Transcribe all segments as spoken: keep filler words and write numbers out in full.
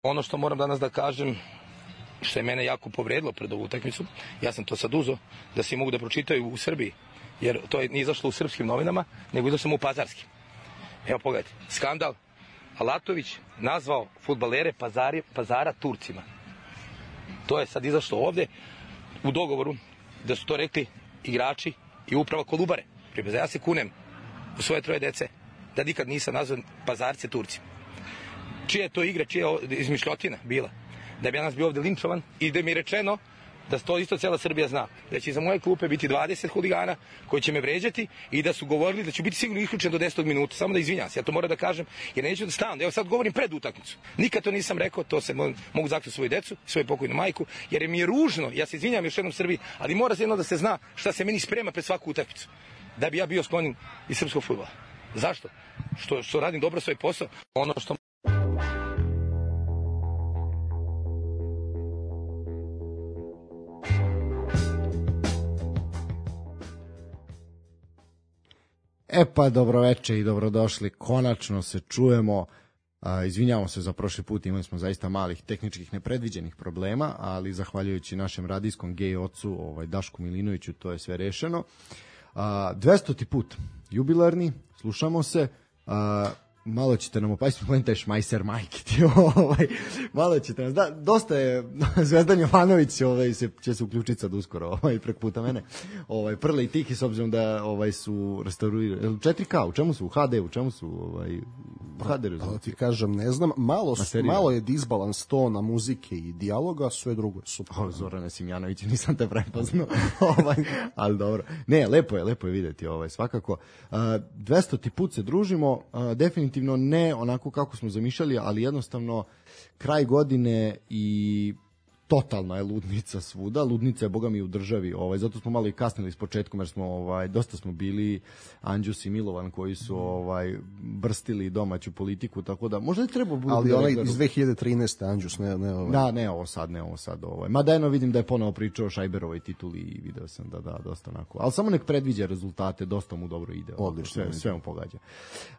Ono što moram danas da kažem, što je mene jako povredilo pred ovu utakmicu, ja sam to sad uzo, da svi mogu da pročitaju u Srbiji, jer to je nije izašlo u srpskim novinama, nego izašlo samo u pazarskim. Evo pogledajte, skandal, Alatović nazvao fudbalere Pazari, Pazara Turcima. To je sad izašlo ovde u dogovoru da su to rekli igrači i uprava Kolubare. Pripaza, ja se kunem u svoje troje dece da nikad nisam nazvan Pazarce Turcima. Čija je to igra, čija je izmišljotina bila? Da bi ja nas bio ovde linčovan i da mi je rečeno da to isto cijela Srbija zna. Da će za moje klupe biti dvadeset huligana koji će me vređati i da su govorili da ću biti sigurno isključen do desetog minuta. Samo da izvinjam se, ja to moram da kažem jer neću da stavim. Evo sad govorim pred utakmicu. Nikad to nisam rekao, to se mogu zaključiti svoju decu, svoju pokojnu majku, jer mi je ružno, ja se izvinjam još jednom Srbiji, ali mora se jedno da se zna šta se meni sprema pred svaku utakmicu. Da bi ja bio sklonjen iz srpskog fudbala. Zašto? Što, što radim dobro svoj posao. Ono što E pa dobroveče i dobrodošli, konačno se čujemo, a, izvinjavamo se za prošli put, imali smo zaista malih tehničkih nepredviđenih problema, ali zahvaljujući našem radijskom gej ocu ovaj, Dašku Milinoviću to je sve rešeno. A, dvestoti put, jubilarni, slušamo se, a, malo ćete nam opasiti, pojim taj šmajser majke ti, ovaj, malo ćete nas, da, dosta je, Zvezdan Jovanović ovaj, se, će se uključiti sad uskoro, ovaj, prek puta mene, ovaj, Prle i Tihi, s obzirom da ovaj, su restaurirali, četiri K, u čemu su, u ha de, u čemu su, ovaj, u ha de da ti kažem, ne znam, malo, su, malo je disbalans tona muzike i dijaloga, sve drugo je super. O, Zorane Simjanović, nisam te prepoznao, ovaj, ali dobro, ne, lepo je, lepo je videti, ovaj, svakako, dvestoti put se družimo, definitivno ne onako kako smo zamišljali, ali jednostavno kraj godine i totalna je ludnica svuda. Ludnica je boga mi u državi, ovaj zato smo malo i kasnili s početkom jer smo ovaj dosta smo bili Anđus i Milovan koji su ovaj brstili domaću politiku, tako da možda treba bude ali onaj iz dve hiljade trinaeste Anđus, ne ne ovaj. Da, ne ovo sad, ne ovo sad ovaj. Mada eno vidim da je ponovo pričao o Šajberovoj tituli i video sam da da dosta onako. Al samo nek predviđa rezultate, dosta mu dobro ide. Odlično, sve, sve mu pogađa.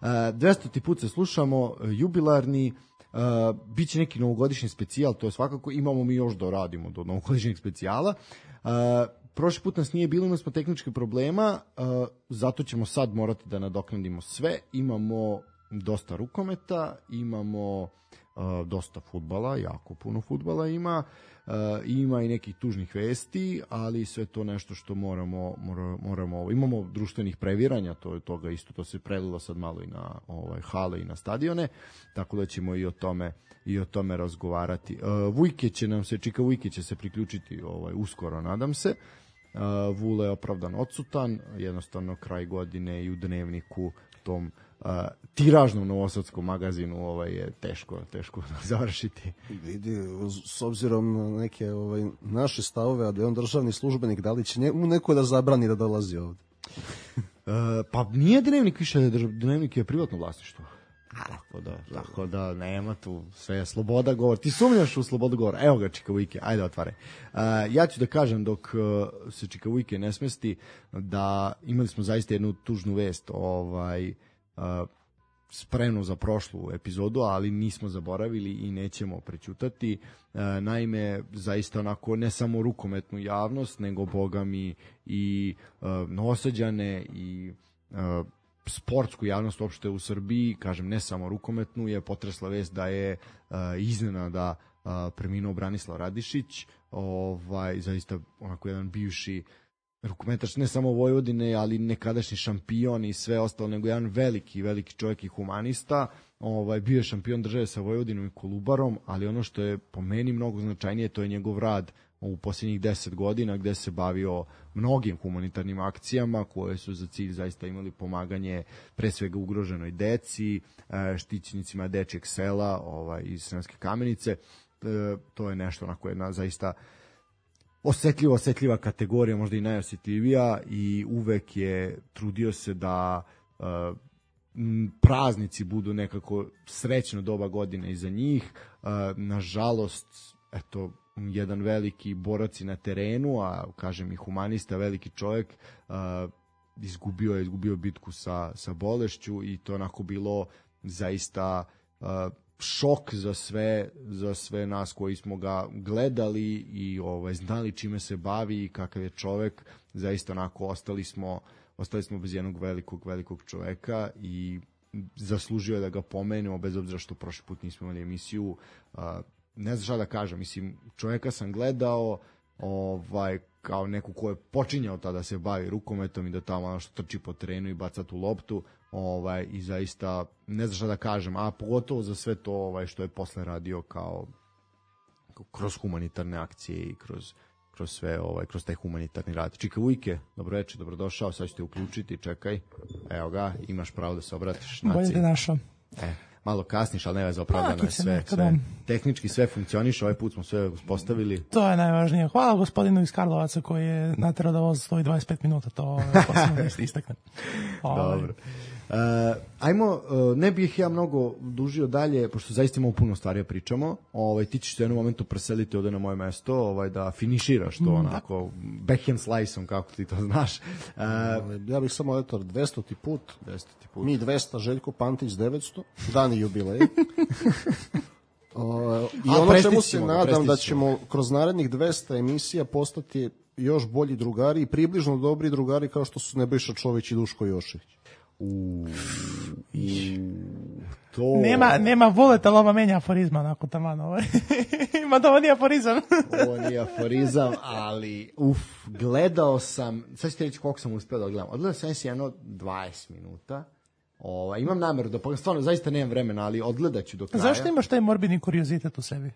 Uh, dvestoti put se slušamo, jubilarni. Uh, biće neki novogodišnji specijal, to je svakako, imamo mi još da radimo do novogodišnjeg specijala. Uh, prošli put nas nije bilo, imali smo tehničke problema, uh, zato ćemo sad morati da nadoknadimo sve. Imamo dosta rukometa, imamo uh, dosta fudbala, jako puno fudbala ima, uh, ima i nekih tužnih vesti, ali sve to nešto što moramo, moramo, moramo imamo društvenih previranja, to je toga isto, to se prelilo sad malo i na ovaj, hale i na stadione, tako da ćemo i o tome i o tome razgovarati. Uh, Vujke će nam se, Čika Vujke će se priključiti ovaj, uskoro, nadam se. Uh, Vule je opravdan odsutan, jednostavno kraj godine i u dnevniku tom uh, tiražnom novosadskom magazinu ovaj je teško teško završiti. Vidi, s obzirom na neke ovaj naše stavove, a da je on državni službenik, da li će njemu neko da zabrani da dolazi ovde? uh, pa nije dnevnik više, dnevnik je privatno vlasništvo. Tako da, tako da nema tu, sve je sloboda govora. Ti sumnjaš u slobodu govora? Evo ga Čika Vujke, ajde otvaraj. Uh, ja ću da kažem dok uh, se Čika Vujke ne smesti da imali smo zaista jednu tužnu vest, ovaj uh, spremnu za prošlu epizodu, ali nismo zaboravili i nećemo prećutati. Uh, naime, zaista onako ne samo rukometnu javnost, nego boga mi i uh, Novosađane i uh, sportsku javnost uopšte u Srbiji, kažem ne samo rukometnu, je potresla vest da je uh, iznenada uh, preminuo Branislav Radišić, ovaj zaista onako jedan bivši rukometaš ne samo Vojvodine, ali nekadašnji šampion i sve ostalo, nego jedan veliki, veliki čovjek i humanista. Ovaj bio je šampion države sa Vojvodinom i Kolubarom, ali ono što je po meni mnogo značajnije, to je njegov rad u posljednjih deset godina gde se bavio mnogim humanitarnim akcijama koje su za cilj zaista imali pomaganje pre svega ugroženoj deci, štićenicima dečjeg sela ovaj, iz Sremske Kamenice. To je nešto onako jedna zaista osetljiva, osetljiva kategorija, možda i najosjetljivija, i uvek je trudio se da uh, praznici budu nekako srećno doba godine iza njih. Uh, nažalost, eto, jedan veliki borac na terenu, a kažem i humanista, veliki čovjek, uh, izgubio je izgubio bitku sa, sa bolešću, i to onako bilo zaista uh, šok za sve, za sve nas koji smo ga gledali i ovaj, znali čime se bavi i kakav je čovek. Zaista onako ostali smo, ostali smo bez jednog velikog, velikog čoveka i zaslužio je da ga pomenemo, bez obzira što prošli put nismo imali emisiju. Ne znam šta da kažem, mislim, čoveka sam gledao ovaj, kao neku ko je počinjao tada se bavi rukometom i da tamo ono što trči po terenu i baca tu loptu, ovaj, i zaista ne znam šta da kažem, a pogotovo za sve to ovaj, što je posle radio kao kroz humanitarne akcije i kroz, kroz sve, ovaj, kroz taj humanitarni rad. Čika Vujke, dobro večer, dobrodošao, sad ću te uključiti, čekaj, evo ga, imaš pravo da se obratiš naciji. Bolje te našao. E, malo kasniš, ali ne veze, opravdano je sve, sve. Tehnički sve funkcioniše, ovaj put smo sve uspostavili. To je najvažnije. Hvala gospodinu iz Karlovaca koji je naterao da voz stoji dvadeset pet minuta, to je posebno da istaknem. Dobro. Uh, ajmo, uh, ne bih ja mnogo dužio dalje, pošto zaista imamo puno stvari da pričamo. Ovaj, ti ćeš se u jednom momentu preseliti ovde na moje mesto, ovaj, da finiširaš to onako backhand slice-om, kako ti to znaš. Uh, ja bih samo, eto, dvestoti put, dvestoti put. Mi dvesta, Željko Pantić devetsto, dani jubilej. Uh, I A, ono čemu se ga, nadam da ćemo kroz narednih dvesta emisija postati još bolji drugari i približno dobri drugari kao što su Nebojša Čović i Duško Jošević. U, i, to... Nema, nema voleta, lova menja aforizma, onako taman ovaj. Ima da ovo nije aforizam. Ovo nije aforizam, ali uf, gledao sam, sad ćete reći koliko sam uspeo da gledam. Odgledao sam si jedno dvadeset minuta. Ova, imam nameru da pogledam, stvarno zaista nemam vremena, ali odgledat ću do kraja. Zašto imaš taj morbidni kuriozitet u sebi?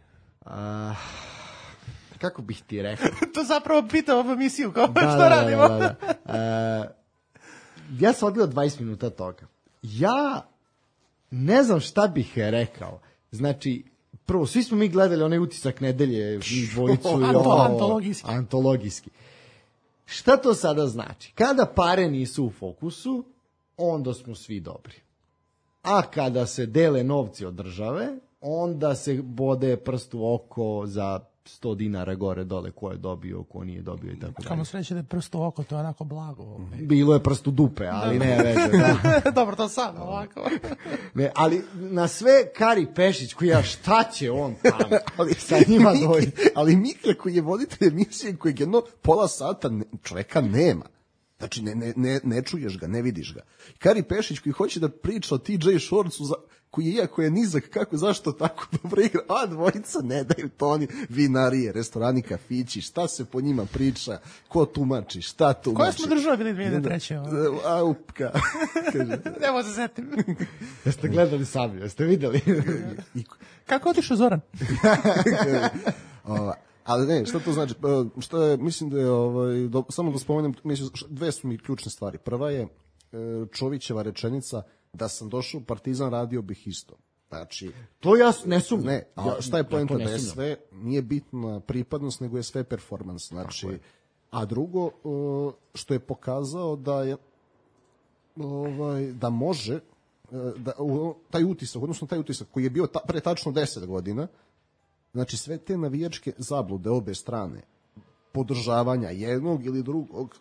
A, kako bih ti rekao? To zapravo pita ovu emisiju, kao da, što da, radimo. Da, da, da. A, ja sam odgledao dvadeset minuta toga. Ja ne znam šta bih rekao. Znači, prvo, svi smo mi gledali onaj utisak nedelje, mi dvojicu. Anto, antologijski. Antologijski. Šta to sada znači? Kada pare nisu u fokusu, onda smo svi dobri. A kada se dele novci od države, onda se bode prst u oko za sto dinara gore dole ko je dobio, ko nije dobio i tako dalje. Kamo sreće da je prst u oko, to je onako blago. Bilo je prst u dupe, ali ne veze. Da. Dobro, to sad ovako. Ne, ali na sve Kari Pešić, koji ja šta će on tamo, ali sa njima dođe. Ali Mika koji je voditelj emisije, kojeg jedno pola sata ne, čoveka nema. Znači, ne, ne, ne, ne čuješ ga, ne vidiš ga. Kari Pešić koji hoće da priča o T J Shortsu, za, koji je, iako je nizak, kako, zašto tako dobro igra, a dvojica ne daju to oni vinarije, restorani, kafići, šta se po njima priča, ko tumači, šta tumači. Koje smo države bili dvije hiljade treće? A, upka. Nemo se setim. Jeste gledali sami, jeste videli? Kako otišao Zoran? Ova. Ali ne, šta to znači? Što je, mislim da je, ovaj, do, samo da spomenem, mislim, dve su mi ključne stvari. Prva je Čovićeva rečenica da sam došao u Partizan, radio bih isto. Znači, to ja ne sumnjam. Ne, a šta je poenta? Ja da je sve, nije bitna pripadnost, nego je sve performans. Znači, a drugo, što je pokazao da je ovaj, da može da, taj utisak, odnosno taj utisak koji je bio ta, pre tačno deset godina, znači sve te navijačke zablude obe strane, podržavanja jednog ili drugog,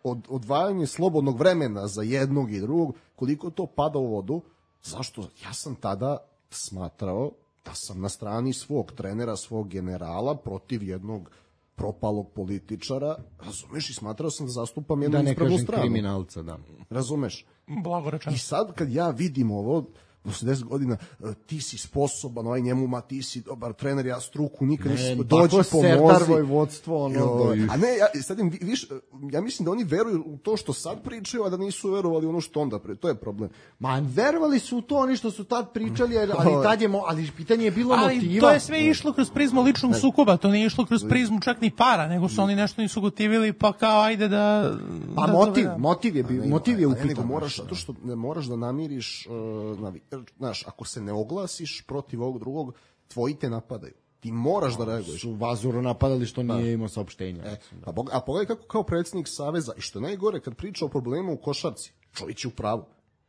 od, odvajanje slobodnog vremena za jednog i drugog, koliko to pada u vodu, zašto? Ja sam tada smatrao da sam na strani svog trenera, svog generala protiv jednog propalog političara, razumeš, i smatrao sam da zastupam jednu ispravnu stranu. Da ne kažem kriminalca, da. Razumeš? Blago rečeno. I sad kad ja vidim ovo, posle deset godina, ti si sposoban, ovaj njemu, ma ti si dobar trener, ja struku nikad nisam, dođi pomozi. Vodstvo, ono, jo, a ne, ja, sad im, viš, ja mislim da oni veruju u to što sad pričaju, a da nisu verovali ono što onda pre, to je problem. Ma, verovali su u to oni što su tad pričali, ali tad je, ali pitanje je bilo ali motiva. Ali to je sve išlo kroz prizmu ličnog sukoba, to nije išlo kroz prizmu čak ni para, nego su oni nešto nisu gotivili, pa kao ajde da... Pa da, motiv, da, motiv je, bio, motiv je upitan. Nego moraš, zato što ne moraš da namiriš, uh, navi, znaš, ako se ne oglasiš protiv ovog drugog, tvoji te napadaju. Ti moraš da reaguješ. Su Vazuru napadali što nije imao saopštenja. E, a, a pogledaj kako kao predsjednik Saveza, i što je najgore kad priča o problemu u košarci, čovjek je u pravu.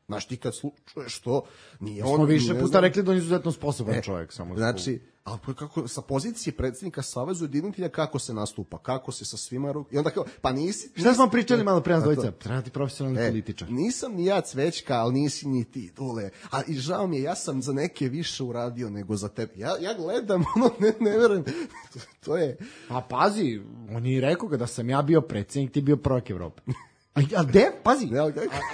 Znaš, ti kad čuješ to, nije on... Smo više puta rekli da on je izuzetno sposoban e, čovjek. Samo znači, ali kako, sa pozicije predsjednika Saveza ujedinitelja kako se nastupa, kako se sa svima ruk... I onda kao, pa nisi... Šta smo pričali malo pre nas dvojica? Treba ti profesionalni e, političar. Nisam ni ja Cvećka, ali nisi ni ti, Dule. A i žao mi je, ja sam za neke više uradio nego za tebe. Ja, ja gledam, ono, ne, ne verujem. To je... Pa pazi, on je rekao ga da sam ja bio predsjednik, ti bio prvak Evrope. A, a de, pazi, a,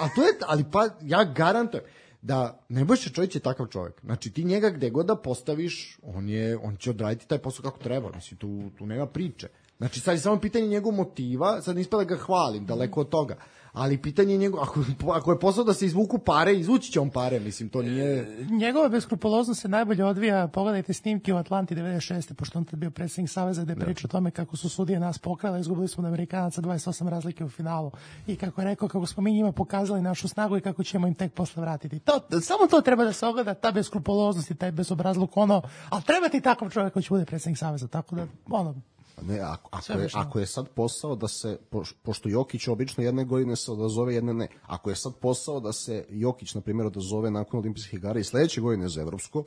a to je, ali pa, ja garantujem da Nebojša Čović je takav čovjek. Znači ti njega gde god da postaviš, on je on će odraditi taj posao kako treba. Mislim tu tu nema priče. Znači sad je samo pitanje njegovog motiva, sad ne ispada ga hvalim, daleko od toga. Ali pitanje njegov, ako, ako je posao da se izvuku pare, izvući će on pare, mislim, to nije... Njegova beskrupuloznost se najbolje odvija, pogledajte snimke u Atlanti devedeset šeste pošto on tad bio predsjednik Saveza, gde priča o tome kako su sudije nas pokrale, izgubili smo od Amerikanaca dvadeset osam razlike u finalu. I kako je rekao, kako smo mi njima pokazali našu snagu i kako ćemo im tek posle vratiti. To, samo to treba da se ogleda, ta beskrupuloznost i taj bezobrazluk, ono, ali treba ti takav čovjek koji će bude predsjednik Saveza, tako da, ono... Ne, ako, ako, je, ako je sad posao da se, po, pošto Jokić obično jedne godine se odazove, jedne ne, ako je sad posao da se Jokić, na primjer, odazove nakon olimpijskih igara i sledeće godine za evropsko,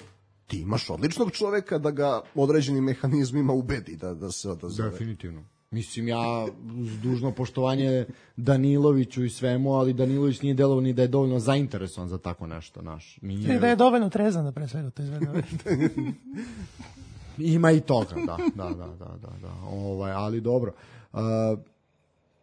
ti imaš odličnog čoveka da ga određenim mehanizmima ubedi da, da se odazove. Definitivno. Mislim, ja uz dužno poštovanje Daniloviću i svemu, ali Danilović nije delovao ni da je dovoljno zainteresovan za tako nešto, naš. Nije... Da je dovoljno trezan da pre svega to izvede. Ima i toga, da, da, da, da, da, da. Ovaj, ali dobro. Uh,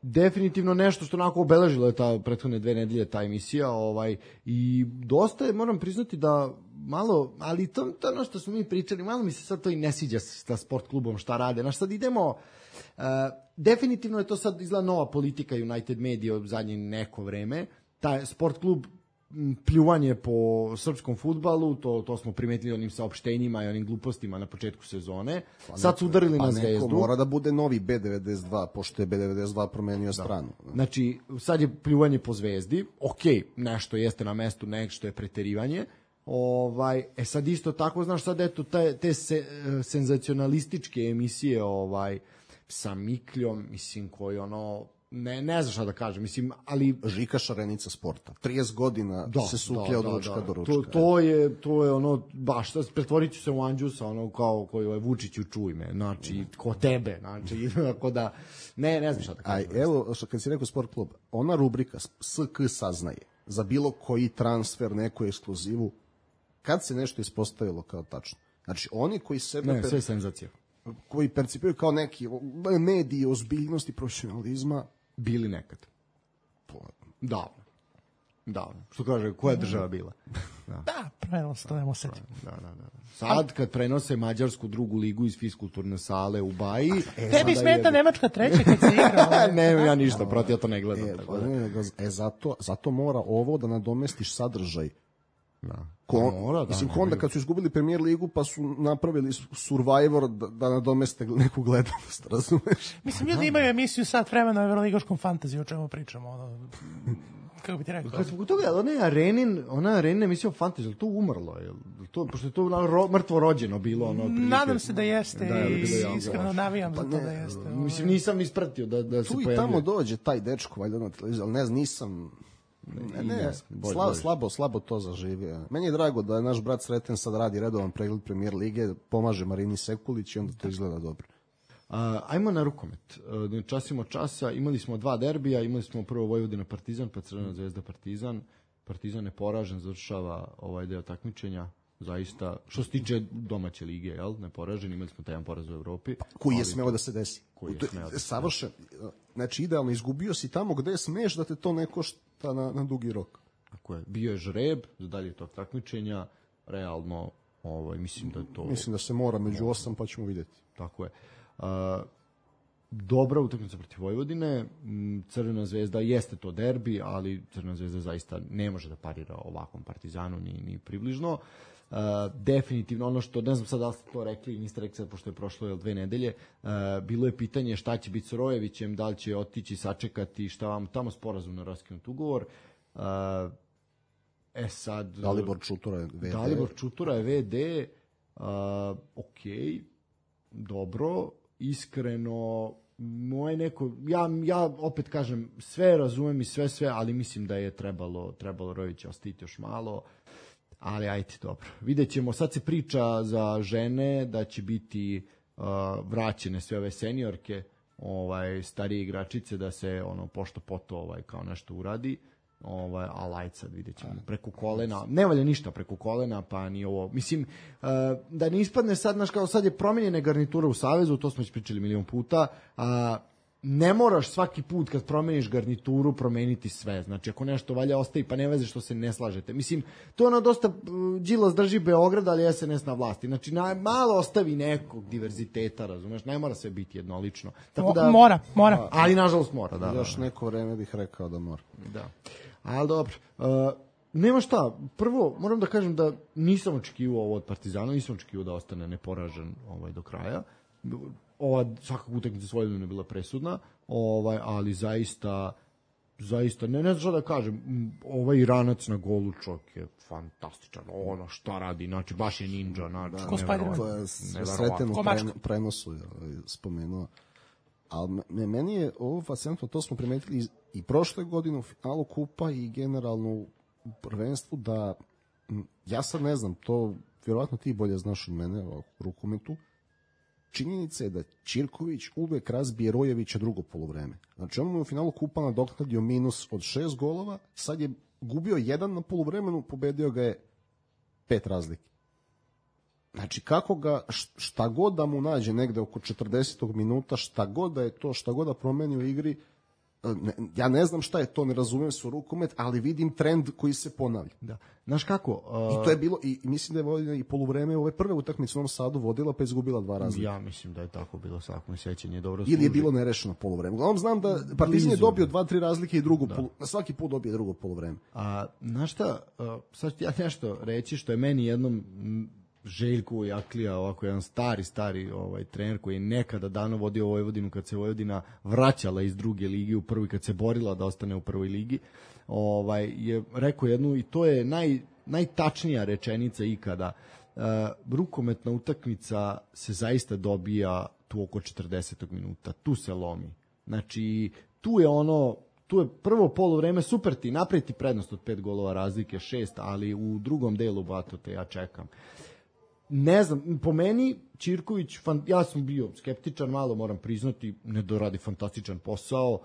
definitivno nešto što onako obeležilo je ta prethodne dve nedelje ta emisija, ovaj, i dosta je, moram priznati da malo, ali to, to ono što smo mi pričali, malo mi se sad to i ne sviđa sa sport klubom šta rade. Znaš, sad idemo, uh, definitivno je to sad izgleda nova politika United Media od zadnje neko vreme, taj sport klub pljuvanje po srpskom fudbalu, to, to smo primetili onim saopštenjima i onim glupostima na početku sezone. Pa sad su udarili pa na Zvezdu. Pa neko mora da bude novi B devedeset dva, pošto je B devedeset dva promenio da. stranu. Znači, sad je pljuvanje po Zvezdi. Ok, nešto jeste na mestu, nešto je preterivanje. Ovaj, e sad isto tako, znaš, sad eto te, te se, senzacionalističke emisije ovaj, sa Mikljom, mislim, koji ono... Ne, ne znam šta da kažem, mislim, ali... Žika Šarenica sporta. trideset godina da, se suklja da, od ručka da, da. do ručka. To, to, je, to je ono, baš, pretvorit ću se u Anđusa, ono kao koji je Vučiću čuj me, znači, ko tebe, znači, ako da... Ne, ne znam šta da kažem. Aj, evo, što kad si rekao sport klub, ona rubrika S K saznaje za bilo koji transfer, neku ekskluzivu, kad se nešto ispostavilo kao tačno. Znači, oni koji sebe... Ne, sve senzacija. Koji percipiraju kao neki mediji ozbiljnosti, profesionalizma, bili nekad. Davno. Davno. Što kaže, koja je država bila? Da, da prenos, to nemo seti. Da, da, da. Sad, kad prenose mađarsku drugu ligu iz fiskulturne sale u Baji... E, tebi smeta je... Nemačka treća kad se igra? Ne, ja ništa, protiv, ja to ne gledam. E, tako da. ne, e zato, zato mora ovo da nadomestiš sadržaj. Da. Ko, mora, da, mislim, onda kad su izgubili Premier ligu pa su napravili Survivor da, da nadomeste neku gledanost, razumeš? Mislim, ljudi imaju emisiju sat vremena o Evroligaškom fantaziju, o čemu pričamo, ono, kako bi ti rekao? Kad smo kod toga, ona je Arenin, ona je Arenin emisija o fantaziju, to umrlo, je to, pošto je to ro, mrtvo rođeno bilo, ono, prilike. Nadam se da jeste da, i ja, iskreno navijam pa za to ne, da jeste. Ovaj. Mislim, nisam ispratio da, da se tu pojavljuje. Tu i tamo dođe taj dečko, valjda na televiziju, ali ne znam, nisam... Ne, ne, bolj, slabo, bolj. slabo, slabo to zaživio. Meni je drago da je naš brat Sreten sad radi redovan pregled Premier lige, pomaže Marini Sekulić i onda to izgleda dobro. A, ajmo na rukomet. Da časimo časa, imali smo dva derbija, imali smo prvo Vojvodina Partizan, pa Crvena Zvezda Partizan. Partizan je poražen, završava ovaj deo takmičenja. Zaista, što se tiče domaće lige, jel? Ne poražen, imali smo taj jedan poraz u Evropi. Pa, koji je smeo da se desi? Koji je smeo da se savršen. Znači, idealno, izgubio si tamo gde smeš da te to ne košta na, na dugi rok. Tako je. Bio je žreb za dalje tog takmičenja. Realno, ovaj, mislim da to... Mislim da se mora među osam, pa ćemo vidjeti. Tako je. Uh, dobra utakmica protiv Vojvodine. Crvena Zvezda jeste to derbi, ali Crvena Zvezda zaista ne može da parira ovakvom Partizanu ni, ni približno. Uh, definitivno ono što, ne znam sad da li ste to rekli, niste rekli sad pošto je prošlo dve nedelje, uh, bilo je pitanje šta će biti s Rojevićem, da li će otići, sačekati, šta vam tamo sporazumno raskinut ugovor. Uh, e sad... Dalibor Čutura je ve de. Dalibor Čutura je ve de. Uh, ok, dobro, iskreno, moje neko, ja, ja opet kažem, sve razumem i sve sve, ali mislim da je trebalo, trebalo Rojevića ostaviti još malo. Ali ajde, dobro. Vidjet ćemo, sad se priča za žene da će biti uh, vraćene sve ove seniorke, ovaj, starije igračice, da se ono pošto poto ovaj, kao nešto uradi. Ovaj, a lajt sad vidjet ćemo preko kolena, ne valja ništa preko kolena, pa ni ovo, mislim uh, da ne ispadne sad, znaš, kao sad je promenjena garnitura u Savezu, to smo već pričali milion puta, a uh, ne moraš svaki put kad promeniš garnituru promeniti sve, znači ako nešto valja ostavi, pa ne veze što se ne slažete, mislim, to je ono dosta, uh, Đilas drži Beograd, ali es en es na vlasti, znači na, malo ostavi nekog diverziteta, razumeš, ne mora sve biti jednolično, tako da, mora, mora, ali nažalost mora, da, još da, neko vreme bih rekao da mora. Da. Ali dobro, uh, nema šta, prvo moram da kažem da nisam očekivao ovo od Partizana, nisam očekivao da ostane neporažen ovaj, do kraja. Ova svakako utakmica s Vojvodinom je bila presudna, ovaj, ali zaista, zaista, ne, ne znam šta da kažem, ovaj Iranac na golu čovjek je fantastičan, ono šta radi, znači baš je ninja, znači, to je sreten u prenosu spomenuo. Ali meni je ovo fascinantno, to smo primetili i prošle godine u finalu kupa i generalno u prvenstvu, da ja sad ne znam, to vjerovatno ti bolje znaš od mene o rukometu, činjenica je da Ćirković uvek razbije Rojevića drugo poluvreme. Znači on mu je u finalu kupa nadoknadio minus od šest golova, sad je gubio jedan na poluvremenu, pobedio ga je pet razlike. Znači, kako ga, šta god da mu nađe negde oko četrdesetog minuta, šta god da je to, šta god da promeni u igri, ne, ja ne znam šta je to, ne razumijem se u rukomet, ali vidim trend koji se ponavlja. Da. Znaš kako? Uh... I to je bilo, i mislim da je vodila i poluvreme ove prve utakmice u Novom Sadu vodila, pa je izgubila dva razlike. Ja mislim da je tako bilo, svako mi sećanje dobro služi. Ili je bilo nerešeno poluvreme. Uglavnom znam da Partizan je dobio dva, tri razlike i drugo, polu, na svaki put dobije drugo poluvreme. A, znaš šta, uh, sad ću ja nešto reći što je meni jednom Željko Jaklija, ovako jedan stari, stari ovaj, trener koji je nekada dano vodio Vojvodinu kad se Vojvodina vraćala iz druge ligi u prvi, kad se borila da ostane u prvoj ligi, ovaj, je rekao jednu, i to je naj, najtačnija rečenica ikada, uh, rukometna utakmica se zaista dobija tu oko četrdesetog minuta, tu se lomi. Znači, tu je ono, tu je prvo poluvreme, super ti, napraviti prednost od pet golova razlike, šest, ali u drugom delu, bato te, ja čekam. Ne znam, po meni Ćirković, fan, ja sam bio skeptičan, malo moram priznati, ne doradi fantastičan posao,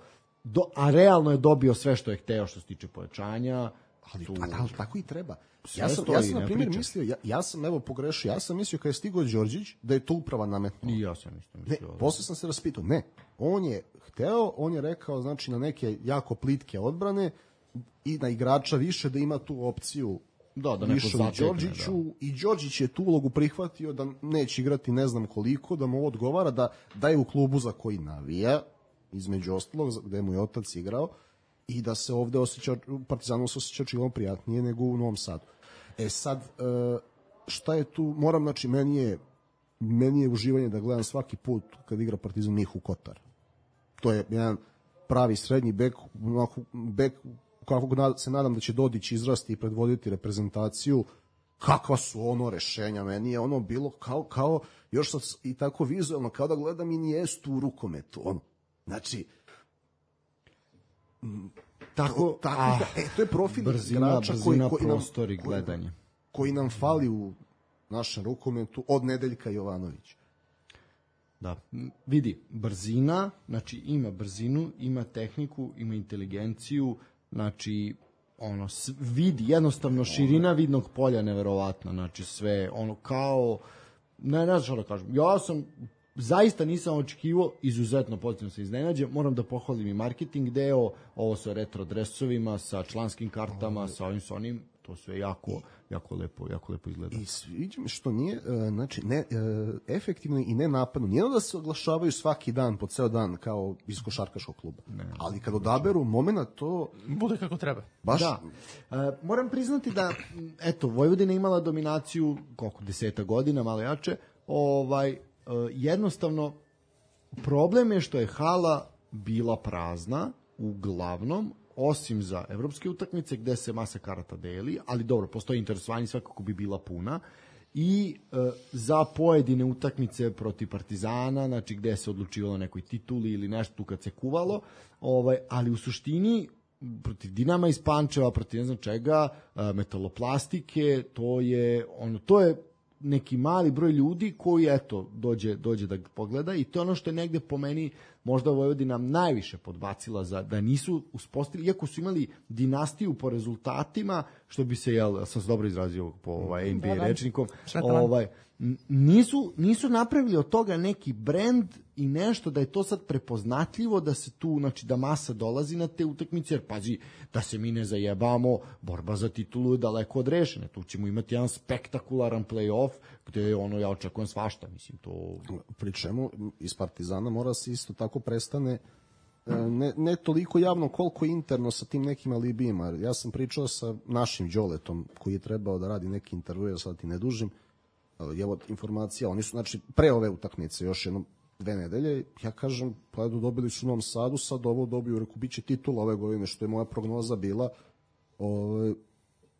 do, a realno je dobio sve što je hteo što se tiče pojačanja. Ali, tu, ali tako i treba. Ja sam, ja sam na primjer mislio, ja, ja sam evo pogrešio, ja sam mislio kada je stigao Đorđić da je to uprava nametnula. I ja sam isto mislio. Ne, posle sam se raspitao, ne, on je hteo, on je rekao, znači na neke jako plitke odbrane i na igrača više da ima tu opciju. Da, da neko zatekne, da. I Đorđić je tu ulogu prihvatio da neće igrati ne znam koliko, da mu ovo odgovara, da, da je u klubu za koji navija, između ostalog, gde mu je otac igrao, i da se ovde osjeća, Partizanu se osjeća čilo prijatnije nego u Novom Sadu. E sad, šta je tu, moram, znači, meni je, meni je uživanje da gledam svaki put kad igra Partizan Mihu Kotar. To je jedan pravi srednji bek, bek kako se nadam da će Dodić izrasti i predvoditi reprezentaciju. Kakva su ono rešenja, meni je ono bilo kao, kao još sad i tako vizualno, kao da gledam Inijestu u rukometu, ono. Znači, tako, to, tako ah, da, e, to je profil brzina, igrača brzina, koji, koji, nam, prostor i gledanje. Koji, koji nam fali u našem rukometu od Nedeljka Jovanovića. Da, vidi, brzina, znači ima brzinu, ima tehniku, ima inteligenciju, znači ono vidi jednostavno širina vidnog polja neverovatna, znači sve ono kao ne, ne znam što da kažem, ja sam zaista nisam očekivao, izuzetno pozitivno se iznenađe, moram da pohvalim i marketing deo, ovo sa retro dresovima, sa članskim kartama, sa ovim sa onim, to sve jako, jako lepo, jako lepo izgleda. I sviđa mi što nije, znači, ne, efektivno i ne napadno, nije da se oglašavaju svaki dan, po ceo dan, kao iz košarkaškog kluba, ne, ali kad odaberu momena, to bude kako treba. Baš? Da. E, moram priznati da, eto, Vojvodina imala dominaciju, koliko, deseta godina, malo jače, ovaj, jednostavno problem je što je hala bila prazna uglavnom, osim za evropske utakmice gde se masa karata deli, ali dobro, postoji interesovanje, svakako bi bila puna, i e, za pojedine utakmice protiv Partizana, znači gde se odlučivalo nekoj tituli ili nešto tu kad se kuvalo, ovaj, ali u suštini protiv Dinama iz Pančeva, protiv ne znam čega, Metaloplastike, to je ono, to je neki mali broj ljudi koji eto dođe dođe da pogleda i to je ono što je negde po meni možda Vojvodina najviše podbacila za da nisu uspostavili, iako su imali dinastiju po rezultatima, što bi se jel sam se dobro izrazio po ovaj N B A rečnikom, ovaj nisu nisu napravili od toga neki brend i nešto da je to sad prepoznatljivo, da se tu, znači da masa dolazi na te utakmice, jer pazi, da se mi ne zajebamo, borba za titulu je daleko od rešene, tu ćemo imati jedan spektakularan play-off, gde ono, ja očekujem svašta, mislim, to... Pri čemu iz Partizana mora se isto tako prestane ne, ne toliko javno koliko interno sa tim nekim alibijima. Ja sam pričao sa našim Đoletom, koji je trebao da radi neki intervju, sad ti ne dužim, evo informacija, oni su, znači, pre ove utakmice, još jednom dve nedelje, ja kažem, pa edo, dobili su u Novom Sadu, sad ovo dobiju, reku, bit će titula ove godine, što je moja prognoza bila. Ove,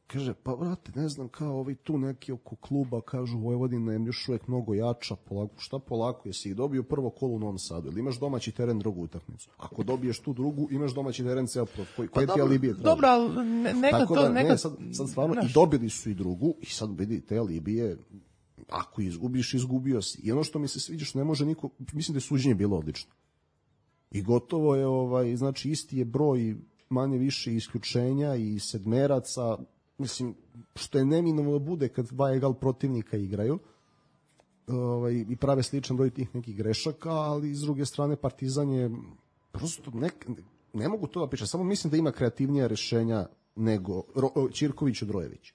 kaže, pa vrate, ne znam, kao ovi tu neki oko kluba, kažu, Vojvodina je još uvek mnogo jača, polako, šta polako, jesi ih dobio prvo kolo u Novom Sadu, ili imaš domaći teren drugu utakmicu? Ako dobiješ tu drugu, imaš domaći teren ceo plot, koji, koji pa, ti alibije traži? Dobro, ali neka tako to... Da, neka... Ne, sad, sad stvarno, naš. I dobili su i drugu, i sad vidi, te alibije, ako izgubiš, izgubio si. I ono što mi se sviđa, što ne može niko, mislim da je suđenje bilo odlično. I gotovo je, ovaj, znači, isti je broj manje više isključenja i sedmeraca, mislim, što je neminovno bude kad dva egal protivnika igraju, ovaj, i prave sličan broj tih nekih grešaka, ali s druge strane Partizan je prosto, ne, ne mogu to da pričam, samo mislim da ima kreativnija rešenja nego Ro, Ćirković od Rojević.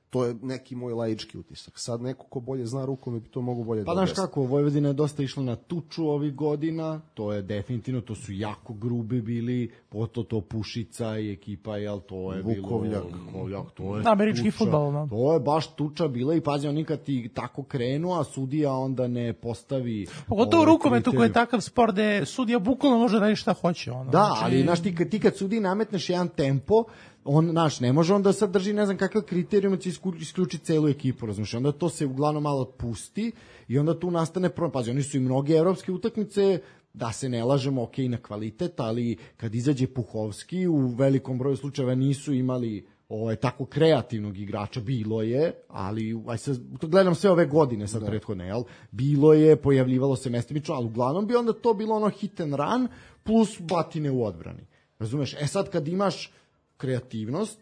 To je neki moj laički utisak. Sad neko ko bolje zna rukom bi to mogu bolje pa, da objasni. Pa znaš kako, Vojvodina je dosta išla na tuču ovih godina, to je definitivno, to su jako grubi bili, poto to Pušica i ekipa, jel, to je Vukovljak. bilo... Vukovljak, to je američki fudbal, no. To je baš tuča bila i pazi, oni kad ti tako krenu, a sudija onda ne postavi... Pogotovo u rukometu koji je takav sport gde sudija bukvalno može da radi šta hoće. Ono. Da, znači... ali znaš, ti, ti kad sudiji nametneš jedan tempo, on, naš, ne može onda sad drži ne znam kakav kriterijum da će isključiti celu ekipu, razumiješ, onda to se uglavnom malo otpusti i onda tu nastane problem. Pazi, oni su i mnoge evropske utakmice, da se ne lažemo, ok, na kvalitet, ali kad izađe Puhovski, u velikom broju slučajeva nisu imali ovaj, tako kreativnog igrača, bilo je, ali aj sad, gledam sve ove godine sad da. prethodne, jel? Bilo je, pojavljivalo se mestimično, ali uglavnom bi onda to bilo ono hit and run plus batine u odbrani. Razumeš? E sad kad imaš kreativnost,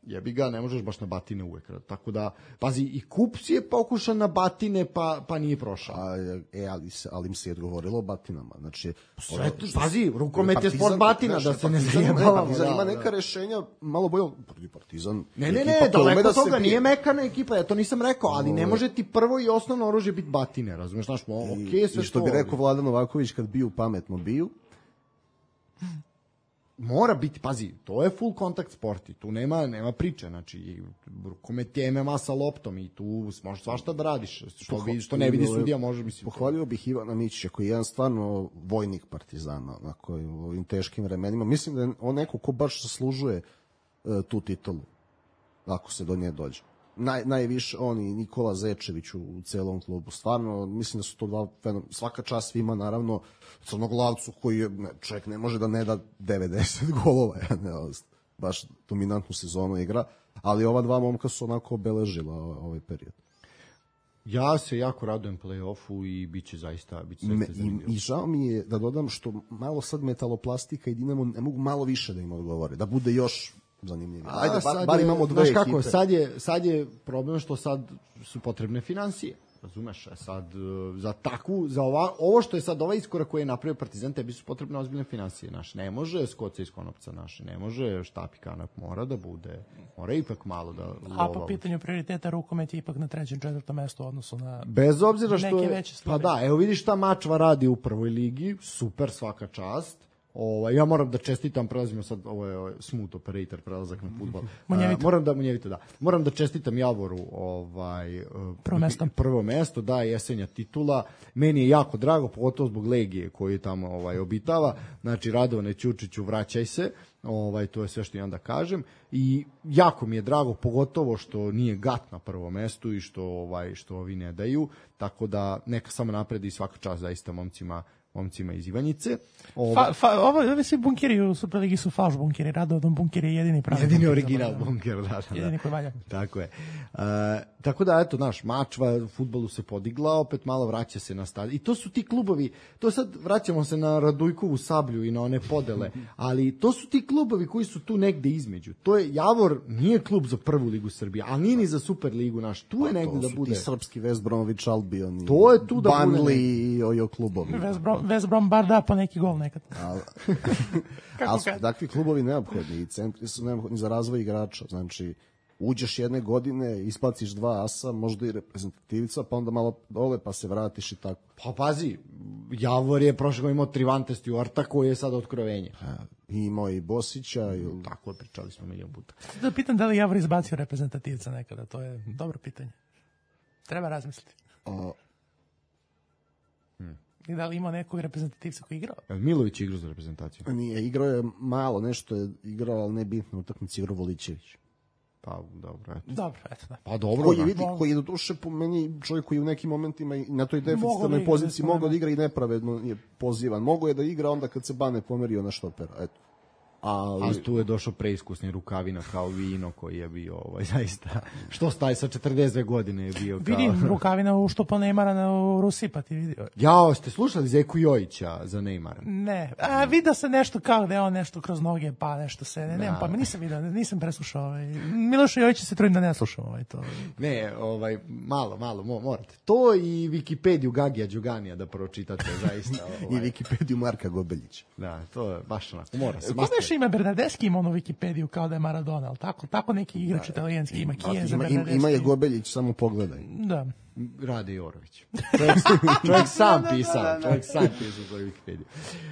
jebi ga, ne možeš baš na batine uvek. Tako da, pazi, i Kups je pokušan na batine, pa, pa nije prošao. A, e, ali, se, ali im se je odgovorilo batinama. Znači, sve to, pazi, rukomet je sport batina, da se ne zajebavamo. Partizan ima neka rešenja, malo bolje, Partizan... Ne, ne, ne, daleko toga, nije mekana ekipa, ja to nisam rekao, ali ne može ti prvo i osnovno oružje biti batine, razumeš, znaš, okej, sve I što bi rekao Vladan Novaković, kad biju pametno biju, mora biti, pazi, to je full kontakt sport i tu nema, nema priče, znači, rukomet je M M A sa loptom i tu možeš svašta da radiš, što, vi, što ne vidi sudija, može, mislim. Pohvalio bih Ivana Mićića, koji je jedan stvarno vojnik Partizana, onako, u ovim teškim vremenima. Mislim da je on neko ko baš zaslužuje uh, tu titulu, ako se do nje dođe. Naj, najviše on i Nikola Zečević u, u celom klubu. Stvarno, mislim da su to dva fenomena. Svaka čast svima, naravno, Crnoglavcu koji je, ne, čovjek ne može da ne da devedeset golova, ja ne, baš dominantnu sezonu igra, ali ova dva momka su onako obeležila ovaj, ovaj period. Ja se jako radujem play-offu i bit će zaista, bit će zaista zanimljivo. I, I žao mi je da dodam što malo sad Metaloplastika i Dinamo ne mogu malo više da im odgovore, da bude još zanimljivije. Ajde, bar, bar imamo dve ekipe. Kako, sad, je, sad je problem što sad su potrebne financije. Razumeš, sad za takvu, za ova, ovo što je sad ovaj iskorak koji je napravio Partizan, tebi su potrebne ozbiljne financije, naš. Ne može skoca iz konopca, naš. Ne može štap i kanap, mora da bude, mora ipak malo da lova. A po pitanju prioriteta rukomet je ipak na trećem, četvrtom mestu u odnosu na bez obzira što neke veće stvari. Pa da, evo vidiš šta Mačva radi u prvoj ligi, super, svaka čast. Ovaj, ja moram da čestitam, prelazimo sad, ovo je, ovo je smooth operator, prelazak na fudbal. Uh, moram da, munjevito, da. Moram da čestitam Javoru ovaj, prvo mesto. Prvo mesto, da, jesenja titula. Meni je jako drago, pogotovo zbog Legije koju tamo ovaj, obitava. Znači, Radovane Ćučiću, vraćaj se. Ovaj, to je sve što imam da kažem i jako mi je drago, pogotovo što nije Gat na prvom mestu i što ovaj što ovi ne daju, tako da neka samo napredi, svaka čast zaista momcima momcima iz Ivanjice. Ovo fa, fa, ovo ovi svi bunkeri u Superligi su falš bunkeri, Radovan bunker je jedini pravi. Jedini bunker, original bunker, da, da. Jedini koji valja. Tako je. Uh, tako da eto naš mač u fudbalu se podigla, opet malo vraća se na stadion. I to su ti klubovi, to sad vraćamo se na Radujkovu Sablju i na one podele, ali to su ti klubovi koji su tu negde između. To je Javor nije klub za prvu ligu Srbije, a nije ni za Superligu naš. Tu je negde da bude. To su ti srpski West Bromwich Albion. To je tu da bude. Burnley i ojo klubovi. West Brom West Brom bar da po neki gol nekad. Ali al su takvi klubovi neophodni i centri su neophodni za razvoj igrača. Znači, uđeš jedne godine, isplaciš dva asa, možda i reprezentativica, pa onda malo dole, pa se vratiš i tako. Pa pazi, Javor je prošle godine imao Trivante Stuarta koji je sad otkrovenje. Ha, imao i Bosića. I... Tako je, pričali smo milion puta. Da pitam da li Javor izbacio reprezentativca nekada, to je dobro pitanje. Treba razmisliti. A... Hmm. I da li ima nekog reprezentativca koji igrao? Milović igrao za reprezentaciju. Nije, igrao je malo, nešto je igrao, ali ne bitno, utakmici igrao Volićević. Pa dobro, eto. Dobro, eto da. Pa dobro. Koji, vidi, koji je do duše po meni čovjek koji u nekim momentima i na toj deficitarnoj poziciji mogao da igra i nepravedno je pozivan. Mogao je da igra onda kad se Bane pomerio na štopera, eto. Ali... ali tu je došao preiskusni Rukavina kao Vino koji je bio ovaj, zaista, što staje sa četrdeset dve godine je bio kao... Vidim Rukavina u što po Neymara u Rusiji, pa ti vidio. Jao, ste slušali Zeku Jojića za Neymara? Ne, a vidio se nešto kao da je on nešto kroz noge, pa nešto se, ne, nemam pa, nisam vidio, nisam preslušao. Ovaj. Miloša Jojića se trudim da ne slušam ovaj to. Ne, ovaj, malo, malo, morate. To i Wikipediju Gagija Đuganija da pročitate, zaista. Ovaj. I Wikipediju Marka Gobeljića. Da, to je baš onako, mora se. Ima Bernardeschi ima ono Wikipediju kao da je Maradona, ali tako, tako neki igrač italijanski ima Chiesa, ima, Bernardeschi. Ima je Gobeljić, samo pogledaj. Da. Rade Jorović. Čovjek, čovjek sam pisao, čovjek sam pisao svoju Wikipediju.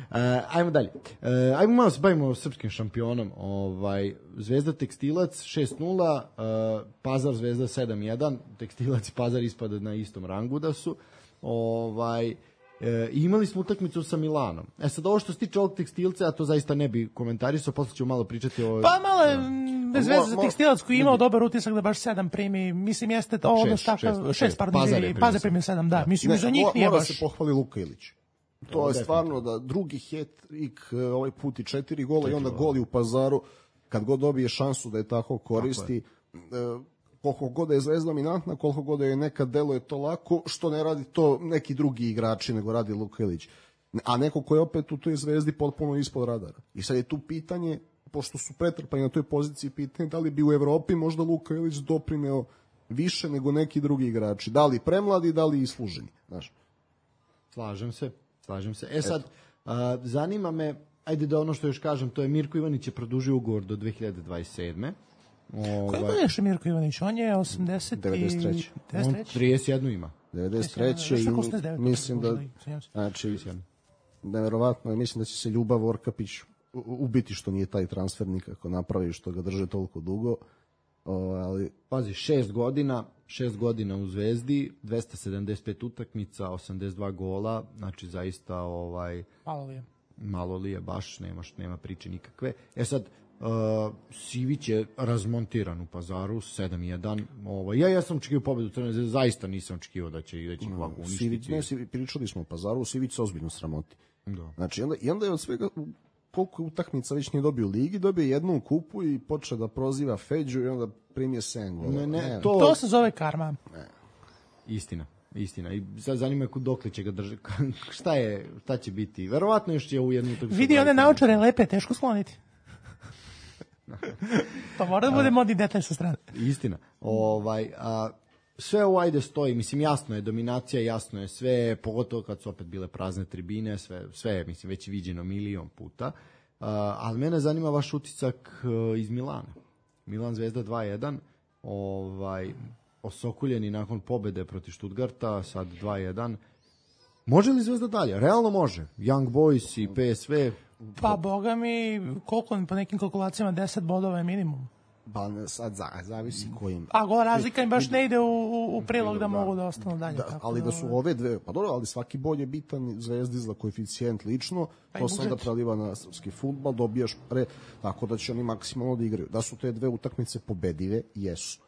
Uh, ajmo dalje. Uh, ajmo malo se bavimo srpskim šampionom. Ovaj, Zvezda Tekstilac šest nula, uh, Pazar Zvezda sedam jedan, Tekstilac i Pazar ispada na istom rangu da su. Ovaj... E, imali smo utakmicu sa Milanom. E sad ovo što se tiče ovog Tekstilca, a to zaista ne bi komentarisao, posle ćemo malo pričati o... Pa malo je bez veze za Tekstilac koji je imao dobar utisak da baš sedam primi, mislim jeste to ono tako, šest, pardon, Pazar primio sedam, da, mislim ne, za njih nije mora baš... Mora se pohvali Luka Ilić. To o, je stvarno da drugi hat-trick, ovaj put i četiri gola četiri i onda goli u Pazaru, kad god dobije šansu da je tako koristi... Tako je. Koliko god je Zvezda dominantna, koliko god je nekad deluje to lako, što ne radi to neki drugi igrači, nego radi Luka Ilić. A neko ko je opet u toj Zvezdi potpuno ispod radara. I sad je tu pitanje, pošto su pretrpani na toj poziciji, pitanje da li bi u Evropi možda Luka Ilić doprineo više nego neki drugi igrači. Da li premladi, da li isluženi. Znaš. Slažem se, slažem se. E sad, a, zanima me, ajde da ono što još kažem, to je Mirko Ivanić je produžio ugovor do dve hiljade dvadeset sedme. Ovaj... Koji je Mirko Ivanić? On je osamdeset devedeset treće. On trideset jedan ima. devedeset treće i mislim da, znači, nevjerovatno je, mislim da će se Ljubav Orkapić ubiti što nije taj transfer nikako napravi, što ga drže toliko dugo. O, ali... Pazi, šest godina, šest godina u Zvezdi, dvesta sedamdeset pet utakmica, osamdeset dva gola, znači zaista ovaj... Malo li je. Malo li je, baš nema, nema priče nikakve. E sad, Uh, Sivić je razmontiran u Pazaru sedam jedan. Ovaj ja ja sam očekivao pobedu Crvene Zvezde, zaista nisam očekivao da će da će ovako uništiti. Sivić, ne, Sivić, pričali smo o Pazaru, Sivić se ozbiljno sramoti. Da. Znači onda i onda je od svega koliko utakmica već nije dobio u ligi, dobio jednu u kupu i počeo da proziva Feđu i onda primio sedam gola. Ne, ne, ne, to... to se zove karma. Ne. Istina. Istina. I sad zanima me dokle će ga držati. Šta je, šta će biti? Verovatno još će u jednu utakmicu. Vidi one naočare lepe, teško skloniti. To mora da bude modni detalj sa strane. Istina. Ovaj, a, sve ovo ajde stoji, mislim jasno je dominacija, jasno je sve, pogotovo kad su opet bile prazne tribine, sve, sve je mislim već viđeno milion puta, a, ali mene zanima vaš utisak a, iz Milana. Milan Zvezda dva jedan, ovaj, osokuljeni nakon pobede protiv Stuttgarta, sad dva jedan. Može li Zvezda dalje? Realno može. Young Boys i P S V... Pa, boga mi, koliko, po nekim kalkulacijama, deset bodova je minimum. Ba, sad za, zavisi kojim. A go razlika im baš ne ide u, u, u prilog da mogu da ostanu dalje. Da, ali da su ove dve, pa dobro, ali svaki bod je bitan, Zvezdi za koeficijent lično, pa to sam da preliva na srpski fudbal, dobijaš pre, tako da će oni maksimalno da igraju. Da su te dve utakmice pobedive, jesu.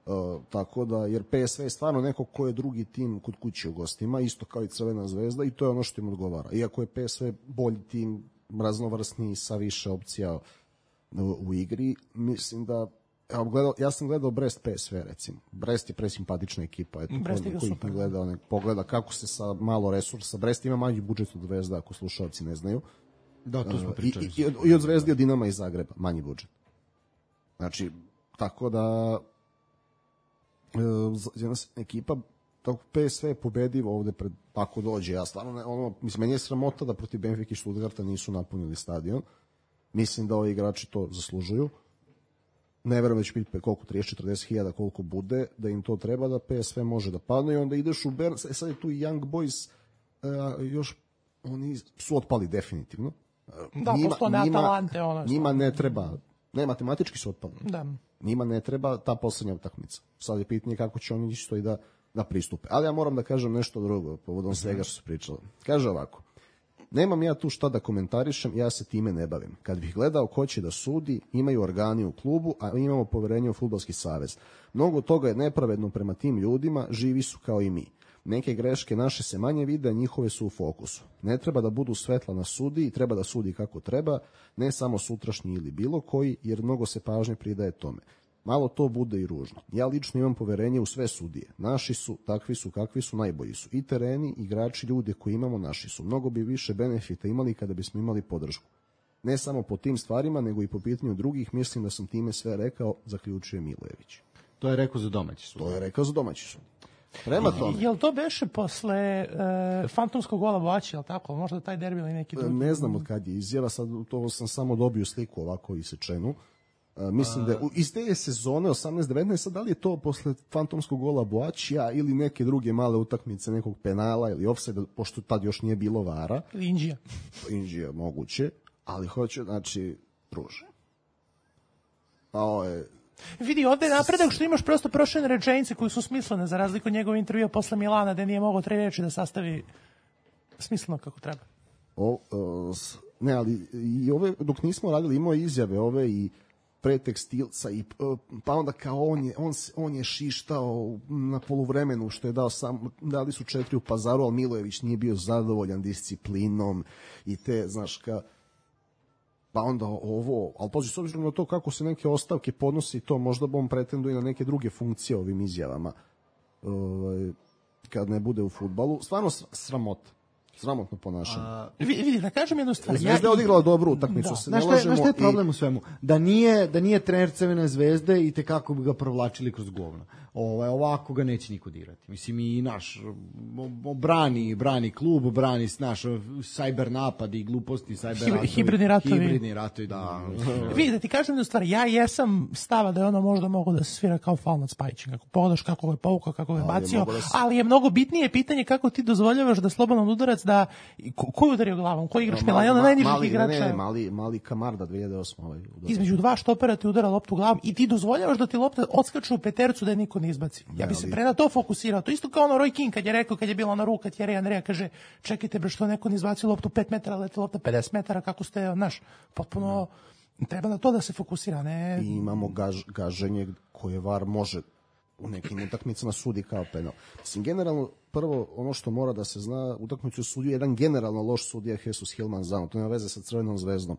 Uh, tako da, jer P S V je stvarno neko ko je drugi tim kod kuće u gostima, isto kao i Crvena zvezda, i to je ono što im odgovara. Iako je P S V bolji tim, raznovrsniji, sa više opcija u, u igri, mislim da ja, gledao, ja sam gledao Brest P S V, recimo. Brest je presimpatična ekipa, eto, Brest ko, ko ih gleda, ne, pogleda kako se sa malo resursa, Brest ima manji budžet od Zvezda, ako slušalci ne znaju. Da, to smo pričali. Uh, i, i, I od Zvezdi, od Dinama i Zagreba, manji budžet. Znači, tako da jedna ekipa tako P S V je pobedivo ovde pred, ako dođe, ja stvarno ne, ono, mislim, meni je sramota da protiv Benfike i Stuttgarta nisu napunili stadion. Mislim da ovi igrači to zaslužuju. Ne verujem da će biti koliko, trideset četrdeset hiljada, koliko bude, da im to treba, da P S V može da padne i onda ideš u Bern, sad je tu i Young Boys, uh, još oni su otpali definitivno. Da, njima, posto ne Atalante. Ono njima ne treba, ne, matematički su otpali. Da. Njima ne treba ta poslednja utakmica. Sad je pitanje kako će oni isto i da, da pristupe. Ali ja moram da kažem nešto drugo, povodom svega što se pričalo. Kaže ovako, nemam ja tu šta da komentarišem, ja se time ne bavim. Kad bih gledao ko će da sudi, imaju organi u klubu, a imamo poverenje u Fudbalski savez. Mnogo toga je nepravedno prema tim ljudima, živi su kao i mi. Neke greške naše se manje vide, a njihove su u fokusu. Ne treba da budu svetla na sudi i treba da sudi kako treba, ne samo sutrašnji ili bilo koji, jer mnogo se pažnje pridaje tome. Malo to bude i ružno. Ja lično imam poverenje u sve sudije. Naši su, takvi su, kakvi su, najbolji su. I tereni, igrači, ljude koji imamo, naši su. Mnogo bi više benefita imali kada bismo imali podršku. Ne samo po tim stvarima, nego i po pitanju drugih. Mislim da sam time sve rekao, zaključuje Milojević. To je rekao za domaći sud. To je rekao za domaći sud. Prema tome. Jel to beše posle e, fantomskog gola Boaći, jel tako? Možda taj derbi ili neki drugi? Ne znam od kad je izjava, sad to sam samo dobio sliku ovako isečenu. Uh, mislim da iz te sezone osamnaest devetnaest, sad da li je to posle fantomskog gola Boaćija ili neke druge male utakmice, nekog penala ili ofsajda, pošto tad još nije bilo vara. Ili Inđija. Inđija moguće, ali hoće, znači, druže. A ovo je... Vidi, ovde je napredak što imaš prosto prošljene rečenice koji su smislene, za razliku od njegove intervjua posle Milana, gde nije mogao tri reči da sastavi smisleno kako treba. O, uh, ne, ali i ove, dok nismo radili, imao izjave ove i pre Tekstilca i pa onda kao on je on on je šištao na poluvremenu što je dao sam, dali su četiri u Pazaru, al Milojević nije bio zadovoljan disciplinom i te, znaš, ka pa onda ovo, al pazi, s obzirom na to kako se neke ostavke podnosi, to možda on pretenduje na neke druge funkcije ovim izjavama, ovaj, kad ne bude u fudbalu, stvarno sramota. Sramotno ponašanje. Vidi, da kažem jednu stvar. Zvezda je odigrala dobru utakmicu, da. se ne lažemo. Znaš šta je problem u svemu? Da nije, da nije trener Crvene zvezde i tekako bi ga provlačili kroz govno. Ovaj, ovako ga neće niko dirati. Mislim, i naš brani, brani klub, brani naš sajber napad i gluposti, sajber ratovi. Hibridni ratovi. Hibridni ratovi, da. Vidi, da ti kažem jednu stvar. Ja jesam stava da je ono možda mogo da se svira kao faul nad Spajićem. Kako pogledaš kako ga je povukao, kako ga je bacio. Da se... Ali je mnogo bitnije pitanje kako ti dozvoljavaš da slobodan udarac da ko, ko je udario glavom? Ko igraš Milan? Jedan od najnižih igrača. Ne, mali, mali Kamarda dve hiljade osme. Ovaj, između dva štopera ti udara loptu glavom i ti dozvoljavaš da ti lopta odskače u petercu da je niko ne izbaci. Ja bih se pre na to fokusirao. To isto kao ono Roy King kad je rekao, kad je bila ona ruka Thierry Andrea, kaže, čekajte bre, što neko ne izbacio loptu pet metara, leti lopta pedeset metara, kako ste, znaš, potpuno treba na to da se fokusira, ne? I imamo gaž, gaženje koje VAR može u nekim utakmicama sudi kao penal. Mislim, generalno, prvo, ono što mora da se zna, utakmicu sudio jedan generalno loš sudija Jesus Hilman Zano. To nema veze sa Crvenom zvezdom.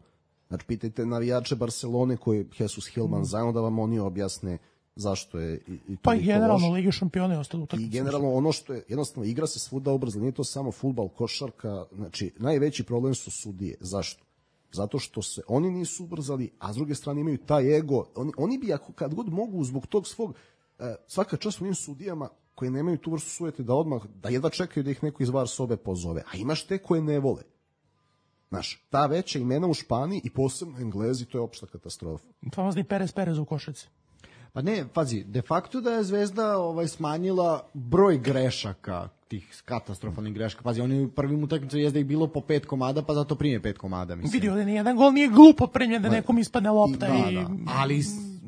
Znači, pitajte navijače Barcelone koji Jesus Hilman Zano da vam oni objasne zašto je i, i pa i generalno Ligi šampiona je ostalo utakmica. I generalno ono što je, jednostavno, igra se svuda ubrzano, nije to samo fudbal, košarka, znači, najveći problem su sudije. Zašto? Zato što se oni nisu ubrzali, a s druge strane imaju taj ego. Oni, oni bi, ako, kad god mogu, zbog tog svog svaka čast onim sudijama koji nemaju tu vrstu sujete da odmah, da jedva čekaju da ih neko iz VAR sobe pozove, a imaš te koje ne vole. Znaš, ta veća imena u Španiji i posebno Englezi, to je opšta katastrofa. Famozni Perez Perez u košarci. Pa ne, pazi, de facto da je Zvezda ovaj, smanjila broj grešaka, tih katastrofalnih grešaka. Pazi, oni u prvim utakmicama jezda ih bilo po pet komada, pa zato prime pet komada, mislim. Vidio da nijedan gol nije glupo primljen da nekom ispadne lopta. I, da, i... da. Ali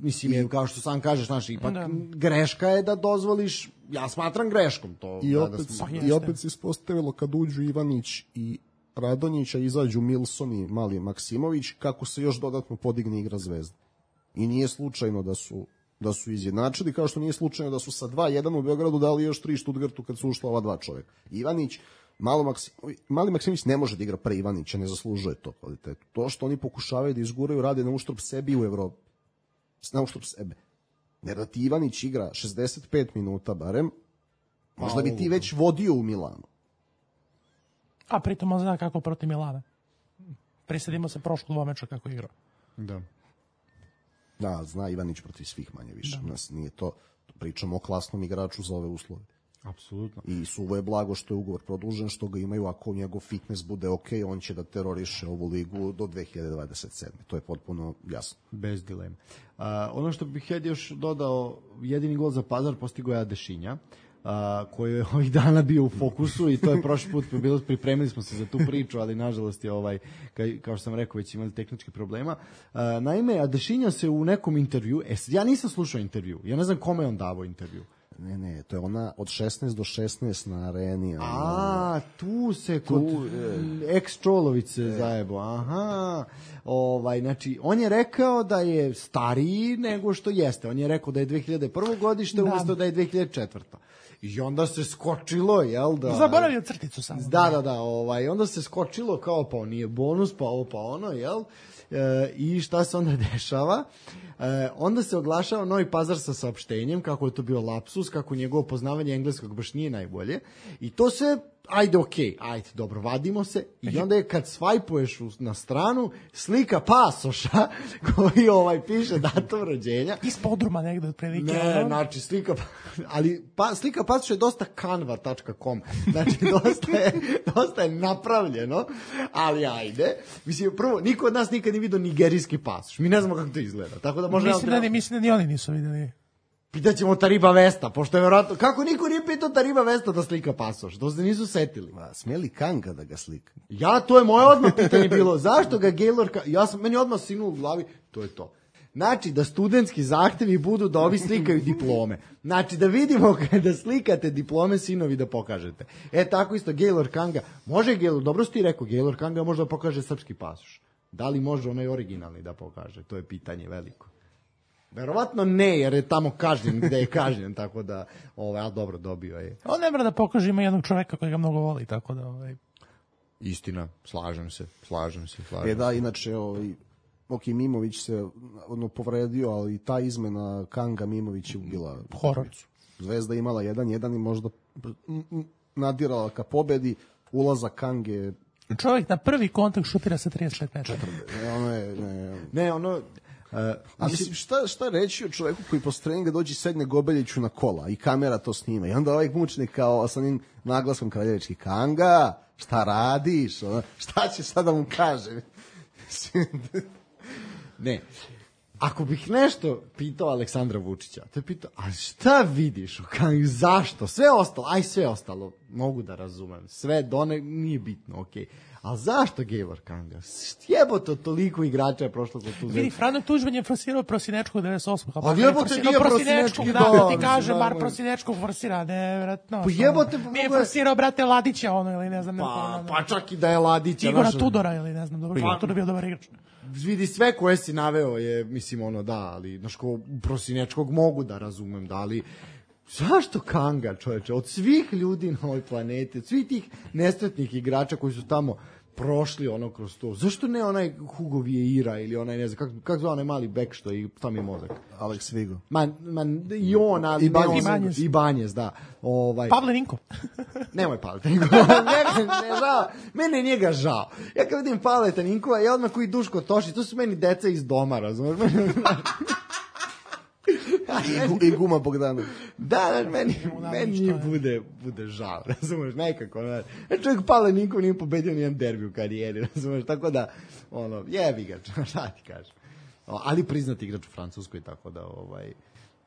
mislim, je, kao što sam kažeš, znaš, ipak Da. greška je da dozvoliš, ja smatram greškom to. I da, opet, da smo- i opet se ispostavilo kad uđu Ivanić i Radonjića, izađu Milson i Mali Maksimović, kako se još dodatno podigne igra Zvezde. I nije slučajno da su da su izjednačili, kao što nije slučajno da su sa dva jedan u Beogradu dali još tri Štutgartu kad su ušla ova dva čoveka. Ivanić, Malo Maksimović, Mali Maksimović ne može da igra pre Ivanića, ne zaslužuje to kvalitetu. To što oni pokušavaju da izguraju, rade na uštrb sebi u Evropi. Na uštrb sebe. Jer da ti Ivanić igra šezdeset pet minuta barem, možda bi ti već vodio u Milanu. A pritom on zna kako protiv Milana. Prisedimo se prošlog dvomeča kako igrao. Da. Da, zna Ivanić protiv svih manje više. Nas nije to, pričamo o klasnom igraču za ove uslove. Apsolutno. I suvo je blago što je ugovor produžen, što ga imaju, ako njegov fitness bude ok, on će da teroriše ovu ligu do dve hiljade dvadeset sedme. To je potpuno jasno. Bez dileme. Uh, ono što bih ja još dodao, jedini gol za Pazar postigao je Adešinja, uh, koji je ovih dana bio u fokusu i to je prošli put bilo, pripremili smo se za tu priču, ali nažalost je ovaj, kaj, kao što sam rekao, već imali tehnički problema. Uh, naime, Adešinja se u nekom intervju, e, ja nisam slušao intervju, ja ne znam kome je on davao intervju. Ne, ne, to je ona od šesnaest do šesnaest na areni. Ona... A, tu se kod ex-Čolović se zajebo. Aha. Ovaj, znači, on je rekao da je stariji nego što jeste. On je rekao da je dve hiljade prvo godište, Da. umjesto da je dve hiljade četvrta. I onda se skočilo, jel da? Zaboravio crticu samo. Da, da, da, ovaj, onda se skočilo kao pa on nije bonus, pa ovo, pa ono, jel? E, I šta se onda dešava? E, onda se oglašava Novi Pazar sa saopštenjem kako je to bio lapsus, kako njegovo poznavanje engleskog baš nije najbolje. I to se, ajde, okej, ajde, dobro, vadimo se. I onda je kad svajpuješ u- na stranu, slika pasoša koji ovaj piše datum rođenja. Iz podruma negde otprilike. Ne, ono. znači slika, ali pa, slika pasoša je dosta canva tačka com, znači dosta je, dosta je napravljeno, ali ajde. Mislim, prvo, niko od nas nikad nije vidio nigerijski pasoš, mi ne znamo kako to izgleda, tako da možda... Mislim da, ni, mislim da ni oni nisu videli. Pitaćemo Tariba Vesta, pošto je vjerojatno, kako niko nije pitao Tariba Vesta da slika pasoš, to se nisu setili. A, smeli Kanga da ga slika? Ja, to je moje odmah pitanje bilo, zašto ga Gaylor, ka- ja sam, meni odmah sinulo u glavi, to je to. Znači, da studentski zahtevi budu da ovi slikaju diplome. Znači, da vidimo kada slikate diplome sinovi da pokažete. E, tako isto, Gaylor Kanga, može Gaylor, dobro si ti rekao, Gaylor Kanga može da pokaže srpski pasoš. Da li može onaj originalni da pokaže? To je pitanje veliko. Verovatno ne, jer je tamo kažnjen gde je kažnjen, tako da, ovaj, ali dobro, dobio je. On ne mora da pokaže, ima jednog čoveka koji ga mnogo voli, tako da... Ovaj, Istina, slažem se, slažem se, slažem E da, inače, ovaj, ok, Mimović se ono, povredio, ali ta izmena Kanga Mimović je ubila Horor. utakmicu. Zvezda imala jedan jedan i možda mm, mm, nadirala ka pobedi, ulazak Kange, čovjek na prvi kontakt šutira sa trideset pet metara. e, ono je, ne, Ne, ono... Uh, a mislim, šta, šta reći o čoveku koji posle treninga dođe i sedne Gobeljiću na kola i kamera to snima i onda ovaj mučnik kao sa onim naglaskom kraljevički, Kanga, šta radiš, ono, šta će sad da mu kaže? Ne. Ako bih nešto pitao Aleksandra Vučića, to je pitao, a šta vidiš u Kangi, zašto? Sve ostalo, aj sve ostalo, mogu da razumem. Sve do ne, nije bitno, okej. Ali zašto Gaylor Kanga? Jebote, toliko igrača je prošlo kod tu Vidi, zemlju. Frano Tuđman je forsirao Prosinečkog devedeset osam. A jebote, nije Prosinečki, da, da, da ti mislim, kaže, bar normalno. Prosinečkog forsira, nevratno. Pa jebote, pa Nije mogu je- forsirao, brate, Ladića, ono, ili ne znam. Pa, neko, pa čak i da je Ladića. Igora znaš, Tudora, ili ne znam, dobro, Igor Tudor je bio dobar igrač. vidi sve koje si naveo je, mislim, ono, da, ali, znaš, ko Prosinečkog mogu da razumem, da, ali zašto Kanga, čoveče, od svih ljudi na ovoj planeti, od svih tih nesretnih igrača koji su tamo prošli ono kroz to, zašto ne onaj Hugo Vieira ili onaj, ne znam, kako kak zove onaj mali bek što i tam je mozak? Alex Vigo. Man, man, i on, ali I ne Banjez. on, i Banjez, da. Ovaj, Pavle Ninko. Nemoj Paleta Ninkova, njega ne žao, mene je njega žao. Ja kad vidim Paleta Ninkova, ja odmah koji Duško Tošić, to su meni deca iz doma, razumiješ? I, Gu- i Guma Bogdanović. Da, da, meni, Nema meni ništa, njih ne. bude, bude žao, razumeš, nekako. Ne. E, čovjek Pavle Ninkov nije pobedio nijedan derbi u karijeri, razumeš, tako da, ono, jebi ga, šta ti kažem. O, ali priznati igrač u Francuskoj, tako da, ovaj,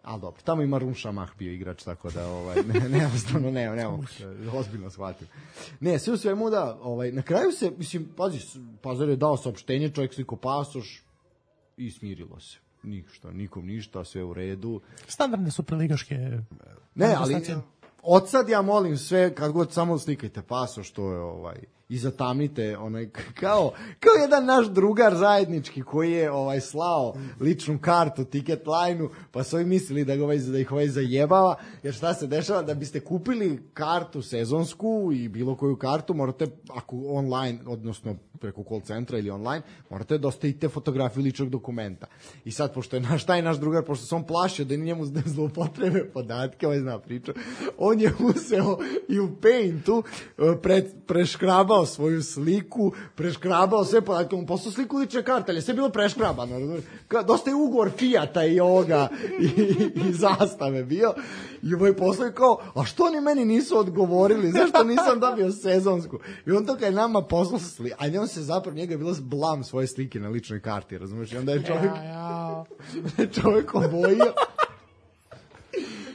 ali dobro, tamo ima Maroun Šamah bio igrač, tako da, ovaj, ne, ne, jednostavno, ne, ne, mogu, ozbiljno shvatim. Ne, sve u svemu da, ovaj, na kraju se, mislim, pazi, Pazar je dao saopštenje, čovjek sliko pasoš i smirilo se. ništa, nikom ništa, sve u redu. Standardne superligaške Ne, ali od sad ja molim sve, kad god samo slikajte paso što je ovaj i zatamnite onaj kao kao jedan naš drugar zajednički koji je ovaj slao ličnu kartu ticket line-u, pa su ovi mislili da ga ovaj da ih ovaj zajebava, jer šta se dešava, da biste kupili kartu sezonsku i bilo koju kartu morate, ako online, odnosno preko call centra ili online, morate da ostavite fotografiju ličnog dokumenta. I sad, pošto je naš taj naš drugar, pošto se on plašio da njemu zloupotrebe podatke, ovaj zna priču, on je uzeo i u Paintu pre, preškrabao svoju sliku, preškrabao sve podatke, on poslao sliku lične karte, ali je sve bilo preškrabano. Dosta je ugovor Fijata i ovoga i, i zastave bio. I ovaj poslao kao, a što oni meni nisu odgovorili, zašto nisam dobio sezonsku? I on to kad je nama poslao sliku, a njom se zapravo, njega je bilo blam svoje slike na ličnoj karti, razumiješ? I onda je čovjek, ja, ja. čovjek obojio.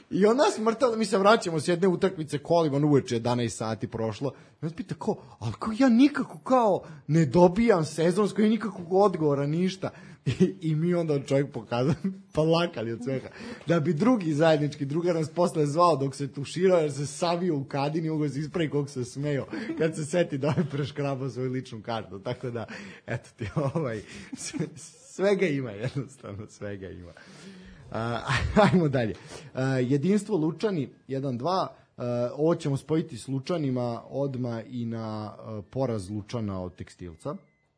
I onda smrtalo, mi se vraćamo s jedne utakmice kolima, ono uveče jedanaest sati prošlo. I onda pita kao, ali kao ja nikako kao ne dobijam sezonsko i nikakvog odgovora, ništa. I, i mi onda čovjek pokazao, pa lakali od svega. Da bi drugi zajednički drugar nas posle zvao dok se tuširao, jer se savio u kadini, ugo se ispravi kog se smeo, kad se seti da je preškrabao svoju ličnu kartu. Tako da, eto ti, ovaj, svega ima, jednostavno, svega ima. Uh, ajmo dalje. Uh, jedinstvo Lučani jedan dva. Uh, ovo ćemo spojiti s Lučanima odma i na uh, poraz Lučana od Tekstilca.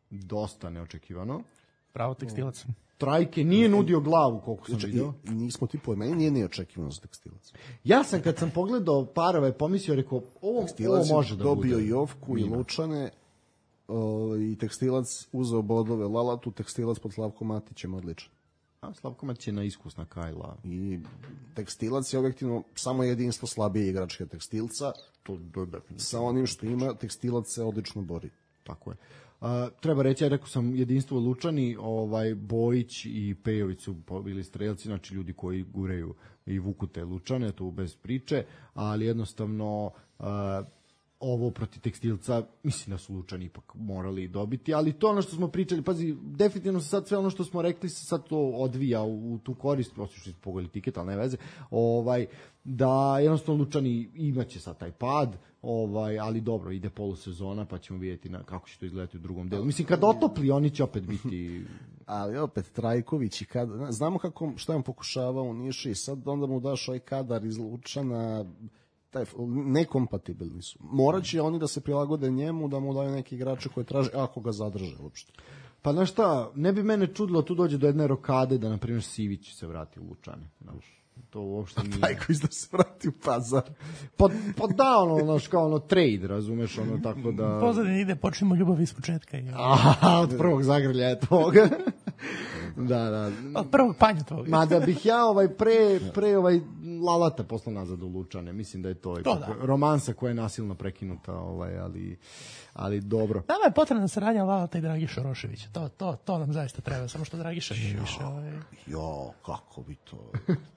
Dosta neočekivano. Pravo Tekstilac. Trajke nije nudio glavu, koliko sam vidio. Nismo ti pojma, meni nije neočekivano za Tekstilac. Ja sam kad sam pogledao parove pomislio, rekao, ovo, ovo može da bude. Dobio i Jovku i Lučane, o, i Tekstilac uzeo bodove Lalatu, Tekstilac pod Slavkom Matićem odličan. A Slavko Matić je na iskusna kajla. I Tekstilac je objektivno samo jedinstvo slabije igračke Tekstilca. To, to, to, sa onim što ima, Tekstilac se odlično bori. Tako je. Uh, treba reći, ja rekao sam jedinstvo Lučani, ovaj Bojić i Pejović su bili strelci, znači ljudi koji gureju i vuku te Lučane, to bez priče, ali jednostavno uh, ovo protiv Tekstilca, mislim da su Lučani ipak morali dobiti, ali to ono što smo pričali, pazi, definitivno se sad sve ono što smo rekli se sad to odvija u, u tu korist, osim što su pogodili tiket, ali ne veze, ovaj, da jednostavno Lučani imaće sad taj pad, ovaj, ali dobro, ide polusezona, pa ćemo vidjeti na, kako će to izgledati u drugom delu. Mislim, kad otopli, oni će opet biti... Ali opet, Trajković i kad... Znamo kako, šta je on pokušavao u Niši i sad onda mu daš ovaj kadar iz Lučana... Taj, nekompatibilni su. Morat će oni da se prilagode njemu, da mu daju neki igrače koje traže, ako ga zadrže uopšte. Pa znaš šta, ne bi mene čudilo, tu dođe do jedne rokade da, na primjer, Sivić se vrati u Lučane. Znaš, to uopšte nije... Trajković da se vrati u Pazar. Pa, pa da, ono, znaš, kao ono trade, razumeš, ono, tako da... Pozadin ide, počnemo ljubav iz početka. Ja. Aha, od prvog zagrljaja tvoga. Da, da. Od prvog panja tvoga. Ma da bih ja ovaj pre, pre ovaj Lalata poslao nazad u Lučane, mislim da je to, to da. romansa koja je nasilno prekinuta, ovaj, ali, ali dobro. Nama je potrebna saradnja Lalata i Dragiša Roševića, to, to, to nam zaista treba, samo što Dragiša nije više. Ovaj... Jo, kako bi to...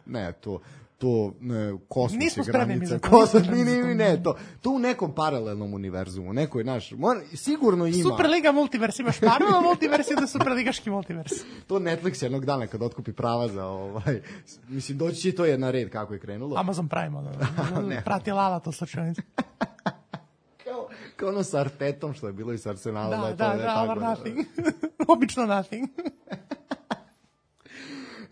ne, to... to ne, kosmos nismo je granica, to, kosmos, ni, ni, ne, to, to u nekom paralelnom univerzumu, nekoj naš, mora, sigurno ima. Superliga multivers, imaš Marvel multivers i da superligaški multivers. To Netflix jednog dana kad otkupi prava za ovaj, mislim, doći će to je na red kako je krenulo. Amazon Prime, ono, prati Lala to slučajnicu. kao, kao ono sa Artetom što je bilo i sa Arsenalom. Da, da, da, da, da, tako, nothing. Obično nothing.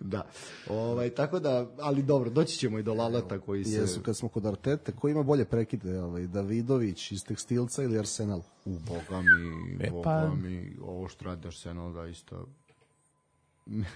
Da. Ovaj, tako da, ali dobro, doći ćemo i do Lalata koji se... Jesu, kad smo kod Artete, ko ima bolje prekide, ovaj, Davidović iz Tekstilca ili Arsenal? U, boga mi, e, boga pa... mi, ovo što radi Arsenal da isto...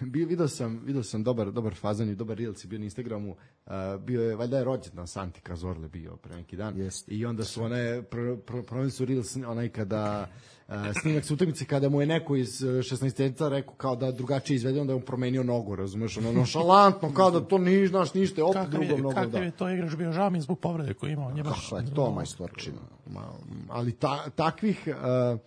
Bio, vidio sam, vidio sam dobar, dobar fazan i dobar reels bio na Instagramu, uh, bio je, valjda je rođendan Santi Cazorle bio pre neki dan, yes. I onda su one, pro, pro, pro, su reels onaj kada, uh, snimak sa utakmice kada mu je neko iz šesnaesteca rekao kao da drugačije izvede, onda je on promenio nogu, razumeš, ono nonšalantno, kao da to ni znaš ništa, opet drugom nogom. Kakav je to igrač bio, žao mi zbog povrede koju imao. Kako je to majstorčina. Ali ta, takvih... Uh,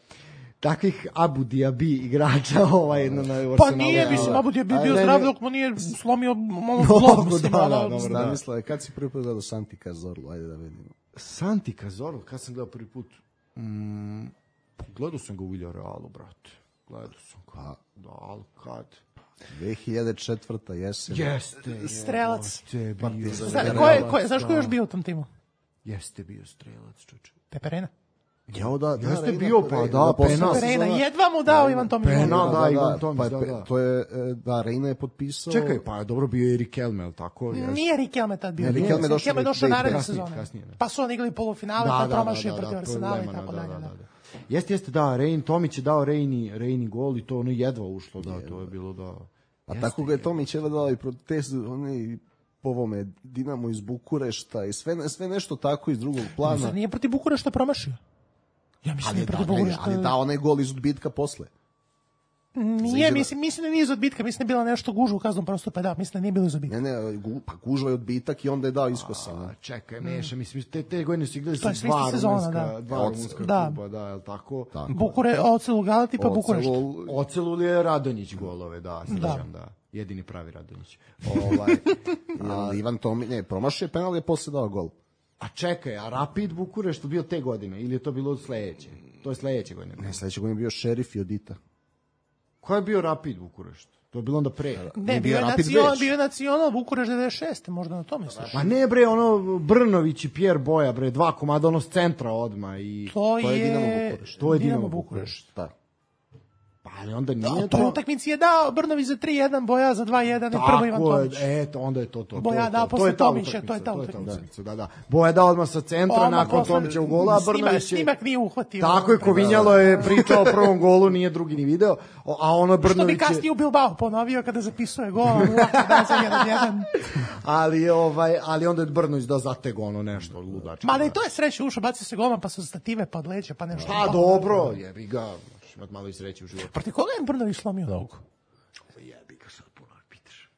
takvih Abu Diabi igrača ovaj na na Pa nije, mislim, Abu Diabi bio zdrav dok mu nije slomio ono zlo, mislim, da, da, dobro, da. Misle, kad si prvi put gledao Santi Cazorlu, ajde da vidimo. Santi Cazorlu, kad sam gledao prvi put? Mm, gledao sam ga u Villarealu, brate. Gledao sam kad. Da, ali kad? dve hiljade četvrta jesen. Jeste. Strelac. Jeste bio. Zna, ko je, ko je, znaš ko je još bio u tom timu? Jeste bio strelac, čoče. Peperena. Jao da, da, Jeste Reina, bio, pa Reina, da, posle Penal. Peperena, sezona- jedva mu dao Ivan Tomić. Penal, Da, da, da, Ivan Tomić, pa, da, pe- da. To je, e, da, Reina je potpisao... Čekaj, pa dobro bio je Erik Elme, ali tako? Jeste. Nije Riquelme tad bio. Ne, Riquelme je došao Riquelme je došao da- naredne kasnije, sezone. kasnije, da. Pa su oni igrali polufinale, pa promašio protiv Arsenala i tako dalje. Da. Jeste, jeste, da, Rein, Tomić je dao Reini, Reini gol i to ono jedva ušlo, da, to je bilo da... A tako ga je Tomić jedva dao i protest, oni po ovome Dinamo iz Bukurešta i sve, sve nešto tako iz drugog plana. Zar nije protiv Bukurešta promašio? Ja mislim da Ali, je protiv da, ne, Bukurešta. ali da, onaj gol iz odbitka posle. Nije, mislim, mislim da nije iz odbitka, mislim da je bila nešto gužva u kaznom prostoru, pa da, mislim da nije bilo iz odbitka. Ne, ne, gu, pa gužva je odbitak i onda je dao iskosa. A, čekaj, meša, mislim, te, te godine su igrali To je sa sve dva ista sezona, rumunska, da. dva rumunska Da. kluba, da, je li tako? Bukure, Ocel u Galati, pa Bukurešt. Ocelul- Ocelul je Radonjić golove, da, srećam, da. Jedini pravi Radonjić. Ovaj, Ali Ivan Tomić, ne, promašio je penal i je posle dao gol. a čekaj, a Rapid Bukurešt bio te godine ili je to bilo sledeće? To je sledeće godine. Ne, sledeće godine je bio Šerif i Odita. Ko je bio Rapid Bukurešt? To je bilo onda pre. Ne, bio je Rapid nacional, Beč. bio je nacional Bukurešt devedeset šeste, možda na to misliš. Ma ne bre, ono Brnović i Pierre Boja, bre, dva komada, ono s centra odma i... To, To je je Dinamo Bukurešt. To je Dinamo Dinamo Bukurešt. Da. Pa ali onda Da, nije u toj utakmici je dao Brnović za tri jedan, Boja za dva jedan i prvo Ivan Tako je, Tomić. eto, onda je to to. Boja to je dao to. posle je ta Tomića, utakmica, to je ta to utakmica. Da, da. Boja dao odmah sa centra, Odmah nakon posle- Tomića u gola, a snimak- Brnović je... Snimak nije uhvatio. Tako je, Kovinjalo je pričao o prvom golu, nije drugi ni video, o- a ono Što bi Brnović je... kasnije u Bilbao ponovio kada zapisuje gol, a uvijek da za jedan jedan. Ali, ovaj, ali onda je Brnović da zatego ono nešto ludačko. Ma da i to je sreće, ušao, bacio se golman, pa su stative, pa od leđa, pa nešto. Pa dobro, jebi ga, možeš imat malo i sreće u životu. Proti koga je Brnović slomio nogu? Jebi ga sad puno pitaš.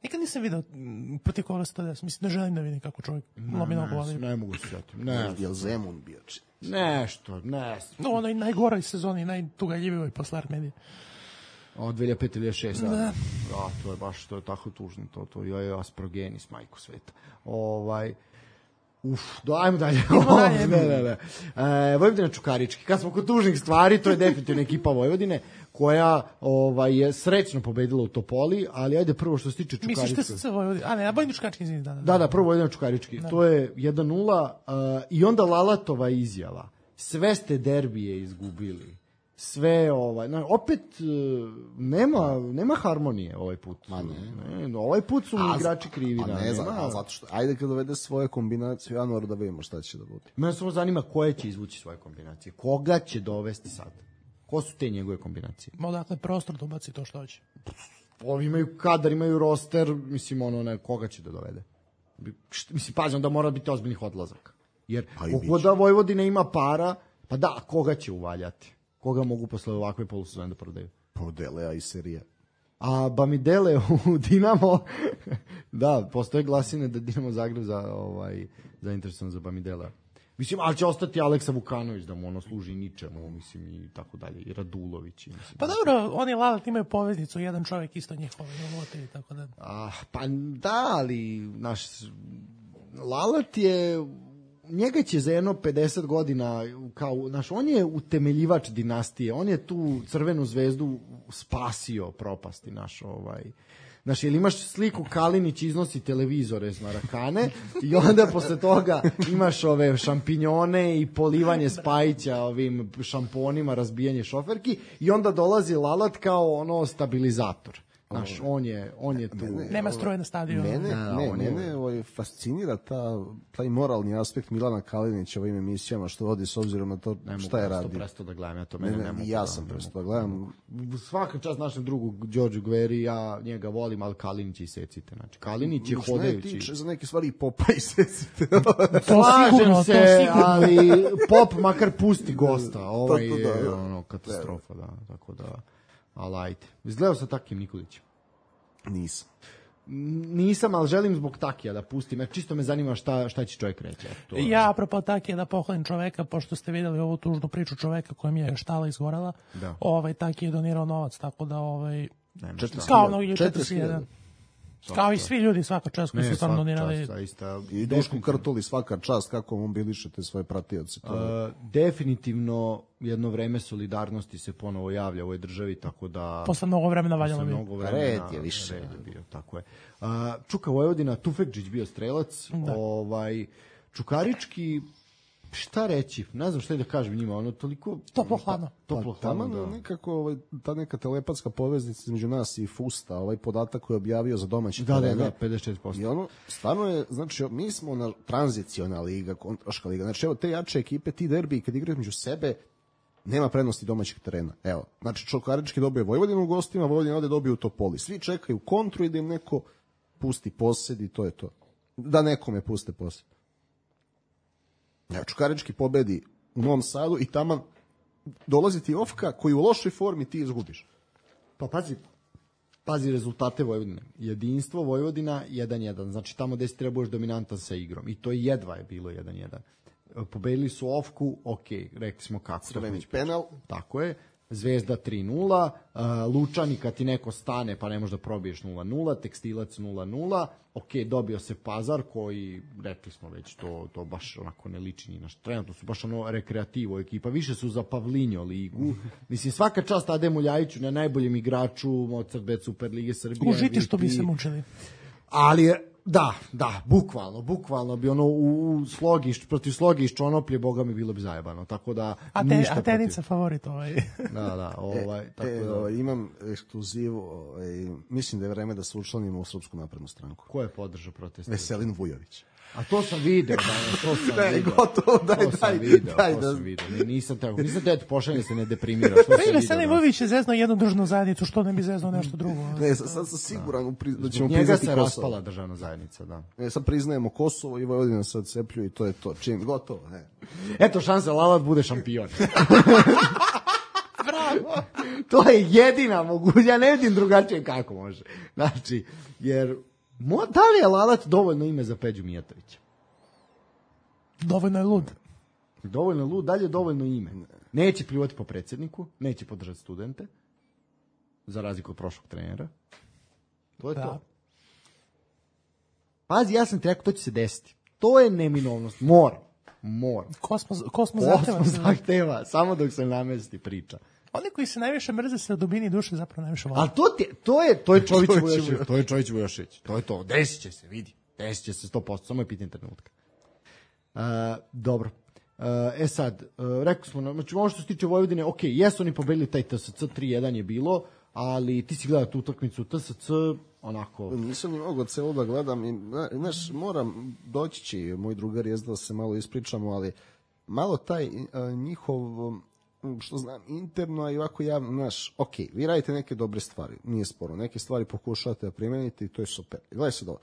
Nikad nisam video m, protiv koga se to desi. Mislim da želim da vidim kako čovjek lomi nogu. Ne, Ali... ne mogu se sjetiti. Ne, Jel Zemun bio či? nešto, ne. No, onoj najgoroj sezoni, najtugaljivijoj posle Armedije. Od dve hiljade pete do dve hiljade šeste. Da. Da, to je baš, to je tako tužno, to, to je asprogenis, majko sveta. Ovaj, uf, do, ajmo dalje. dalje. ne, ne, ne. E, Vojvodina Čukarički. Kad smo kod tužnih stvari, to je definitivno ekipa Vojvodine, koja ovaj, je srećno pobedila u Topoli, ali ajde prvo što se tiče Čukaričkog. Misliš da se Vojvodina? A ne, a Vojvodina Čukarički, izvini, da, da. Da, da, prvo Vojvodina Čukarički. To je jedan nula uh, i onda Lalatova izjava. Sve ste derbije izgubili. Sve ovaj, na, opet uh, nema nema harmonije ovaj put. Ma ne. ne ovaj put su A, igrači krivi, Pa da. ne znam, nema- a zato što, ajde kad dovede svoje kombinacije u januaru da vidimo šta će da bude. Mene samo zanima koje će izvući svoje kombinacije. Koga će dovesti sad? Ko su te njegove kombinacije? Ma odakle prostor da ubaci to što hoće. Ovi imaju kadar, imaju roster, mislim, ono, ne, koga će da dovede? Bi- št- Mislim, pazim da mora biti ozbiljnih odlazaka. Jer Pa i koliko biće. da Vojvodina ima para, pa da, koga će uvaljati? Koga mogu posle ovakve polusezone da prodaju? Podelea i serija. A Bamidele u Dinamo, da, postoje glasine da Dinamo Zagreb za, ovaj, zainteresovan za Bamidela. Mislim, ali će ostati Aleksa Vukanović da mu ono služi ničemu, mislim, i tako dalje, i Radulović. I, mislim, Pa dobro, oni Lalat imaju poveznicu, jedan čovjek isto njihov, i tako da. Ah, pa da, ali naš Lalat je njega će za jedno pedeset godina kao, naš, on je utemeljivač dinastije, on je tu Crvenu zvezdu spasio propasti naš ovaj. Znaš, jel imaš sliku Kalinić iznosi televizore s Marakane i onda posle toga imaš ove šampinjone i polivanje Spajića ovim šamponima, razbijanje šoferki i onda dolazi Lalat kao ono stabilizator. Znaš, on je, on je tu. Nema struje na stadionu. Mene, Da, ne, on je- mene ovaj, fascinira ta, taj moralni aspekt Milana Kalinića u ovim emisijama što vodi s obzirom na to Ne mogu, šta je ja sam to radio. prestao da gledam, ja to Ne, mene ne, ne mogu. ja da- sam ne prestao da mogu. gledam. Svaka čast našem drugu Đorđu Gveri, ja njega volim, ali Kalinić i secite. Znači, Kalinić je Što ne hodajući. tiče za neke stvari i Popa i Secite. To Slažem sigurno, to se, sigurno. ali Pop makar pusti gosta. Ovaj To- to je da, da. ono, katastrofa, da. Tako da, ali ajde. Izgledao sa Takim Nikolićem. Nisam. Nisam, ali želim zbog Takija da pustim, jer čisto me zanima šta, šta će čovjek reći. Eto, to je- Ja, apropo Takija, da pohvalim čoveka, pošto ste videli ovu tužnu priču čoveka kojem je štala izgorela, Da. ovaj Taki je donirao novac, tako da ovaj, nema Četiri šta. kao mnogi četiri četrdeset jedan. Kao i svi ljudi, svaka čast koji su stvarno donirali. I Dušku Krtuli, svaka čast, kako mobilišete svoje pratioce. Uh, definitivno jedno vreme solidarnosti se ponovo javlja u ovoj državi, tako da... Posle mnogo vremena valjalo bi. Red je više. Red je bio, tako je. Uh, Čuka Vojvodina, Tufekđić bio strelac, da. ovaj, Čukarički, šta reći, ne znam šta da kažem njima, ono toliko... Toplo hladno. Toplo hladno, da. Nekako ovaj, ta neka telepatska poveznica između nas i Fusta, ovaj podatak koji je objavio za domaći da, terene. Da, da, pedeset četiri posto. I ono, stvarno je, znači, mi smo na tranziciona liga, kontraška liga, znači evo te jače ekipe, ti derbi, kad igraju među sebe, nema prednosti domaćeg terena. Evo, znači Čukarički dobije Vojvodinu u gostima, Vojvodina ovde dobije u Topoli. Svi čekaju kontru i da im neko pusti posed i to je to. Da nekome puste posed. Ja, Čukarički pobedi u Novom Sadu i taman dolazi ti Ofka koji u lošoj formi ti izgubiš. Pa pazi, pazi rezultate Vojvodine. Jedinstvo Vojvodina jedan jedan. Znači tamo gde si trebuješ dominantan sa igrom. I to jedva je bilo jedan jedan. Pobedili su Ofku, ok, rekli smo kako. Crvenić penal. Tako je. Zvezda tri nula, uh, Lučani kad ti neko stane pa ne možeš da probiješ nula nula, Tekstilac nula nula, ok, dobio se Pazar koji, rekli smo već, to, to baš onako ne liči ni na što, trenutno su baš ono rekreativo ekipa, više su za Pavlinjo ligu, mislim svaka čast Ademu Ljajiću, na najboljem igraču Mozart Bet Super Lige Srbije. Užiti što bi se mučili. Ali da, da, bukvalno, bukvalno bi ono u Slogiš, protiv Slogiš Čonoplje, boga mi bilo bi zajebano, tako da a te, ništa. A tenica favorit ovaj. Da, da, ovaj, e, tako e, da. Ovaj, imam ekskluzivu, ovaj, mislim da je vreme da se učlanimo u Srpsku naprednu stranku. Ko je podržao protest? Veselin Vujović. A to sam video, da, to sam ne, video. Gotovo, daj, to daj, sam video, daj, to da. sam video. Ne, nisam tako, nisam te, pošaljem se, ne deprimiraš. To pa ime Veselin Vujović je zeznao jednu državnu zajednicu, što ne bi zeznao nešto drugo. Ne, sad sam siguran da, da ćemo njega priznati se Kosovo. raspala državna zajednica, da. Ne, sad priznajemo Kosovo i Vojvodina se odcepljuje i to je to. Čim, gotovo, ne. Eto, šansa Lalat bude šampion. Bravo! To je jedina moguća, ja ne vidim drugačije kako može. Znači, jer, mo, da li je Lalat dovoljno ime za Peđu Mijatovića? Dovoljno je lud. Dovoljno je lud, dalje je dovoljno ime. Neće pljuvati po predsjedniku, neće podržati studente, za razliku od prošlog trenera. To je da. To. Pazi, ja sam ti rekao, to će se desiti. To je neminovnost. Mora. Mora. Kosmos, kosmos zahteva. Kosmos zahteva, samo dok se namesti priča. Oni koji se najviše mrze se od dubini duše zapravo najviše vole. Ali to, ti, to je to je Čović Vujošević. To je Čović Vujošević. To je to. Desit će se, vidi. Desit će se sto posto. Samo je pitanje trenutka. Uh, dobro. Uh, e sad, uh, rekli smo, znači ono što se tiče Vojvodine, ok, jesu oni pobedili taj T S C, tri jedan je bilo, ali ti si gledao tu utakmicu T S C, onako... Nisam ni mogao celo da gledam i, znaš, moram, doći će moj drugar je da se malo ispričamo, ali malo taj uh, njihov, što znam, interno, a i ovako javno, znaš, ok, vi radite neke dobre stvari, nije sporo, neke stvari pokušavate da primenite i to je super. Gledaj se dobro.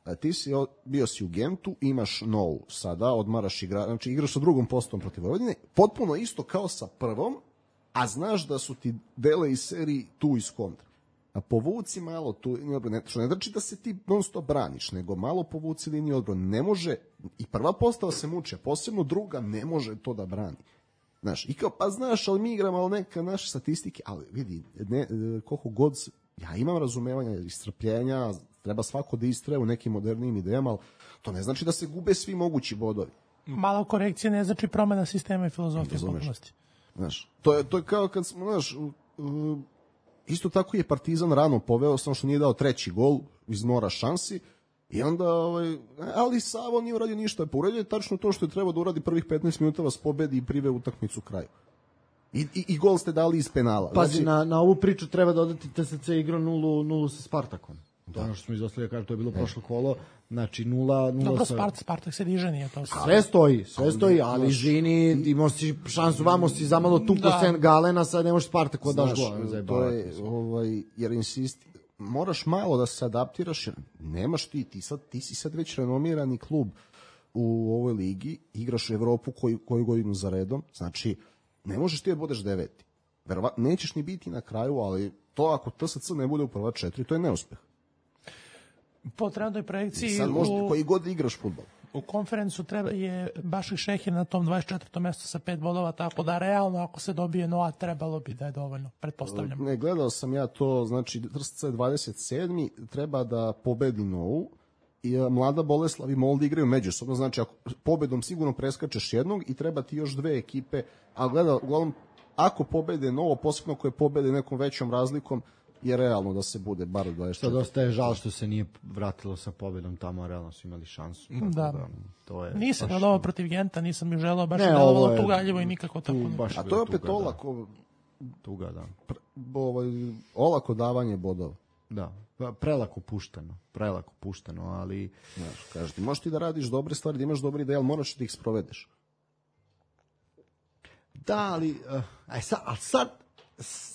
A ti si bio si u Gentu, imaš novu sada, odmaraš igra, znači igraš sa drugom postavom protiv Vojvodine, potpuno isto kao sa prvom, a znaš da su ti dele iz seriji tu iz kontra. A povuci malo tu, ne, što ne znači da se ti non stop braniš, nego malo povuci liniju odbrane. Ne može, i prva postava se muče, posebno druga ne može to da brani. Znaš, i kao, pa znaš, ali mi igramo, ali neka naše statistike, ali vidi, ne, koliko god, ja imam razumevanja i strpljenja, treba svako da istraje u nekim modernijim idejama, ali to ne znači da se gube svi mogući bodovi. Malo korekcije ne znači promena sistema i filozofije potpunosti. Znaš, to je, to je kao kad smo, znaš, uh, isto tako je Partizan rano poveo, samo što nije dao treći gol iz nora šansi, i onda, ovaj, ali Savo nije uradio ništa, pa uradio je tačno to što je trebao da uradi prvih petnaest minuta, vas pobedi i prive utakmicu kraju. I, i, i gol ste dali iz penala. Pazi, znači, na, na ovu priču treba dodati T S C igrao nulu sa Spartakom. To je ono što smo izostavili, kaže, to je bilo ne. prošlo kolo, znači nula nula. Dobro, sa... Spart, Spartak se diže, nije to. Sve stoji, sve stoji, ali izvini, imao si šansu, vamo si zamalo tuko da. Sen Galena, sad ne možeš Spartak odaš gol. To je, ovaj, jer insisti, moraš malo da se adaptiraš, jer nemaš ti, ti, sad, ti si sad već renomirani klub u ovoj ligi, igraš u Evropu koju, koju godinu za redom, znači ne možeš ti da budeš deveti. Verova, nećeš ni biti na kraju, ali to ako T S C ne bude u prva četiri, to je neuspeh. Po trenutnoj projekciji... I sad možda koji god igraš fudbal. U konferencu treba je Bašik Šehir na tom dvadeset četvrtom mestu sa pet bodova, tako da realno ako se dobije Noa trebalo bi da je dovoljno, pretpostavljam. Ne, gledao sam ja to, znači Trst dvadeset sedmi treba da pobedi Novu i Mlada Boleslav i Molde igraju međusobno, znači ako pobedom sigurno preskačeš jednog i treba ti još dve ekipe, a gleda, uglavnom ako pobede Novo, posebno koje pobede nekom većom razlikom, je realno da se bude bar dvadeset četiri. Što dosta je žal što se nije vratilo sa pobedom tamo, a realno su imali šansu. Da. da to je nisam baš... gledao protiv Genta, nisam ju želeo, baš ne, je delovalo tugaljivo i nikako tu, tako. Baš a to je opet tuga, olako, da. Tuga, da. Pre, ovaj, olako davanje bodova. Da, prelako pušteno, prelako pušteno, ali... Znaš, kažeš ti, možeš ti da radiš dobre stvari, da imaš dobre ideje, ali moraš da ih sprovedeš. Da, ali, uh, aj sad, ali sad,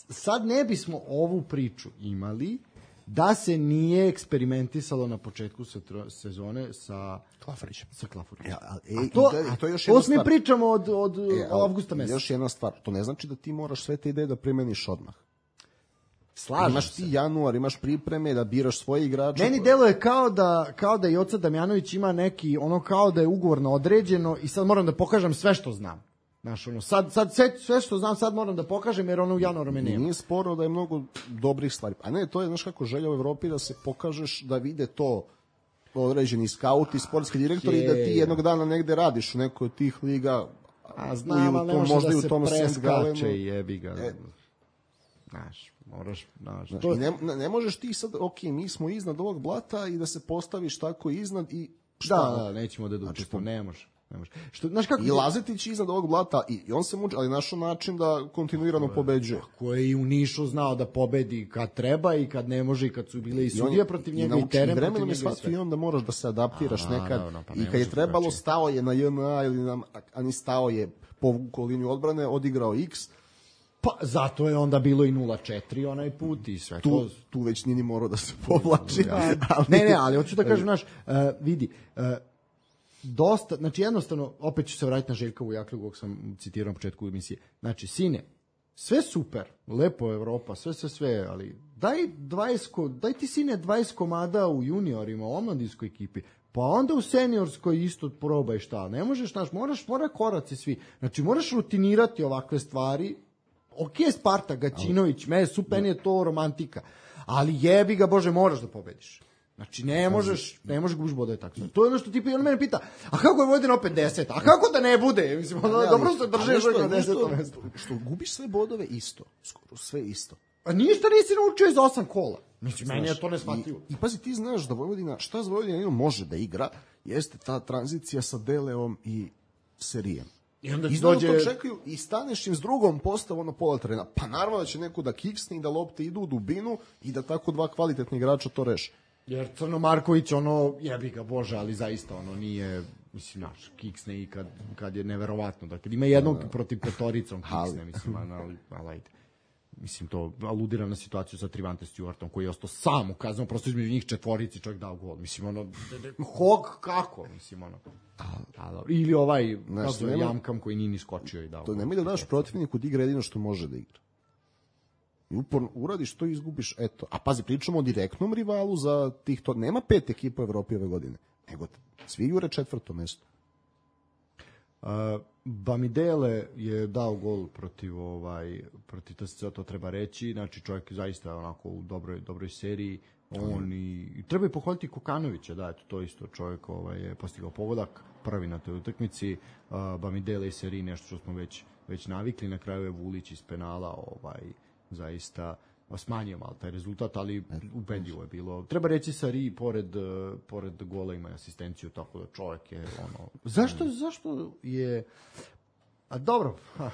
sad ne bismo ovu priču imali da se nije eksperimentisalo na početku sezone sa Klafarićem. Sa Klafarićem. Ja, ali, e, a to, i to je još to jedna mi stvar. pričamo od, od e, avgusta meseca. Još jedna stvar, to ne znači da ti moraš sve te ideje da primeniš odmah. Slažem imaš se. ti januar, imaš pripreme da biraš svoje igrače. Meni deluje kao da, kao da i Oca Damjanović ima neki, ono kao da je ugovor na određeno i sad moram da pokažem sve što znam. Znaš, ono, sad, sad sve, sve što znam sad moram da pokažem jer ono u januaru me nema. Nije sporo da je mnogo dobrih stvari. A ne, to je, znaš kako, želja u Evropi da se pokažeš, da vide to određeni skauti, sportski direktori i da ti jednog dana negde radiš u nekoj od tih liga. A znam, ali ne može možda da i u se tom preskače i jebi ga. E, Znaš, moraš, znaš. Znaš, to... ne, ne možeš ti sad, ok, mi smo iznad ovog blata i da se postaviš tako iznad i šta? Da, da, nećemo da znači, učestvujemo, ne može. Ne može. Što, znaš kako... I Lazetić iznad ovog blata i, i on se muči, ali našao način da kontinuirano pobeđuje. Ko je i u Nišu znao da pobedi kad treba i kad ne može i kad su bile i sudije protiv njega i, i teren protiv njega i sve. I onda moraš da se adaptiraš a, nekad no, no, pa i kad je trebalo drugačije. Stao je na J N A ili na, a ni stao je povukao liniju odbrane, odigrao X. Pa zato je onda bilo i nula četiri onaj put i sve tu, to. Tu već nije ni morao da se povlači. Ja. ali... Ne, ne, ali hoću da kažem, znaš, uh, vidi, uh, dosta, znači jednostavno, opet ću se vratiti na Željka Vujaklju, kog sam citirao na početku emisije. Znači, sine, sve super, lepo Evropa, sve, sve, sve, ali daj dvadeset, daj ti sine dvadeset komada u juniorima, u omladinskoj ekipi, pa onda u seniorskoj isto probaj šta. Ne možeš, znaš, moraš, mora koraci svi. Znači, moraš rutinirati ovakve stvari. Ok, Sparta, Gaćinović, me super, je to romantika, ali jebi ga, Bože, moraš da pobediš. Znači, ne možeš, ne možeš gubiš bodove tako. To je ono što ti on mene pita, a kako je Vojvodina opet deset? A kako da ne bude? Mislim, ono, dobro se drže na desetom mestu. Što gubiš sve bodove isto, skoro sve isto. A ništa nisi naučio iz osam kola. Mislim, meni je to neshvatljivo. I, I pazi, ti znaš da Vojvodina, šta za Vojvodina može da igra, jeste ta tranzicija sa Deleom i Serijem. I onda I dođe... to čekaju i staneš im s drugom postavom na pola terena. Pa naravno da će neko da kiksne i da lopte idu u dubinu i da tako dva kvalitetni igrača to reše. Jer Crno Marković, ono, jebi ga Bože, ali zaista ono nije, mislim, naš, kiksne i kad, kad je neverovatno. Dakle, ima jednog da, da. protiv petoricom kiksne, mislim, ali, ali ajde. Mislim, to aludira na situaciju sa Trivante Stewartom, koji je ostao sam ukazano, prosto između njih četvorici čovjek dao gol. Mislim, ono, hog, kako? Mislim, ono, a, a, ili ovaj, znaš, nema, Jamkam koji nije ni skočio i dao to gol. Nemoj da daš protivniku da igra jedino što može da igra. I uporno uradiš to i izgubiš, eto. A pazi, pričamo o direktnom rivalu za tih to. Nema pet ekipa u Evropi ove godine, nego svi jure četvrto mesto. Uh, Bamidele je dao gol protiv ovaj protiv T S C, to treba reći, znači čovjek je zaista onako u dobroj dobroj seriji, on i, i treba i pohvaliti Kokanovića, da, eto, to isto čovjek ovaj je postigao pogodak prvi na toj utakmici. uh, Bamidele i seriji nešto što smo već već navikli, na kraju je Vulić iz penala ovaj zaista smanjio malo taj rezultat, ali ubedljivo je bilo. Treba reći Sari pored pored gola ima asistenciju, tako da čovjek je ono. Zašto zašto je a dobro, ha,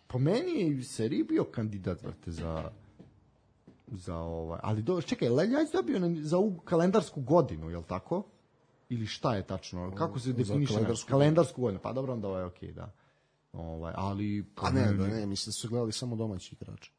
po meni je Sari bio kandidat vrte za za ovaj, ali do, čekaj, Leljac dobio za ovu kalendarsku godinu, je l' tako? Ili šta je tačno? Kako se definiše kalendarsku, kalendarsku godinu? Pa dobro, onda ovo je okej, okay, da. Ovaj, ali a ne, da ne, mislim da su gledali samo domaći igrači.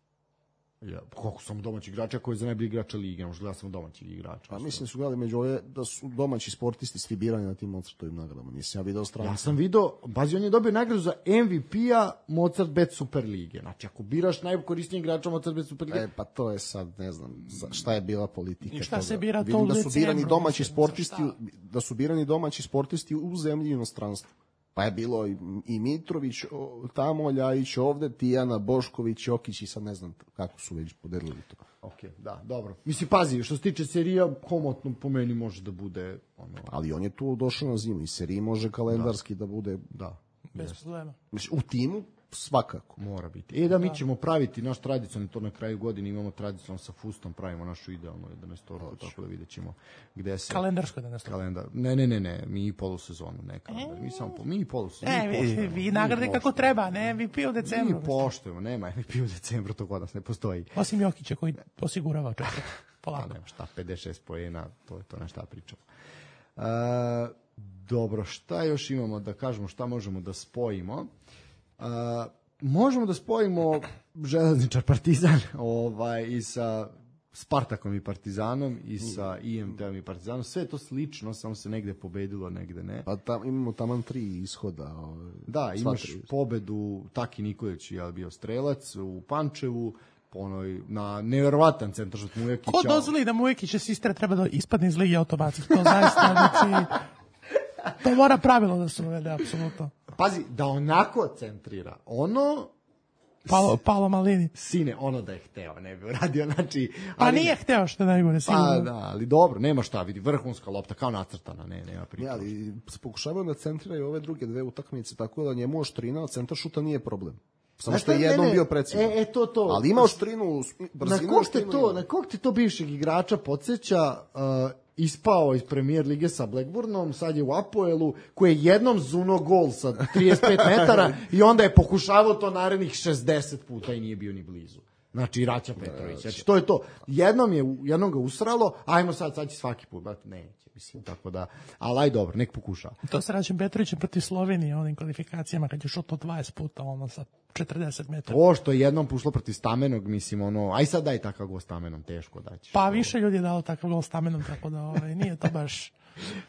Ja, koliko sam domaćih igrača koji je za najbolji igrača lige, možda gledao sam domaćih igrača. Pa mislim su gledali među ove da su domaći sportisti svi birani na tim Mozartovim nagradama. Nisam ja video stranu. Ja sam video, bazi on je dobio nagradu za M V P-a Mozart Bet Super lige. Znači ako biraš najkorisnijeg igrača Mozart Bet Super lige. E pa to je sad, ne znam, šta je bila politika. I šta toga. se bira to Vidim u da su birani decembru, domaći mislim, sportisti, za da su birani domaći sportisti u zemlji i inostranstvu. Pa je bilo i, i Mitrović o, tamo, Ljajić ovde, Tijana, Bošković, Jokić i sad ne znam kako su već podelili to. Ok, da, dobro. Mislim, pazi, što se tiče serija, komotno po meni može da bude... Ono, Ali on je tu došao na zimu i seriji može kalendarski da, da bude... da, Bez problema. Mislim, u timu svakako. mora biti. E da, mi ćemo praviti naš tradicionalni, to na kraju godine imamo tradicionalno sa Fustom, pravimo našu idealnu jedanaestorku, tako da vidjet ćemo gde se... Kalendarsko da nas to. Kalendar. Ne, ne, ne, ne, mi i polusezonu, ne kalendar. Mi samo po, mi i polusezonu. E, vi, vi nagrade kako treba, ne M V P u decembru. Mi poštujemo, nema M V P u decembru, to kod nas ne postoji. Osim Jokića koji osigurava često. Pa Polako. nema šta, pedeset šest poena, to je to na šta pričamo. Uh, dobro, šta još imamo da kažemo, šta možemo da spojimo? Uh, možemo da spojimo Železničar Partizan ovaj, i sa Spartakom i Partizanom i sa I M T-om i Partizanom. Sve je to slično, samo se negde pobedilo, negde ne. Pa tam, imamo taman tri ishoda. Ovaj, Da, imaš tri. pobedu, Taki Nikolić je bio strelac u Pančevu, po onoj, na nevjerovatan centaršut Mujekića. Ko dozvoli da Mujekića sistra treba da ispadne iz lige automatski? To zaista, znači, to mora pravilo da se uvede, apsolutno. Pazi, da onako centrira. Ono, Palo, Palo Malini. sine, ono da je hteo, ne bi uradio, znači... Pa ali- nije hteo što je najgore, sigurno. Pa da, ali dobro, nema šta, vidi, vrhunska lopta, kao nacrtana, ne, nema priča. Ja, ali se pokušavaju da centriraju ove druge dve utakmice, tako da njemu oštrina od centar šuta nije problem. Samo Znaš što je šta, ne, jednom ne, bio precizan. E, e, to, to. Ali ima oštrinu, Na brzinu. kog te oštrinu to, ima. na kog te to bivšeg igrača podsjeća, uh, ispao iz Premier lige sa Blackburnom, sad je u Apoelu, koji je jednom zuno gol sa trideset pet metara i onda je pokušavao to narednih šezdeset puta i nije bio ni blizu. Znači, Raća Petrović. Znači, to je to. Jednom, je, jednom ga usralo, ajmo sad, sad će svaki put, brate, neće, mislim, tako da, ali aj dobro, nek pokuša. To se Račem Petrovićem protiv Slovenije, onim kvalifikacijama, kad je šutno dvadeset puta, ono, sa četrdeset metara. To što je jednom pušlo protiv Stamenog, mislim, ono, aj sad daj takav gol Stamenom, teško daći. Pa više ljudi je dao takav gol Stamenom, tako da ovaj, nije to baš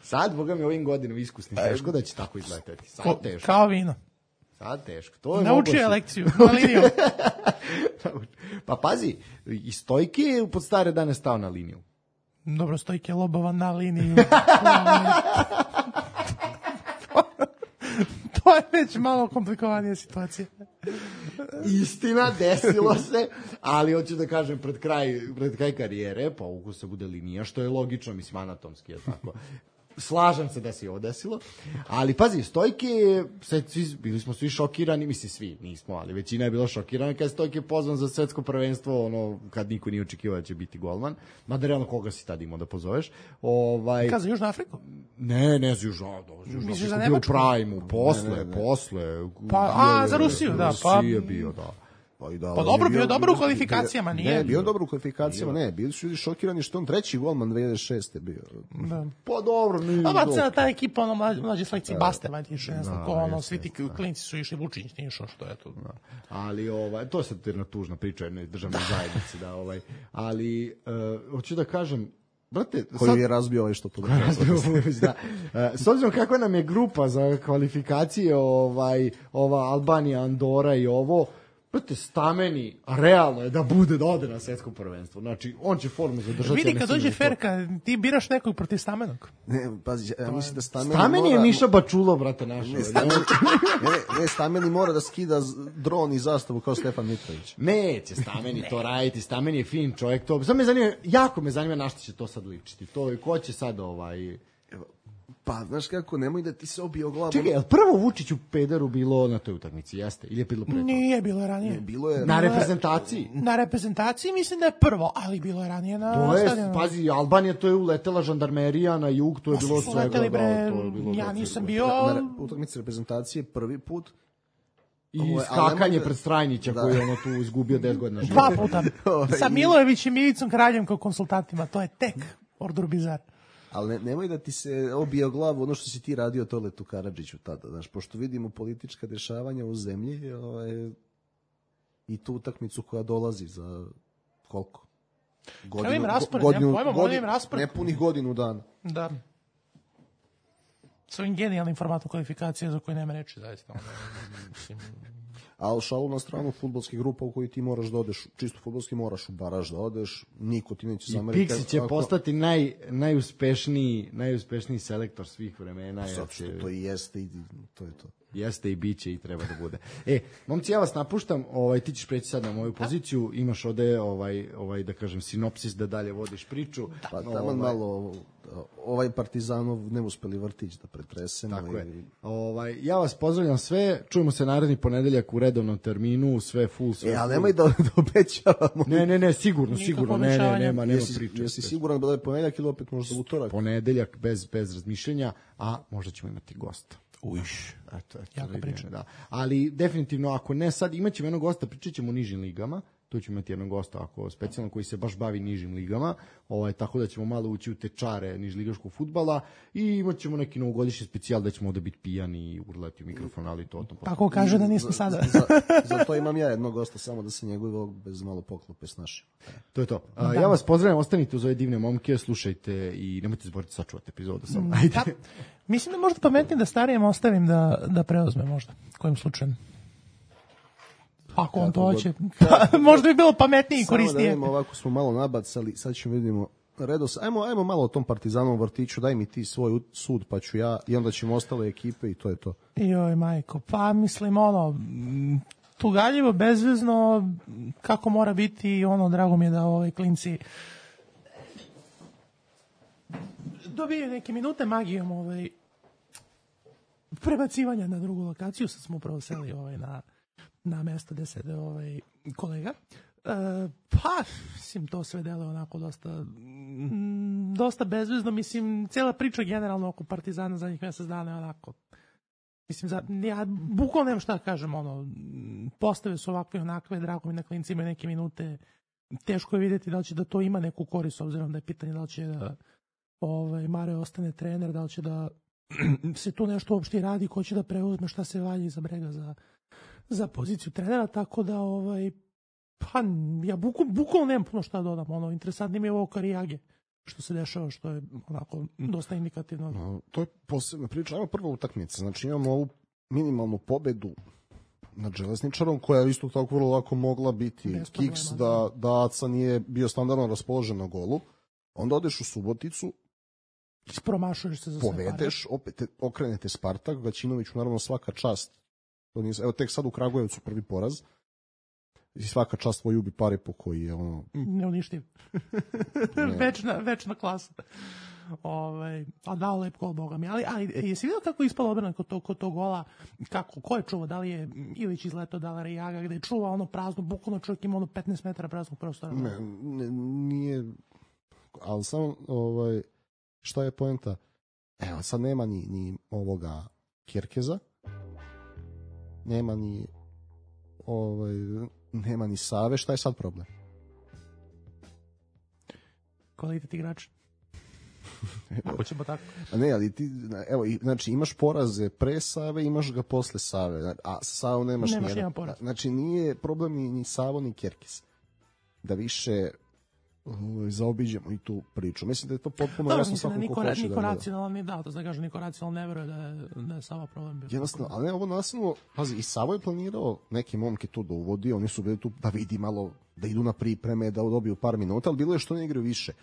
Sad, boga mi, ovim godinom iskusni, teško da će tako izleteti. Sad ko, teško. kao vino. Sad teško. To je Naučio je moguće. lekciju, na liniju. Pa pazi, i Stojke je pod stare dane stao na liniju. Dobro, Stojke Lobova na liniju. To je već malo komplikovanija situacija. Istina, desilo se, ali hoću da kažem pred kraj, pred kraj karijere, pa uko se bude linija, što je logično, mislim, anatomski je tako. Slažem se da se i ovo desilo, ali pazi, Stojke, sad svi, bili smo svi šokirani, mislim svi, nismo, ali većina je bila šokirana kad je Stojke pozvan za svetsko prvenstvo, ono, kad niko nije očekivao da će biti golman, mada realno koga si tad imao da pozoveš. Ovaj, Kada za Južnu Afriku? ne, ne za Južno, da, Južno Misliš za Afriku bio u Nemačku? Prajmu, posle, posle. Pa, bio a, je- za Rusiju, da, pa- Rusiji je bio, da. Pa, i da, Pa on dobro, je bio je dobro u kvalifikacijama, nije? Ne, bio je dobro u kvalifikacijama, ne, bili su ljudi šokirani što on treći golman dve hiljade šeste bio. Da. Pa dobro, nije A dobro. cela ta ekipa, ono, mlađe, mlađe selekcije Baste, valjda išli, ne znam Da, ko, ono, jeste, svi ti klinci su išli, Vučić nije išao, što je to. Ali ovaj to je sad jedna tužna priča jednoj državnoj zajednici da ovaj ali uh, hoću da kažem brate Koju je razbio ovaj što podržava. da. Uh, s obzirom kakva nam je grupa za kvalifikacije ovaj ova Albanija, Andora i ovo brate, Stameni, realno je da bude da ode na svetsko prvenstvo. Znači, on će formu zadržati. Vidi, ja ne kad sumnjam dođe u to. Ferka, ti biraš nekog protiv Stamenog. Ne, pazi, ja mislim da Stameni Stameni je mora- Miša Bačulo, brate, naš. Ne, Stameni, ne, ne, Stameni mora da skida z- dron i zastavu kao Stefan Mitrović. Neće Stameni to raditi, Stameni je fin čovjek, to, samo me zanima, jako me zanima na što će to sad ličiti, to je, ko će sad ovaj... Pa, znaš kako, nemoj da ti se obije o glavu. Čekaj, je li prvo Vučić u Pederu bilo na toj utakmici, jeste? Ili je bilo pre toga? Nije bilo ranije. Bilo je... Na reprezentaciji? Na reprezentaciji mislim da je prvo, ali bilo je ranije na To je, stadionu. pazi, Albanija, to je uletela žandarmerija na jug, to je Pa su bilo su svega. leteli, bre, da, to je bilo ja da, nisam to- bio... Na, na re- utakmici reprezentacije prvi put. I Ovo je- ali skakanje nemoj da- pred Strajnića, Da. koji je ono tu izgubio deset godina života. Dva puta. Sa Milojevićem i Ivicom Kraljem kao konsultantima. To je tek Ordur Bizar. Ali ne, nemoj da ti se obije o glavu ono što si ti radio Toletu Karadžiću tada, znaš, pošto vidimo politička dešavanja u zemlji ovaj, i tu utakmicu koja dolazi za koliko? Godinu, im raspored, godinu, nemam pojma, godinu, raspored. Nepunih godinu dana. Da. S ovim genijalnim formatom kvalifikacije za koje nema reči, zaista. Mislim... Ali šalu na stranu, fudbalskih grupa u koji ti moraš da odeš, čisto fudbalski moraš u baraž da odeš, niko ti neće zameriti. I Pixi će ako... postati naj, najuspešniji, najuspešniji selektor svih vremena. Zato što to i jeste i to je to. Jeste i biće i treba da bude. E, momci, ja vas napuštam, ovaj, ti ćeš preći sad na moju poziciju, imaš ovde, ovaj, ovaj, da kažem, sinopsis da dalje vodiš priču. Pa tamo ovaj... malo, ovaj Partizanov neuspeli vrtić da pretresemo. Tako i... je. Ovaj, ja vas pozdravljam sve, čujemo se naredni ponedeljak u redovnom terminu, sve full, sve E, ali full. nemoj da, da obećavamo. Ne, ne, ne, sigurno, sigurno, ne, ne, nema, nema jesi, priče. Jesi siguran da je ponedeljak ili opet možda utorak? Ponedeljak bez, bez razmišljenja, a možda ćemo imati gosta. Ujš. Eto, eto, jako priča. Da. Ali definitivno, ako ne sad, imat ćemo jednog gosta, pričat ćemo o nižim ligama, tu ćemo imati jednog gosta ako specijalno koji se baš bavi nižim ligama, ovaj, tako da ćemo malo ući u tečare nižligaškog fudbala i imat ćemo neki novogodišnji specijal da ćemo ovde biti pijani i urlati u mikrofon, ali to o tom. Tako kaže da nismo sada. Za, za, za to imam ja jednog gosta, samo da se njegovog bez malo poklope snaši. To je to. A, ja vas pozdravljam, ostanite uz ove divne momke, slušajte i nemojte zaboraviti sačuvati epizodu sam. Ajde. Da, mislim da možda pametnije da starijem ostavim da, da preuzme možda, kojim slučajem. Ako on to hoće, možda bi bilo pametnije i korisnije. Samo da vidimo, ovako smo malo nabacali, sad ćemo vidimo redos. Ajmo, ajmo malo o tom Partizanovom vrtiću, daj mi ti svoj sud, pa ću ja, i onda ćemo ostale ekipe i to je to. Joj, majko, pa mislim, ono, tugaljivo, bezvezno, kako mora biti, ono, drago mi je da ovaj klinci dobiju neke minute magijom ovaj, prebacivanja na drugu lokaciju, sad smo upravo seli ovaj, na na mesto gde sede ovaj kolega. E, pa, mislim, to sve deluje onako dosta m, dosta bezvezno. Mislim, cijela priča generalno oko Partizana zadnjih mjesec dana je onako, mislim, za, ja bukvalno nemam šta da kažem, ono, postave su ovakve onakve, drago mi na klinci imaju neke minute, teško je vidjeti da li će da to ima neku korist, s obzirom da je pitanje da li će da ovaj, Mare ostane trener, da li će da se tu nešto uopšte radi, ko će da preuzme, šta se valji iza brega za za poziciju trenera, tako da ovaj, pa ja bukvalno buku, nemam puno šta dodam, ono, interesantno mi je ovo Karijage, što se dešava, što je onako dosta indikativno. No, to je posebna priča, ajmo prva utakmica, znači imamo ovu minimalnu pobedu nad Železničarom, koja je isto tako vrlo lako mogla biti bez kiks problema, da, da Aca nije bio standardno raspoložen na golu, onda odeš u Suboticu, promašuješ se za sve pare. Povedeš, opet okrenete Spartak, Gaćinoviću naravno svaka čast. To nije, evo tek sad u Kragujevcu prvi poraz i svaka čast tvoj ubi pare po koji je ono... Neuništiv. Ne. večna, večna klasa. Ovaj, a dao lep gol, boga mi. Ali, ali jesi vidio kako je ispalo obrana kod tog, kod tog gola? Kako, ko je čuvao? Da li je Ilić izletao, da li je Rijaga, gde je čuvao ono prazno, bukvalno čovjek ima ono petnaest metara praznog prostora? Ne, ne, nije... Ali samo, ovaj, šta je poenta? Evo, sad nema ni, ni ovoga Kirkeza, nema ni ovaj, nema ni Save, šta je sad problem? Kvalitet igrača. Ako ćemo tako. A ne, ali ti, evo, znači imaš poraze pre Save, imaš ga posle Save, a sa Savom nemaš, nemaš nijedan. poraz. Znači nije problem ni, ni Savo ni Kerkis. Da više zaobiđemo i tu priču. Mislim da je to potpuno Dobro, jasno svako ko hoće da niko racionalan ne da, to da kaže, niko racionalan ne veruje da je, da je Sava problem bio. Jednostavno, ali ne, ovo nasilno, pazi, i Savo je planirao neke momke tu da uvodi, oni su bili tu da vidi malo, da idu na pripreme, da dobiju par minuta, ali bilo je što ne igraju više.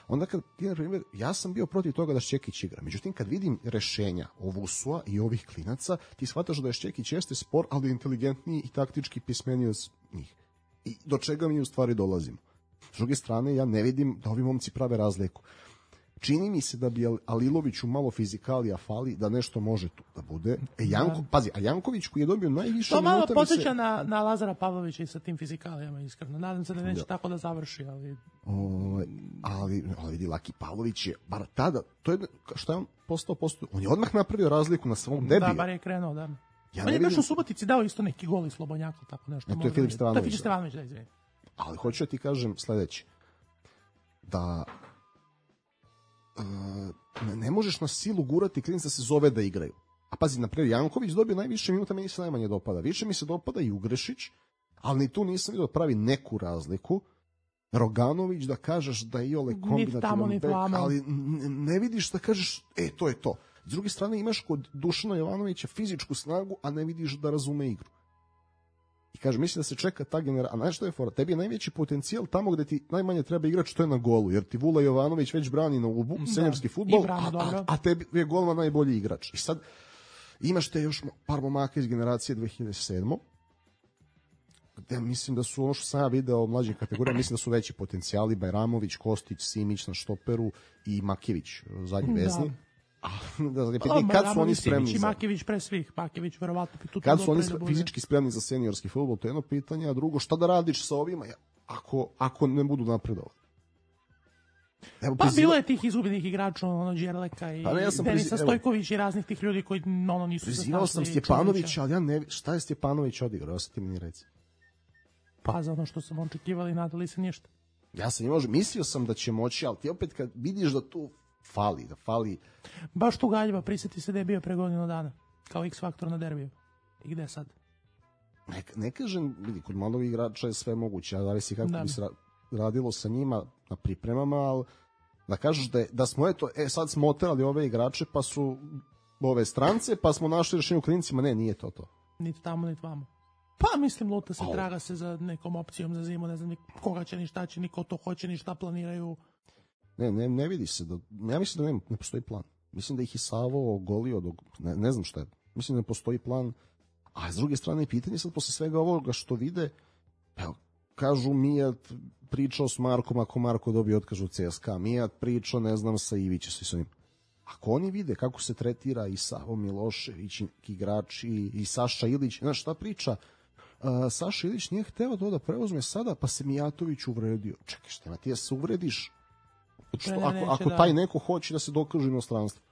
Onda kad ti, na primjer, ja sam bio protiv toga da Šćekić igra, međutim kad vidim rešenja Ovusua i ovih klinaca, ti shvataš da je Šćekić jeste spor, ali inteligentniji i taktički pismeniji od njih. I do čega mi u stvari dolazimo. S druge strane, ja ne vidim da ovi momci prave razliku. Čini mi se da bi Aliloviću malo fizikalija fali, da nešto može tu da bude. E, Janko, da. Pazi, a Janković koji je dobio najviše minuta... To malo podsjeća se... na, na Lazara Pavlovića i sa tim fizikalijama, iskreno. Nadam se da neće da. tako da završi, ali... O, ali, ali vidi, Laki Pavlović je, bar tada, to je, što je on postao, postao, on je odmah napravio razliku na svom debiju. Da, bar je krenuo, da. Ja on je vidim... baš u Subotici dao isto neki gol i Slobodnjaka, tako nešto. E, to je Filip Stevanović. To je Filip Stevanović, da, izvini. Ali hoću da ti kažem sledeće. Da uh, ne možeš na silu gurati klinca da se zove da igraju. A pazi, naprijed, Janković dobio najviše minuta, meni se najmanje dopada. Više mi se dopada i Ugrešić, ali ni tu nisam vidio da pravi neku razliku. Roganović da kažeš da je Iole kombinativan bek, ali ne vidiš da kažeš, e, to je to. S druge strane imaš kod Dušana Jovanovića fizičku snagu, a ne vidiš da razume igru. I kaže, mislim da se čeka ta generacija, a znaš što je fora? Tebi je najveći potencijal tamo gde ti najmanje treba igrač, to je na golu, jer ti Vula Jovanović već brani na ubu, senjorski fudbal, a, a, a tebi je golman najbolji igrač. I sad imaš te još par momaka iz generacije dve hiljade sedme. Gde mislim da su, ono što sam ja video mlađih kategorija, mislim da su veći potencijali, Bajramović, Kostić, Simić na štoperu i Makević, zadnji vezni. Da. A, da, da, pa, kad su oni spremni Simić i Makević pre svih, Makević verovatno bi tu kad su oni da fizički spremni za seniorski fudbal, to je jedno pitanje, a drugo, šta da radiš sa ovima ako, ako ne budu napredovali? Evo, pa priziva... bilo je tih izgubljenih igrača, ono Đerleka i pa ne, ja Denisa Stojković i raznih tih ljudi koji ono nisu zasnašli. Prizivao sam Stjepanovića, ali ja ne, šta je Stjepanović odigrao, ja sam ti mi reci. Pa za ono što sam očekivali, nadali se ništa. Ja sam imao, mislio sam da će moći, ali ti opet kad vidiš da tu fali, da fali... Baš tu Galjeva, prisjeti se da je bio pre godinu dana, kao X-faktor na derbiju. I gde sad? Ne, ne kažem, vidi, kod mladog igrača je sve moguće, a zavisi kako da. bi se radilo sa njima na pripremama, ali da kažeš da, je, da smo, eto, e, sad smo oterali ove igrače, pa su ove strance, pa smo našli rešenje u klinicima, ne, nije to to. Niti tamo, niti vamo. Pa mislim, luta se, traga se za nekom opcijom za zimu, ne znam koga će ni šta će, niko to hoće, ni šta planiraju. Ne, ne, ne vidi se, da, ja mislim da ne, ne postoji plan. Mislim da ih je Savo ogolio, dok, ne, ne znam šta je, mislim da ne postoji plan, a s druge strane pitanje sad posle svega ovoga što vide, evo, kažu Mijat pričao s Markom, ako Marko dobije otkaz u C S K A, Mijat pričao, ne znam, sa Ivićem, svi s onim. Ako oni vide kako se tretira i Savo Milošević, igrač i, i Saša Ilić, znaš šta priča, Uh, Saša Ilić nije hteo to da preuzme sada, pa se Mijatović uvredio. Čekaj, šta ima, ti ja se uvrediš? Što, ako, ako taj neko hoće da se dokaže inostranstvo.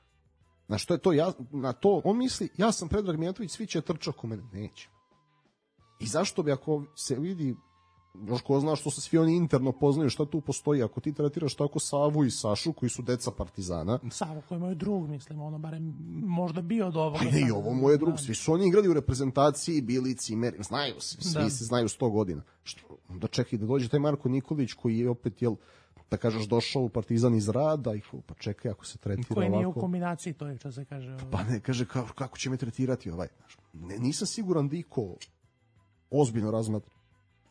Na što je to, ja, na to, on misli, ja sam Predrag Mijatović, svi će trčati oko mene. Neće. I zašto bi, ako se vidi, još ko zna što se svi oni interno poznaju, šta tu postoji, ako ti tretiraš tako Savu i Sašu, koji su deca Partizana. Savo koji je moj drug, mislim, ono, barem možda bio od ovoga. Pa ne, i ovo moj drug, svi su oni igrali u reprezentaciji, bili cimer, znaju se, svi da. se znaju sto godina. Što, da čekaj, da dođe taj Marko Nikolić, koji je opet, jel, da kažeš, došao u Partizan iz rada, i pa čekaj, ako se tretira koji ovako... Koji nije u kombinaciji, to je što se kaže. Ovaj. Pa ne, kaže, kako, kako će me tretirati ovaj. Ne, nisam siguran da iko ozbiljno razmatra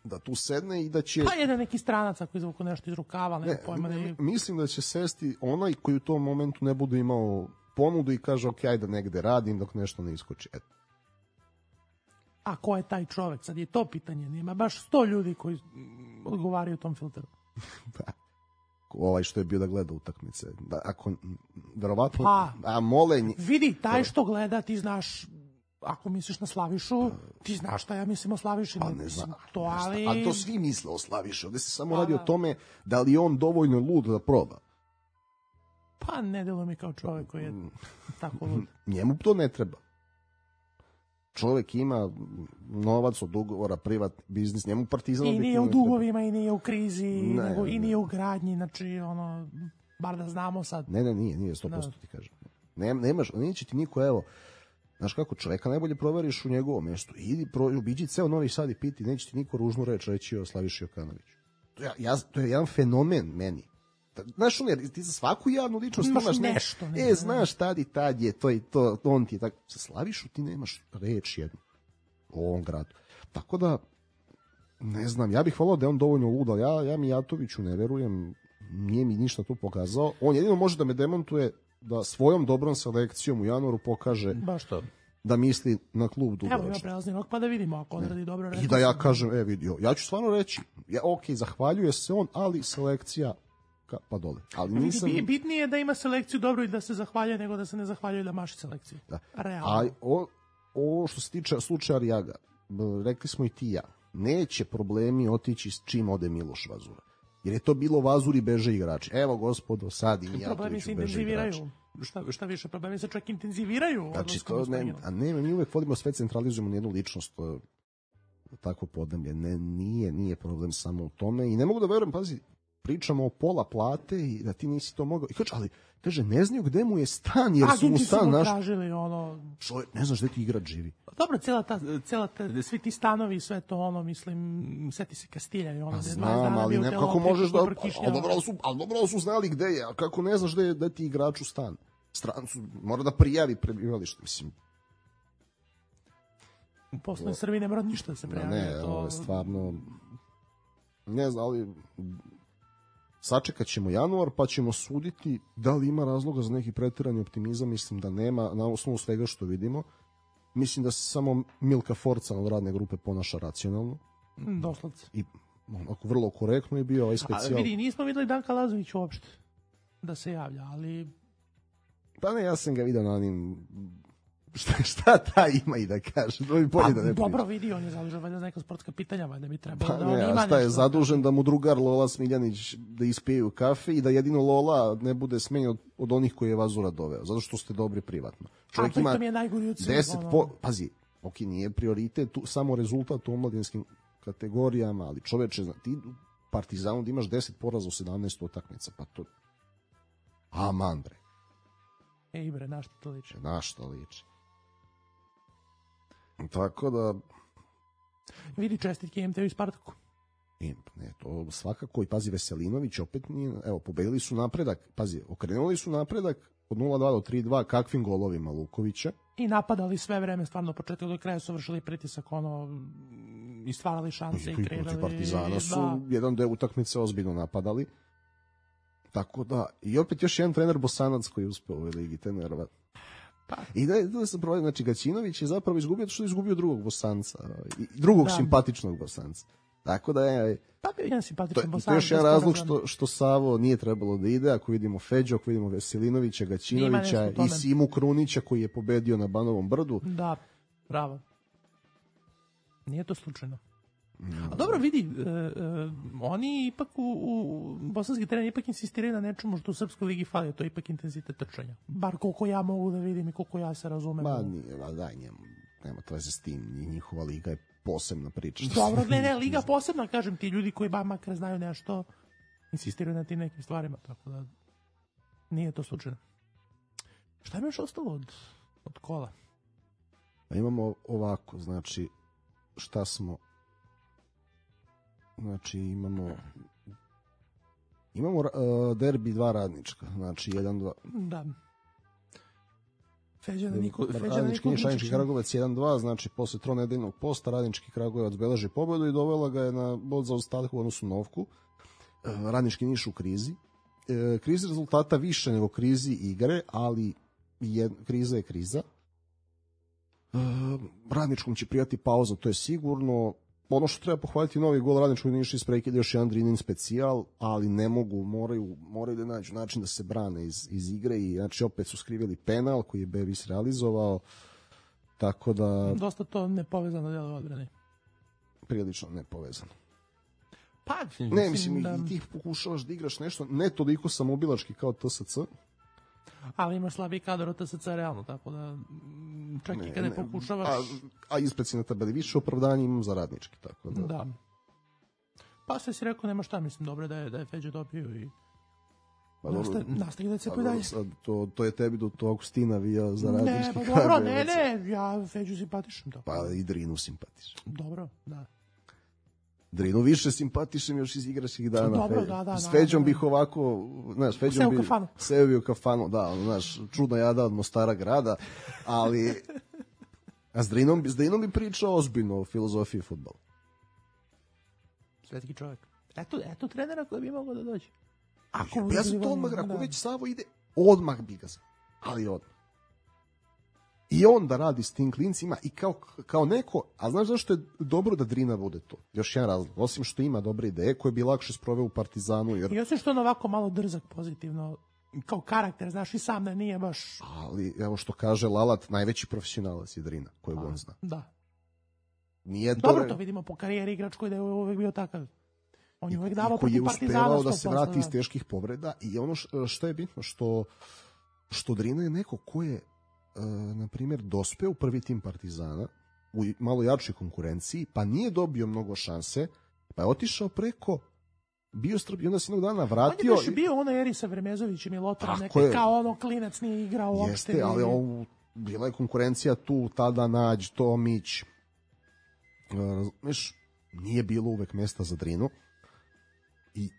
da tu sedne i da će... Pa jedan neki stranac ako izvuku nešto iz rukava, ne, pojma da je... Mislim da će sesti onaj koji u tom momentu ne bude imao ponudu i kaže, ok, ajde negde radim dok nešto ne iskoči. Eto. A ko je taj čovek? Sad je to pitanje. Nema baš sto ljudi koji odgovaraju tom filteru. Da. Ovaj što je bio da gleda utakmice. Da, ako, verovatno... Pa, a molenj... Vidi, taj što gleda, ti znaš... Ako misliš na Slavišu, ti znaš šta ja mislim o Slaviši. Pa ne znam, to, ali... ali to svi misle o Slaviši. Ovde se samo pa, radi o tome da li on dovoljno lud da proba. Pa ne delo mi kao čovek koji je tako lud. Njemu to ne treba. Čovek ima novac od ugovora, privat biznis, njemu Partizan... I nije u dugovima, i nije u krizi, ne, nego, ne. i nije u gradnji, znači, ono, bar da znamo sad. Ne, ne, nije, nije, sto posto ti kažem. Ne, nemaš, neće ti niko, evo, znaš kako, čoveka najbolje proveriš u njegovom mjestu. Idi, pro, obiđi ceo Novi Sad i piti, neće ti niko ružnu reč reći o Slaviši Jokanoviću. To, ja, ja, to je jedan fenomen meni. Znaš, on, jer ti za svaku javnu ličnost imaš nešto. Ne, e, znaš, tad i tad je, to i to, on ti je tako. Sa Slavišu ti nemaš reč jednu u ovom gradu. Tako da, ne znam, ja bih volao da je on dovoljno lud, ali ja, ja Mijatoviću ne verujem, nije mi ništa tu pokazao. On jedino može da me demantuje da svojom dobrom selekcijom u januaru pokaže baš to. Da misli na klub dugoročno. Evo ima prelazni rok pa da vidimo ako on radi dobro. I da ja kažem, e vidio, ja ću stvarno reći, ja, ok, zahvaljuje se on, ali selekcija ka, pa dole. Ali nisam... Bitnije je da ima selekciju dobro i da se zahvaljuje nego da se ne zahvaljuje da maši selekciju. Da. Realno. A o, o što se tiče slučaja Arijaga, rekli smo i ti ja, neće problemi otići s čim ode Miloš Vazura. Jer je to bilo Vazuri beže igrači. Evo gospodo, sad i Mijatoviću beže igrači. Šta, šta više, problemi se čak intenziviraju. Znači, to ne, a ne, mi uvek vodimo sve, centralizujemo na jednu ličnost, to je takvo podneblje. Ne, nije, nije problem samo u tome i ne mogu da verujem, pazi, pričamo o pola plate i da ti nisi to mogao. I kaže, ali, kaže, ne znaju gde mu je stan, jer su mu Agenti su stan mu naš... tražili ono... Čovjek, ne znaš gde ti igrač živi. Dobro, cela ta, cela ta, svi ti stanovi, sve to ono, mislim, seti se Kastilja i ono, Pa gde znam, ali bio ne, telo, kako možeš da... preko Kišnjava. Ali dobro su, ali dobro su znali gde je, a kako ne znaš gde je, da ti igrač u stan. Strancu, mora da prijavi prebivalište, mislim. Posle Srbi ne mora ništa da se prijavi. Ne, to... ovo je stvarno... Ne znam, ali... Sačekat ćemo januar, pa ćemo suditi da li ima razloga za neki pretirani optimizam. Mislim da nema, na osnovu svega što vidimo. Mislim da se samo Milka Forca od radne grupe ponaša racionalno. Doslovce. I onako vrlo korektno je bio ovaj specijal. A vidi, nismo videli Danka Lazović uopšte da se javlja, ali... Pa ne, ja sam ga vidio na onim... Šta, šta ta ima i da kaže? Da pa, da ne dobro vidi, on je zadužen valjda za neka sportska pitanja, valjda bi trebalo pa da ne, on ima nešto. Šta je nešto, zadužen da mu drugar Lola Smiljanić da ispiju kafe i da jedino Lola ne bude smenjen od, od onih koji je Vazura doveo, zato što ste dobri privatno. Čovjek ima mi je najgori od svih, deset ono... po, pazi, ok, nije prioritet tu, samo rezultat u omladinskim kategorijama, ali čoveče, ti u Partizanu da imaš deset poraza u sedamnaest utakmica, pa to... Aman, bre. Ej, bre, na što to liči? Na što liči. Tako da... Vidi čestitke M T V i Spartaku. I, ne, to svakako, i pazi, Veselinović opet nije, evo, pobedili su napredak, pazi, okrenuli su napredak od nula dva do tri dva kakvim golovima Lukovića. I napadali sve vreme, stvarno, početak do kraja su vršili pritisak, ono, i stvarali šanse i, i kreirali. Protiv Partizana su da. jedan deo utakmice ozbiljno napadali. Tako da, i opet još jedan trener Bosanac koji je uspeo u ovoj ligi trenera. Pa. I da, da se provodi, znači Gaćinović je zapravo izgubio što je izgubio drugog Bosanca, i drugog da. simpatičnog Bosanca. Tako da je... Pa bio jedan simpatičan Bosanac. To je još jedan razlog što, što Savo nije trebalo da ide, ako vidimo Feđu, ako vidimo Veselinovića, Gaćinovića i Simu Krunića koji je pobedio na Banovom brdu. Da, bravo. Nije to slučajno. A dobro, vidi, e, e, oni ipak u, u bosanski teren ipak insistiraju na nečemu što u Srpskoj ligi fali, to je ipak intenzitet trčanja. Bar koliko ja mogu da vidim i koliko ja se razumem. Ma nije, ma daj njemu, nema to veze s tim, njihova liga je posebna priča. Dobro, ne, ne, liga posebna, kažem ti, ljudi koji ba makar znaju nešto, insistiraju na tim nekim stvarima, tako da nije to slučajno. Šta je još ostalo od, od kola? Pa imamo ovako, znači, šta smo... Znači imamo imamo uh, derbi dva radnička, znači jedan dva. Da. Feđana Niko, Radnički Niš, Radnički Kragujevac jedan dva, znači posle tronedeljnog posta Radnički Kragujevac beleži pobedu i dovela ga je na bod za ostatak u odnosu na Novku. Uh, Radnički Niš u krizi. Uh, krizi rezultata više nego krizi igre, ali jed, kriza je kriza. Uh, Radničkom će prijati pauza, to je sigurno. Ono što treba pohvaliti, novi gol Radničkog Niša iz prekida, još jedan Drinin specijal, ali ne mogu, moraju, moraju da nađu način da se brane iz, iz igre i znači opet su skrivili penal koji je Bevis realizovao, tako da... Dosta to nepovezano delo odbrane. Prilično nepovezano. Pa, ne, mislim, da... i ti pokušavaš da igraš nešto, ne toliko samobilački kao T S C, ali imaš slabiji kadar od T S C realno, tako da čak ne, i kada ne pokušavaš... A, a ispred si na tabeli više opravdanja imam za Radnički, tako da... Da. Pa sve si rekao, nema šta, mislim, dobro da je, da je Feđa dobio i... Pa Nastavi, nastavi da se pa dalje. To, to je tebi do tog Stina vio za Radnički. Ne, pa dobro, ne, ne, ja Feđu simpatišem. Tako. Pa i Drinu simpatišem. Dobro, da. Drinu više simpatišem još iz igračkih dana. Dobro, da, da. S Feđom bih ovako, znaš, Feđom bih seo bi u kafanu, da, ono, znaš, čudna jada od Mostara grada, ali a s Drinom, s Drinom bi pričao ozbiljno o filozofiji fudbala. Svetski čovjek. Eto, eto trenera koji bi mogao da dođe. Ako ja, ja sam to odmah, ako već Savo ide, odmah bi ga sam, ali odmah. I on da radi s tim klincima i kao, kao neko, a znaš zašto je dobro da Drina bude to? Još jedan razlog, osim što ima dobre ideje koje bi lakše sproveo u Partizanu. Jer... I osim što on ovako malo drzak pozitivno, kao karakter, znaš, i sam da nije baš... Ali, evo što kaže Lalat, najveći profesionalac je Drina, kojeg on zna. Da. Nije dobro, to... to vidimo po karijeri igrač koji da je uvek bio takav. On je uvek davao protiv Partizana. Koji je uspevao da se vrati iz teških povreda i ono što je bitno, što, što Drina je neko ko je Uh, na primjer, dospeo u prvi tim Partizana u malo jačoj konkurenciji, pa nije dobio mnogo šanse, pa je otišao preko bio strpljiv i onda se jednog dana On vratio. je baš bio ono eri sa Vremezovićem i Lotarom, Tako neke, je. kao ono klinac nije igrao uopšte. Jeste, ali ovo, bila je konkurencija tu, tada Nađ, Tomić. Razumeš, nije bilo uvek mesta za Drinu. I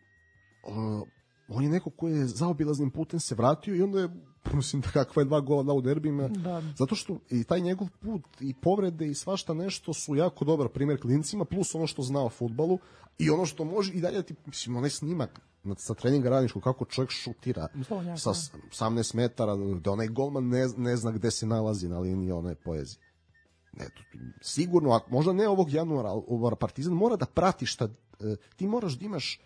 uh, on je neko ko je zaobilaznim putem se vratio i onda je, mislim da kakva je dva gola dao u derbima, Da. zato što i taj njegov put i povrede i svašta nešto su jako dobar primjer klincima, plus ono što zna o fudbalu i ono što može i dalje ti, mislim, onaj snimak sa treninga Radničkog, kako čovjek šutira Slovnjaka. sa osamnaest metara, da onaj golman ne, ne zna gde se nalazi na liniji one poezije. Ne, to, sigurno, a možda ne ovog januara, ali Partizan mora da prati šta, e, ti moraš da imaš,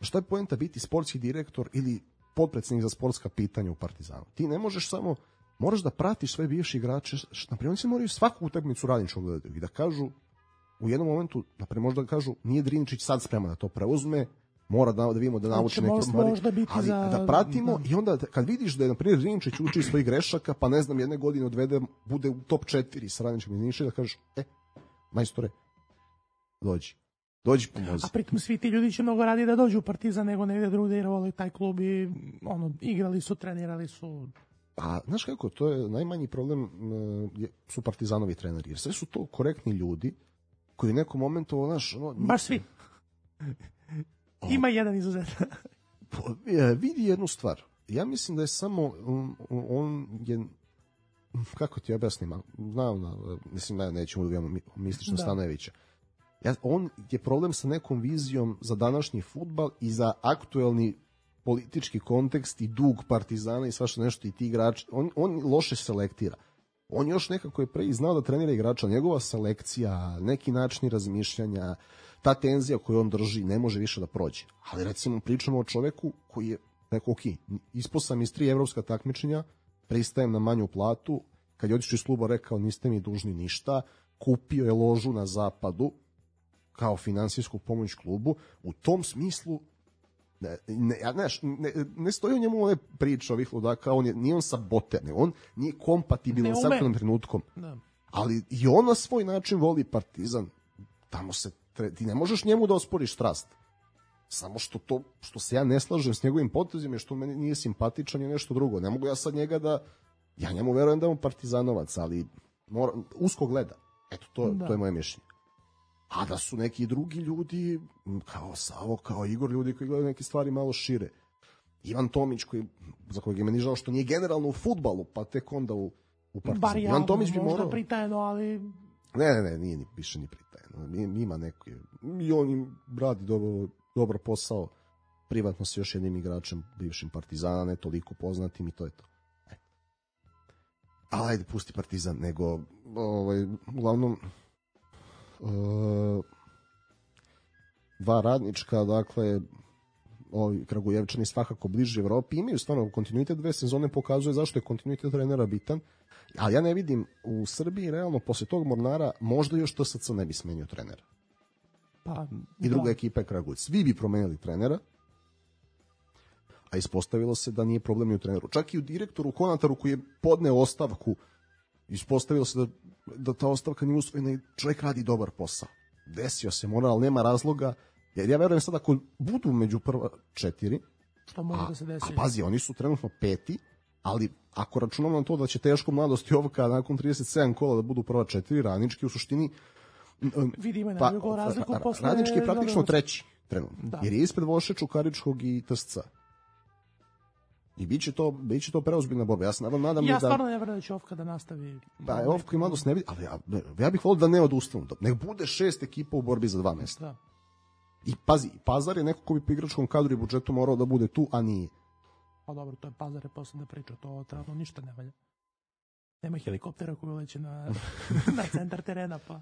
šta je poenta biti sportski direktor ili potpredsednik za sportska pitanja u Partizanu. Ti ne možeš samo, moraš da pratiš sve bivši igrače, na primjer, oni se moraju svaku utakmicu Radničkog gledati i da kažu, u jednom momentu, na primjer, možda da kažu, nije Drinčić sad spreman da to preuzme, mora da, da vidimo da nauči neke stvari, ali za... da pratimo da. I onda kad vidiš da je, na primjer, Drinčić uči svojih grešaka, pa ne znam, jedne godine odvede, bude u top četiri sa Radničkim Drinčića, da kažeš, e, majstore, dođi. Dođi pomozi. A pritom svi ti ljudi će mnogo radi da dođu u Partizan nego negde drugde jer vole taj klub i ono, igrali su, trenirali su. A znaš kako, to je najmanji problem uh, su Partizanovi treneri, jer sve su to korektni ljudi koji u nekom momentu, znaš, ono... Baš svi. Ima jedan izuzetan. Vidi jednu stvar. Ja mislim da je samo um, on je, kako ti objasnim, znam, mislim da nećemo da vidimo Mistično da. Stanojevića. Ja, on je problem sa nekom vizijom za današnji fudbal i za aktuelni politički kontekst i dug Partizana i svašta nešto i ti igrači. On, on loše selektira. On još nekako je pre i znao da trenira igrača. Njegova selekcija, neki načini razmišljanja, ta tenzija koju on drži ne može više da prođe. Ali recimo pričamo o čoveku koji je rekao, ok, ispao sam iz tri evropska takmičenja, pristajem na manju platu, kad je otišao iz kluba rekao niste mi dužni ništa, kupio je ložu na zapadu kao finansijsku pomoć klubu. U tom smislu ne, ne, ne, ne, ne stoji o njemu ove priče ovih ludaka, on je, nije on saboter, ne, on nije kompatibilan sa aktualnim trenutkom. Da. Ali i on na svoj način voli Partizan. Tamo se, ti ne možeš njemu da osporiš strast. Samo što to, što se ja ne slažem s njegovim potezima, što meni nije simpatičan je nešto drugo. Ne mogu ja sad njega da, ja njemu verujem da je on partizanovac, ali mora, usko gleda. Eto, to, da. To je moje mišljenje. A da su neki drugi ljudi, kao Savo, kao Igor, ljudi koji gledaju neke stvari malo šire. Ivan Tomić, koji, za kojeg je meni žao što nije generalno u fudbalu, pa tek onda u, u Partizanu. Bar javno, Ivan Tomić bi možda morao... pritajeno, ali... Ne, ne, ne, nije ni, više ni pritajeno. Ima neko, i on im radi dobro, dobro posao. Privatno sa još jednim igračem, bivšim Partizana, ne toliko poznatim i to je to. E. Ali ajde, pusti Partizan, nego, ovaj, uglavnom, Uh, dva Radnička, dakle ovi Kragujevčani svakako bliže Evropi, imaju stvarno kontinuitet, dve sezone pokazuje zašto je kontinuitet trenera bitan, ali ja ne vidim u Srbiji realno posle tog Mornara možda još T S C ne bi smenio trenera. Pa, i druga da. Ekipa je Kragujevac. Svi bi promenili trenera, a ispostavilo se da nije problem ni u treneru. Čak i u direktoru Konataru koji je podneo ostavku, ispostavilo se da da ta ostavka nije usvojena i čovjek radi dobar posao. Desio se moral, ali nema razloga, jer ja verujem sad ako budu među prva četiri, što može da se desi. A pazi, oni su trenutno peti, ali ako računamo na to da će teško mladosti ovka nakon trideset sedam kola da budu prva četiri, Radnički u suštini vidimo na drugu razliku posle... Radnički je praktično treći trenutno, da. Jer je ispred Voše, Čukaričkog i T S C. I biće to, biće to preozbiljna borba. Ja se nadam, nadam ja da... stvarno ne verujem da će Ofka da nastavi. Pa je Ofka i mladost ne vidi, ali ja, ja bih volio da ne odustanu. Nek bude šest ekipa u borbi za dva mesta. Da. I pazi, Pazar je neko ko bi po igračkom kadru i budžetu morao da bude tu, a nije. Pa dobro, to je Pazar je posledna priča, to trenutno ništa ne valja. Nema helikoptera koji leće na, na centar terena. Pa,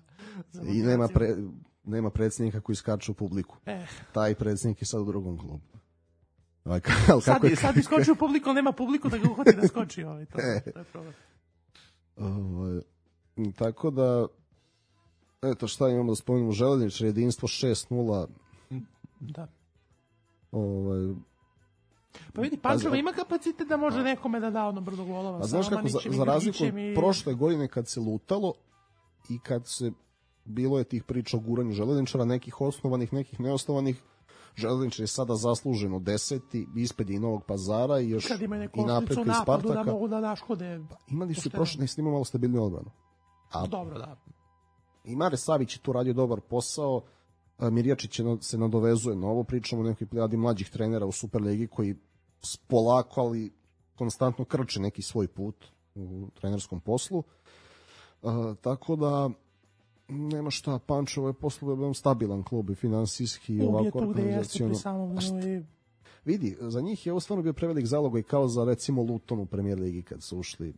i nema, pre, nema predsjednika koji skače u publiku. Eh. Taj predsjednik je sad u drugom klubu. Ovaj, kako sad, je, sad iskoči u publiku, ali nema publiku da ga uhvati da skoči. Ovaj, to, e. to je problem. Ovaj, tako da, eto šta imamo da spomenemo, Železničar jedinstvo šest nula. Da. Ovaj, pa vidi, Pančevo ima kapacitet da može nekome da da ono brdo golova. Pa znaš kako, za, za razliku od i... prošle godine kad se lutalo i kad se bilo je tih priča o guranju Železničara, nekih osnovanih, nekih neosnovanih, Železničar je sada zasluženo deseti, ispred je i Novog Pazara i još kad ima neku i Napretka i napadu Spartaka. da mogu da naškode. Imali su pošteno. prošle, ne imali malo stabilniju odbranu. A Dobro, da. i Mare Savić je tu radio dobar posao. Mirjačić je, se nadovezuje na ovo, pričamo o nekoj plijadi mlađih trenera u Superligi koji polako, ali konstantno krče neki svoj put u trenerskom poslu. Uh, tako da nema šta, Pančevo je poslovno jedan stabilan klub i finansijski i ovako organizacijalno. Vidi, za njih je ovo stvarno bio prevelik zalogaj kao za recimo Luton u Premier Ligi kad su ušli.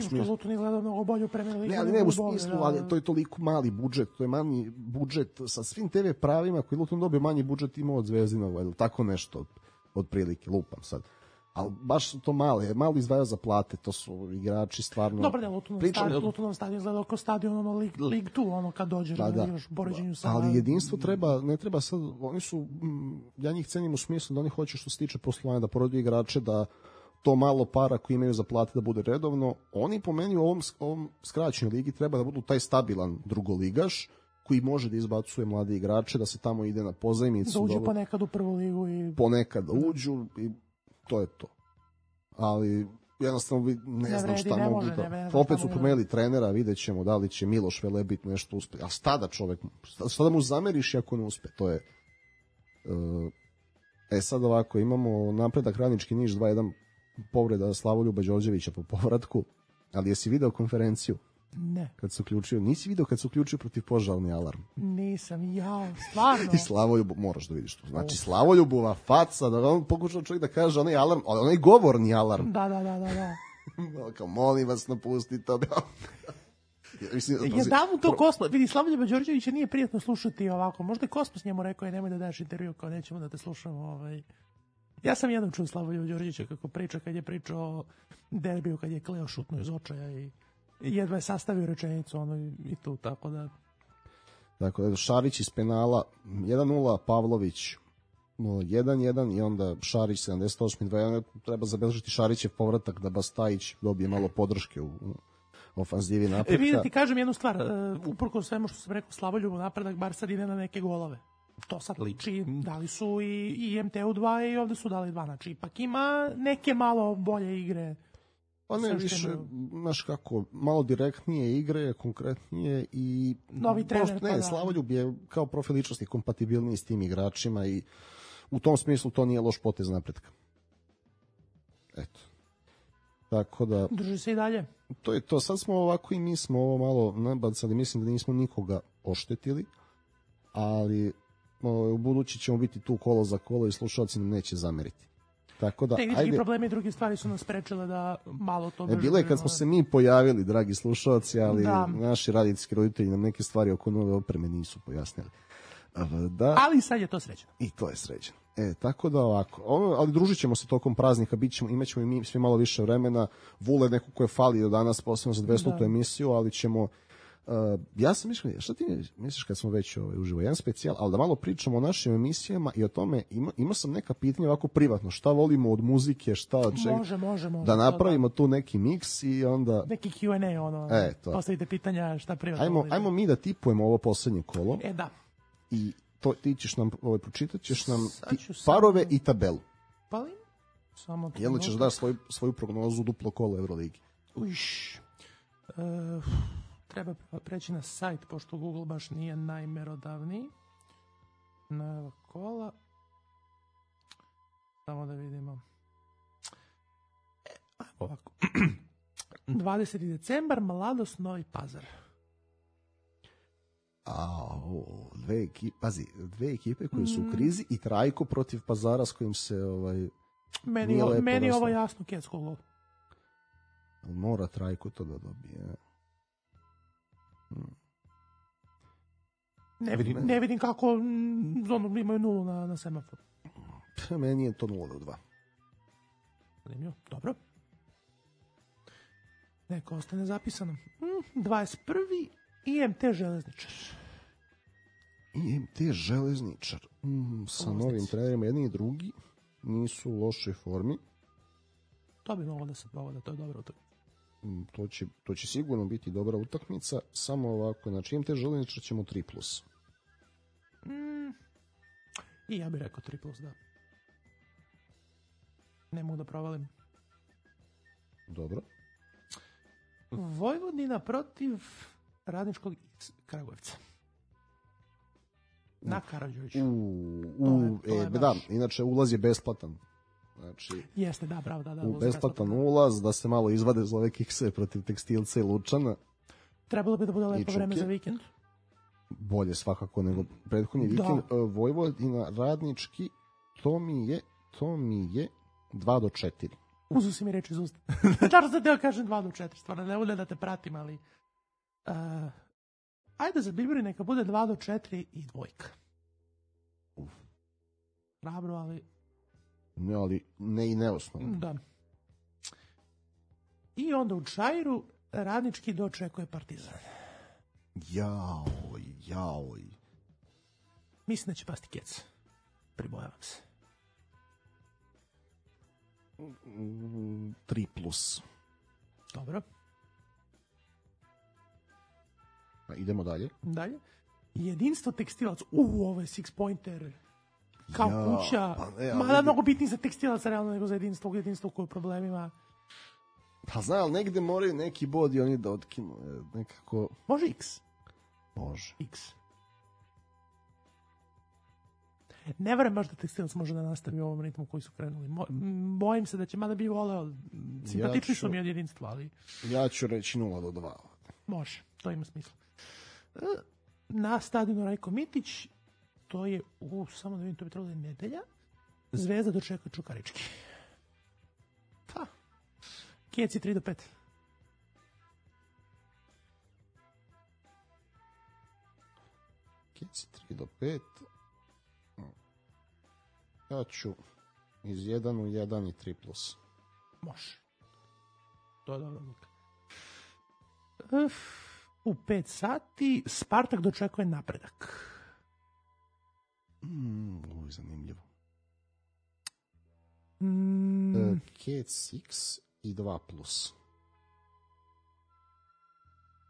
Što Luton izgleda mnogo bolje u Premier Ligi. Ne, ali ne u smislu, ali to je toliko mali budžet, to je manji budžet sa svim te ve pravima koji Luton dobio manji budžet imao od Zvezdinova ili tako nešto od, od prilike, lupam sad. Ali baš su to male, malo izdvajaju za plate, to su igrači stvarno... Dobro, ne, Lutonov stadion izgleda oko stadion, ono, League two, ono, kad dođe da, da. Još poređenju sa... Ali jedinstvo treba, ne treba sad, oni su, ja njih cenim u smislu da oni hoće što se tiče poslovanja, da porodio igrače, da to malo para koji imaju za plate da bude redovno. Oni po meni u ovom, ovom skraćenoj ligi treba da budu taj stabilan drugoligaš, koji može da izbacuje mlade igrače, da se tamo ide na pozajmicu. Da uđu ponekad u prvu ligu i... Ponekad da uđu i to je to. Ali jednostavno ne, ne znam šta ne mogu da... Opet su promenili trenera, vidjet ćemo da li će Miloš Velebit nešto uspe. A šta da čovek, šta da mu zameriš ako ne uspe? To je... E sad ovako, imamo Napredak Radnički Niš dva jedan povreda Slavoljuba Đorđevića po povratku, ali jesi video konferenciju? Ne. Kad se uključio, nisi video kad se uključio protiv požarni alarm? Nisam, ja, stvarno. I Slavoljubu, moraš da vidiš to. Znači, Slavoljubova faca, da on pokušao čovjek da kaže onaj alarm, onaj govorni alarm. Da, da, da, da, da. Kao, molim vas, napustite to. Ja, mislim, ja dam mu to pro... Kosmos. Vidi, Slavljuba Đorđevića nije prijatno slušati ovako. Možda je Kosmos njemu rekao, je nemoj da daš intervju, kao nećemo da te slušamo. Ovaj. Ja sam jednom čuo Slavljuba Đorđevića kako priča, kad je pričao o derbiju, kad je Kleo šutnuo iz očaja i jedva je sastavio rečenicu ono i tu, tako da... Dakle, Šarić iz penala, jedan nula, Pavlović jedan jedan i onda Šarić sedamdeset osam dva jedan, treba zabeležiti Šarićev povratak da Bastajić dobije malo podrške u, u ofanzivi napretka. E, vidite, ti kažem jednu stvar, uh, uprko svemu što sam rekao, Slavoljubu napredak bar sad ide na neke golove. To sad liči, dali su i, i em te u dva i ovde su dali dva, znači ipak ima neke malo bolje igre. Pa ne, više, znaš kako, malo direktnije igre, konkretnije i... Novi trener. Prosto, ne, Slavoljub je kao profil ličnosti kompatibilniji s tim igračima i u tom smislu to nije loš potez napretka. Eto. Tako da... Drži se i dalje. To je to, sad smo ovako i mi smo ovo malo nabacali, mislim da nismo nikoga oštetili, ali u budući ćemo biti tu kolo za kolo i slušalci nam neće zameriti. Tako da, tehnički ajde. Problemi i druge stvari su nas sprečile da malo to... E, bilo je kad smo se mi pojavili, dragi slušalci, ali da. Naši radijski roditelji nam neke stvari oko nove opreme nisu pojasnili. Da, ali sad je to sređeno. I to je sređeno. E, tako da ovako, ono, ali družit ćemo se tokom praznika, bit ćemo, imat ćemo i mi svi malo više vremena. Vule neko ko je falio danas, posebno za dvestotu emisiju, ali ćemo... Uh, ja sam mišljeno, šta ti misliš kad smo već ovaj, uživo, jedan specijal, ali da malo pričamo o našim emisijama i o tome, ima, imao sam neka pitanja ovako privatno, šta volimo od muzike, šta od čega, može, može, može, da napravimo tu neki miks i onda... Neki Q and A, ono, e, postavite pitanja šta privatno ajmo, volite. Ajmo mi da tipujemo ovo poslednje kolo. E, da. I to, ti ćeš nam, ovaj, pročitat ćeš nam ti, parove sam... i tabelu. Pa samo... Jedno ćeš daš svoju, svoju prognozu duplo kolo Euroligi. Uš... Uh... Treba preći na sajt, pošto Google baš nije najmerodavniji. Na kola. Samo da vidimo. E, ovako. dvadeseti decembar, Mladost, Novi Pazar. A, o, dve ekipe, pazi, dve ekipe koje su u krizi i Trajko protiv Pazara s kojim se ovaj meni, o, meni ovo jasno Kecko gol. Mora Trajko to da dobije. Hmm. Ne vidim, ne vidim kako ono, imaju nulu na, na semaforu. Meni je to nula do dva. Dobro. Neko ostane zapisano. Hmm, dvadeset prvi I M T Železničar. I M T Železničar. Mm, sa Ovo novim trenerima, jedni i drugi nisu u lošoj formi. To bi moglo da se povode, to je dobro utakmica. To će, to će sigurno biti dobra utakmica, samo ovako, znači I M T Železničar ćemo tri plus. Mm, I ja bih rekao tri plus, da. Ne mogu da provalim. Dobro. Vojvodina protiv Radničkog iz Kragujevca. Na Karađorđeviću. U, u, to je, to je e, da, inače ulaz je besplatan. Znači, jeste, da, bravo, da, da. u besplatan ulaz, da se malo izvade za ove kikse protiv Tekstilca i Lučana. Trebalo bi da bude lepo vreme za vikend. Bolje svakako nego prethodni vikend. Da. Vojvodina Radnički, to mi je, to mi je dva do četiri. Uzu si mi reći iz usta. Čar sam teo kažem dva do četiri, stvarno ne bude da te pratim, ali... Uh, ajde za Bibiri neka bude dva do četiri i dvojka. Uf. Hrabro, ali... Ne, ali ne i neosnovno. Da. I onda u Čairu Radnički dočekuje Partizan. Jaoj, jaoj. Mislim da će pasti kec. Pribojavam se. tri plus. Dobro. A idemo dalje. Dalje. Jedinstvo Tekstilac. U, ovo je six pointer. Kao ja, kuća. Pa ne, mada mnogo bitniji za Tekstilac realno nego za jedinstvo. U jedinstvu koje problemima. Pa znam, ali negde moraju neki bod i oni da otkinu. Nekako... Može X. Može. X. Ne verujem baš da Tekstilac može da nastavi u ovom ritmu koji su krenuli. Mo, bojim se da će, mada bi voleo, simpatični ja ću, su mi od jedinstva, ali... Ja ću reći nula do dva. Može, to ima smisla. Na stadionu Rajko Mitić, to je u, samo da vidim, to bi trebalo da je nedelja, Zvezda dočekuje Čukarički. Pa, Keci tri do pet. Keci tri do pet. Ja ću iz jedan u jedan i tri plus. Može. To je dobro odluka. Uf, u pet sati Spartak dočekuje Napredak. Mm, ovo je zanimljivo. Mm. Uh, Kec X i dva plus.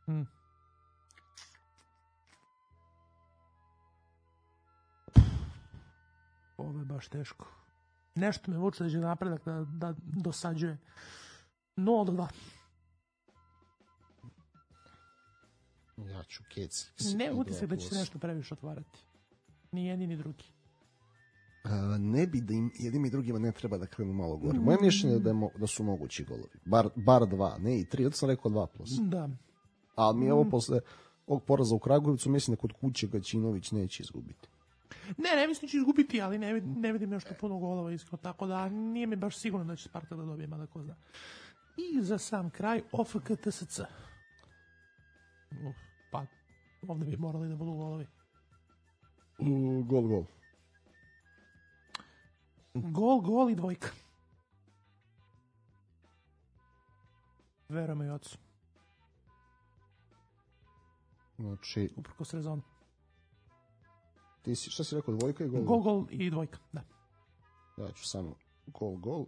Mm. Ovo je baš teško. Nešto me vuče da će Napredak da, da dosađuje. nula do dva. Ja ću Kec. Ne utisak da će se nešto previše otvarati. Ni jedni ni drugi. Uh, ne bi da im jednim i drugima ne treba da krenu malo gore. Moje mišljenje je da, je mo, da su mogući golovi. Bar, bar dva, ne i tri. Od sam rekao dva plus. Da. Ali mi je ovo posle ovog poraza u Kragujevcu, mislim da kod kuće Gaćinović neće izgubiti. Ne, ne mislim da će izgubiti, ali ne, ne vidim još to puno golova iskreno, tako da nije mi baš sigurno da će Spartak da dobije, mada ko zna. I za sam kraj O F K T S C. Uf, pa, ovde bi morali da budu golovi. Uh, gol, gol. Gol, gol i dvojka. Verujem i ocu. Znači... Uprkos rezonu. Ti si, šta si rekao, dvojka i gol? Gol, gol i dvojka, da. Ja ću samo gol, gol.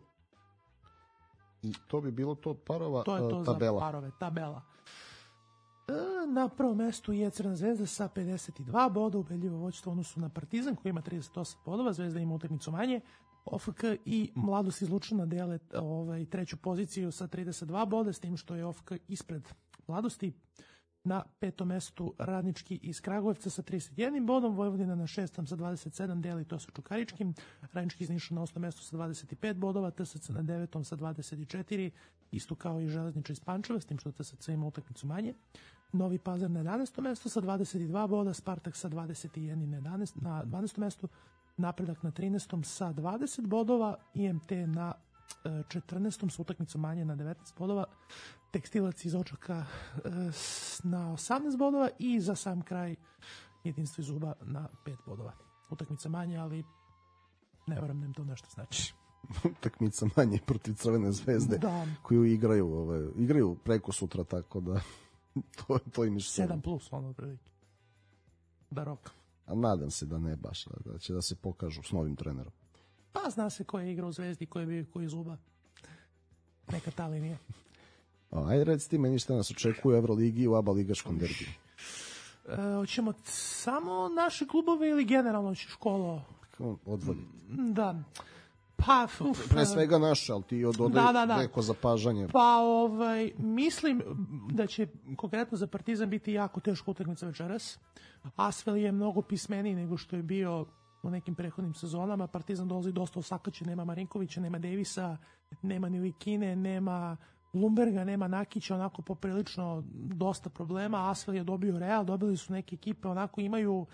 I to bi bilo to parova to je to tabela. Za parove, tabela. E, na prvom mestu je Crna Zvezda sa pedeset dva boda, ubedljivo vođstvo u odnosu na Partizan koji ima trideset osam bodova, Zvezda ima utakmicu manje. O F K i Mladost iz Lučana dele ovaj, treću poziciju sa trideset dva boda, s tim što je O F K ispred Mladosti. Na petom mestu Radnički iz Kragujevca sa trideset jednim bodom, Vojvodina na šestom sa dvadeset sedam deli to sa Čukaričkim, Radnički iz Niša na osmom mestu sa dvadeset pet bodova, T S C na devetom sa dvadeset četiri, isto kao i Železničar iz Pančeva, s tim što T S C ima utakmicu manje. Novi Pazar na jedanaestom mestu sa dvadeset dva boda, Spartak sa dvadeset jedan na, jedanaestom, na dvanaestom mestu, Napredak na trinaestom sa dvadeset bodova, I M T na četrnaestom sa utakmicom manje na devetnaest bodova, Tekstilac iz Odžaka na osamnaest bodova i za sam kraj Jedinstvo iz Uba na pet bodova. Utakmica manje, ali ne verujem da im to nešto znači. Utakmica manje protiv Crvene Zvezde, da. Koju igraju, ove, igraju preko sutra, tako da to, to im ništa. sedam plus, ono prilike. Da rok. A nadam se da ne baš, da će da se pokažu s novim trenerom. Pa zna se ko je igrao u Zvezdi, ko je bio ko je iz Uba. Neka ta linija. Ajde, reci ti meni šta nas očekuje u Euroligi i u ABA ligaškom derbiju. E, hoćemo samo naše klubove ili generalno školo? odvodi. Da. Pa, uf, pre svega naše, ali ti dodaj da, da, da. neko zapažanje. Pa, ovaj, mislim da će konkretno za Partizan biti jako teška utakmica večeras. Asvel je mnogo pismeniji nego što je bio u nekim prethodnim sezonama. Partizan dolazi dosta osakaćen, nema Marinkovića, nema Davisa, nema Nilikine, nema Lumberga, nema Nakića, onako poprilično dosta problema. Asvel je dobio Real, dobili su neke ekipe, onako imaju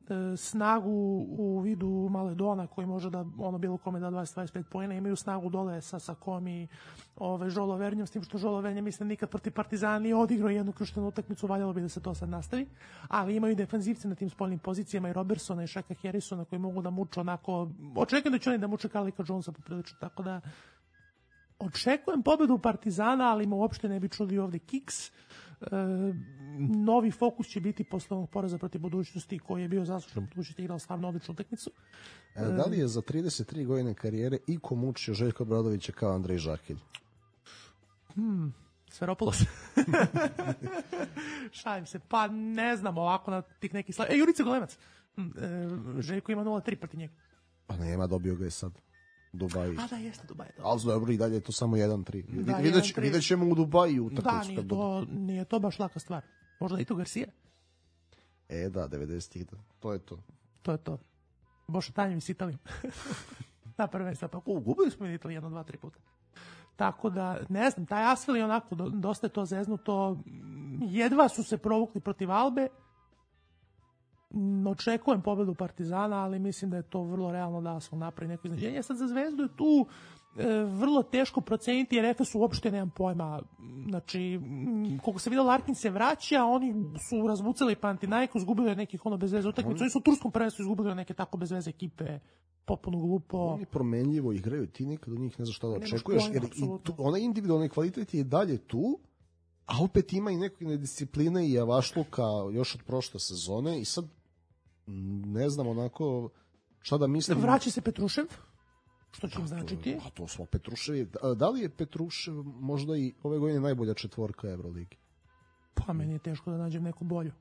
e, snagu u vidu Maledona koji može da ono bilo kome da dvadeset do dvadeset pet poena, imaju snagu dole sa Sakom i ove, Žolo Vernjom, s tim što Žolo Vernja mislim nikad protiv Partizana nije odigrao jednu ključnu utakmicu, valjalo bi da se to sad nastavi, ali imaju defanzivce na tim spoljnim pozicijama i Robertsona i Shaka Harrisona koji mogu da muču onako, očekujem da će oni da muče Kalika Jonesa poprilično, tako da očekujem pobedu Partizana, ali me uopšte ne bi čuli ovde kiks. E, novi fokus će biti posle ovog poraza protiv Budućnosti koji je bio zaslužen, Budućnosti igrao stvarno odličnu utakmicu. E, da li je za trideset tri godine karijere iko mučio Željka Obradovića kao Andrej Žakelj? Hmm, Sferopolos. Šalim se, pa ne znam ovako na tih nekih slav... E, Jurica Golemac. E, Željko ima nula tri protiv njega. Pa nema, dobio ga je sad. Dubaji. A da, jeste Dubaji. Ali dobro, i dalje je to samo jedan tri. Da, Videć, vidjet ćemo u Dubaju utakmicu. Da, nije to, nije to baš laka stvar. Možda i to Garcia. E da, devedesetih, da. To je to. To je to. Boša Tanjevi s Italijom. Na prvenstva, pa ugubili smo i Italiju jedno, dva, tri puta. Tako da, ne znam, taj Asvel je onako, dosta je to zeznuto. Jedva su se provukli protiv Albe. Očekujem pobedu Partizana, ali mislim da je to vrlo realno da Asvel napravi neko iznenađenje. Sad za Zvezdu je tu e, vrlo teško proceniti, jer Efes uopšte nemam pojma. Znači, koliko se vidio, Larkin se vraća, oni su razvucali Panathinaikos, izgubili nekih ono bez veze utakmicu. Oni su u turskom prvenstvu izgubili neke tako bez veze ekipe, potpuno glupo. Oni promenljivo igraju, ti nikad od njih ne znaš šta da očekuješ, jer i tu, onaj individualni kvalitet je i dalje tu, a opet ima i neke nediscipline i javašluka još od prošle sezone i sad ne znam onako šta da mislim. Vraća se Petrušev, što će im značiti? A to smo Petruševi. Da li je Petrušev možda i ove godine najbolja četvorka Evroligi? Pa meni je teško da nađem neku bolju.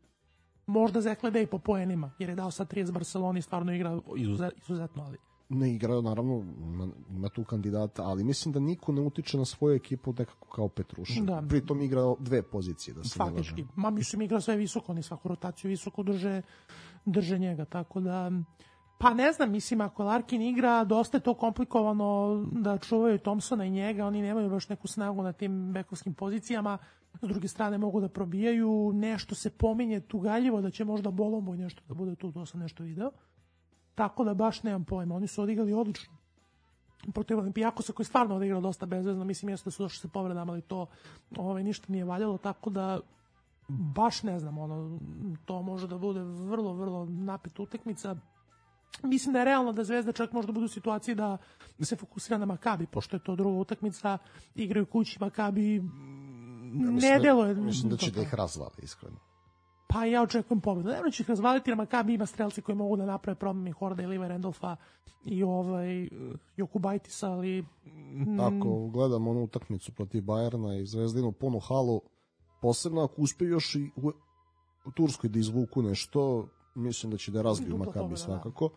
Možda Zeklede i po poenima, jer je dao sad trideset Barceloni, stvarno igra izuzetno, ali... Ne igrao, naravno, ima, ima tu kandidata, ali mislim da niko ne utiče na svoju ekipu nekako kao Petrušev. Da. Pritom igrao dve pozicije, da se ne lažem. Faktički, ma mislim igrao sve visoko, oni svaku rotaciju visoko drže, drže njega, tako da... Pa ne znam, mislim, ako Larkin igra, dosta je to komplikovano da čuvaju Thompsona i njega, oni nemaju baš neku snagu na tim bekovskim pozicijama, s druge strane mogu da probijaju, nešto se pominje tugaljivo da će možda Bolomboj nešto da bude tu, to sam nešto video. Tako da baš nemam pojma, oni su odigrali odlično. Protiv Olimpijakosa koji je stvarno odigrao dosta bezvezno, mislim jeste da su došli se povredama, ali to ovaj, ništa nije valjalo, tako da baš ne znam, ono, to može da bude vrlo, vrlo napet utakmica. Mislim da je realno da Zvezda čak možda bude u situaciji da se fokusira na Makabi, pošto je to druga utakmica, igraju kući Makabi, ne deluje. Mislim da će da ih razvali, iskreno. Pa ja očekujem pobedu. Naravno će ih razvaliti, jer Makabi ima strelci koji mogu da naprave problem i Horda i Liva Randolfa i ovaj Jokubajtisa, ali... Mm... Ako gledam onu utakmicu protiv Bajerna i Zvezdinu punu halu, posebno ako uspeju još i u, u Turskoj da izvuku nešto, mislim da će da razbiju Makabi svakako.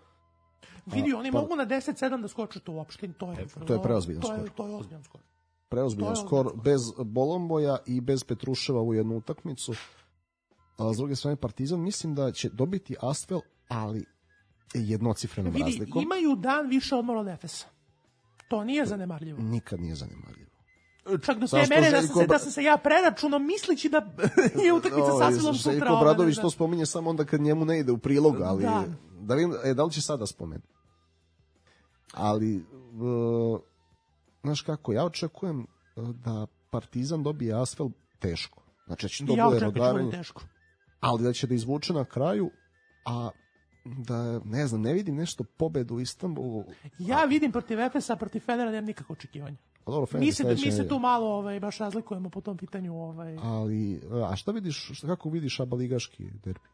Da. Vidi, oni pa... mogu na deset sedam da skoče to uopšte. To je, to je preozbiljan skor. To je, to je ozbiljan skor. Preozbiljan skor, bez Bolomboja i bez Petruševa u jednu utakmicu. A s druge strane Partizan mislim da će dobiti Asvel, ali jednocifrenom Vidi, razlikom. Imaju dan više odmora od Efesa. To nije zanemarljivo. Nikad nije zanemarljivo. Čak do te mere da sam, se, da sam se ja preračunao mislići da je utakmica sa Asvelom sutra. Željko Obradović to spominje samo onda kad njemu ne ide u prilog, ali da, da, vidim, e, da li će sada spomenuti. Ali, uh, znaš kako, ja očekujem da Partizan dobije Asvel teško. Znači da će to ja bude rodaranje. Teško. Ali da će da izvuče na kraju, a da, ne znam, ne vidim nešto pobedu u Istanbulu. Ja vidim protiv Efesa, protiv Fenera, nemam nikakvo očekivanja. Dobro, Fener, mi, se, mi se tu malo ovaj, baš razlikujemo po tom pitanju. Ovaj. Ali, a šta vidiš, šta, kako vidiš abaligaški derbi?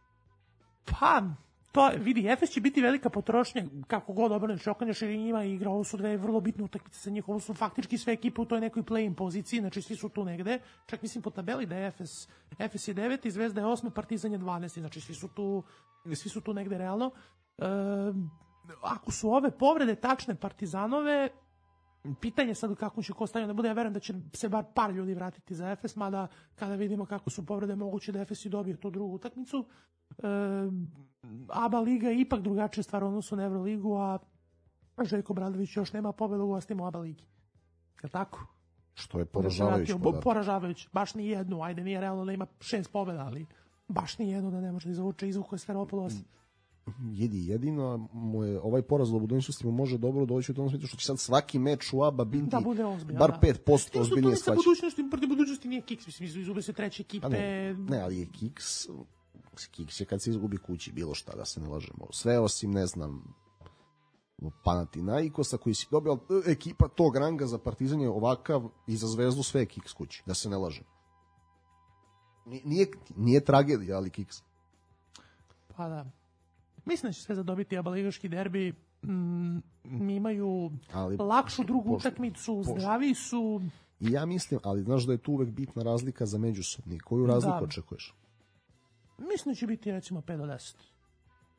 Pa, to vidi, Efes će biti velika potrošnja, kako god obrneš okanješ, jer njima igra, ovo su dve vrlo bitne utakmice sa njih, ovo su faktički sve ekipe u toj nekoj play-in poziciji, znači svi su tu negde, čak mislim po tabeli da je Efes, Efes je deveti, Zvezda je osmi, Partizan je dvanaesti, znači svi su tu, svi su tu negde realno. E, ako su ove povrede tačne Partizanove, pitanje sad kako će ko stavio da bude, ja verujem da će se bar par ljudi vratiti za Efes, mada kada vidimo kako su povrede moguće da Efes i dobije tu drugu utakmicu. E, A B A liga je ipak drugačija stvar u odnosu na Evroligu, a Željko Bradović još nema pobedu u gostima u A B A ligi. Je li tako? Što je poražavajući podatak. Poražavajući, baš ni jednu, ajde nije realno da ima šest pobeda, ali baš ni jednu da ne može da izvuče izvuko je Sferopolos. Jedi, jedino mu je ovaj poraz u budućnosti mu može dobro doći u tom smislu što će sad svaki meč u A B A biti da bude ozbiljan, bar da. pet posto ozbiljnije shvaćen. Budućnosti, protiv budućnosti nije Kiks, mislim, izgube se treće ekipe. Ne, ne, ali je Kiks, Kiks je kad se izgubi kući bilo šta, da se ne lažemo. Sve osim, ne znam, Panathinaikosa koji si dobio, ekipa tog ranga za Partizan je ovakav i za Zvezdu sve je Kiks kući, da se ne lažemo. Nije, nije tragedija, ali Kiks. Pa da. Mislim da će sve zadobiti A B A ligaški derbi. Mm, imaju ali, lakšu drugu pošto, utakmicu, pošto. Zdravi su. I ja mislim, ali znaš da je tu uvek bitna razlika za međusobni. Koju razliku da. Očekuješ? Mislim da će biti recimo pet do deset.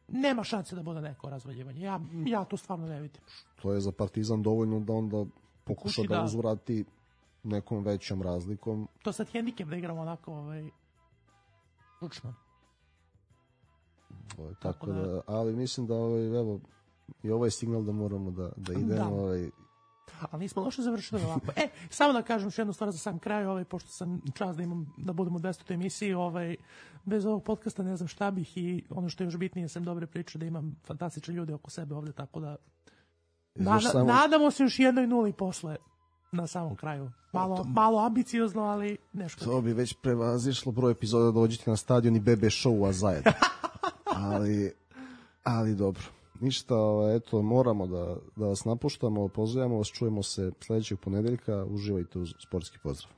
Nema šanse da bude neko razvaljivanje. Ja, ja to stvarno ne vidim. To je za Partizan dovoljno da onda pokuša Kući, da, da uzvrati nekom većom razlikom. To sad hendikep da igramo onako ovaj, ručno. Ovaj, tako, tako da, da, ali mislim da ovaj, evo, i ovo je signal da moramo da, da idemo. Da. Ovaj... Ali nismo loše završili ovako. E, samo da kažem još jednu stvar za sam kraj, ovaj, pošto sam čast da imam, da budemo u dvesetoj emisiji, ovaj, bez ovog podcasta ne znam šta bih i ono što je još bitnije sam dobre priče da imam fantastične ljude oko sebe ovde, tako da nada, samo... nadamo se još jednoj nuli posle na samom kraju. Malo, malo ambiciozno, ali nešto. To bi već prevazišlo broj epizoda da dođete na stadion i B B show-a zajedno. ali, ali dobro. Ništa, eto, moramo da, da vas napuštamo, pozdravljamo vas, čujemo se sledećeg ponedeljka, uživajte uz sportski pozdrav.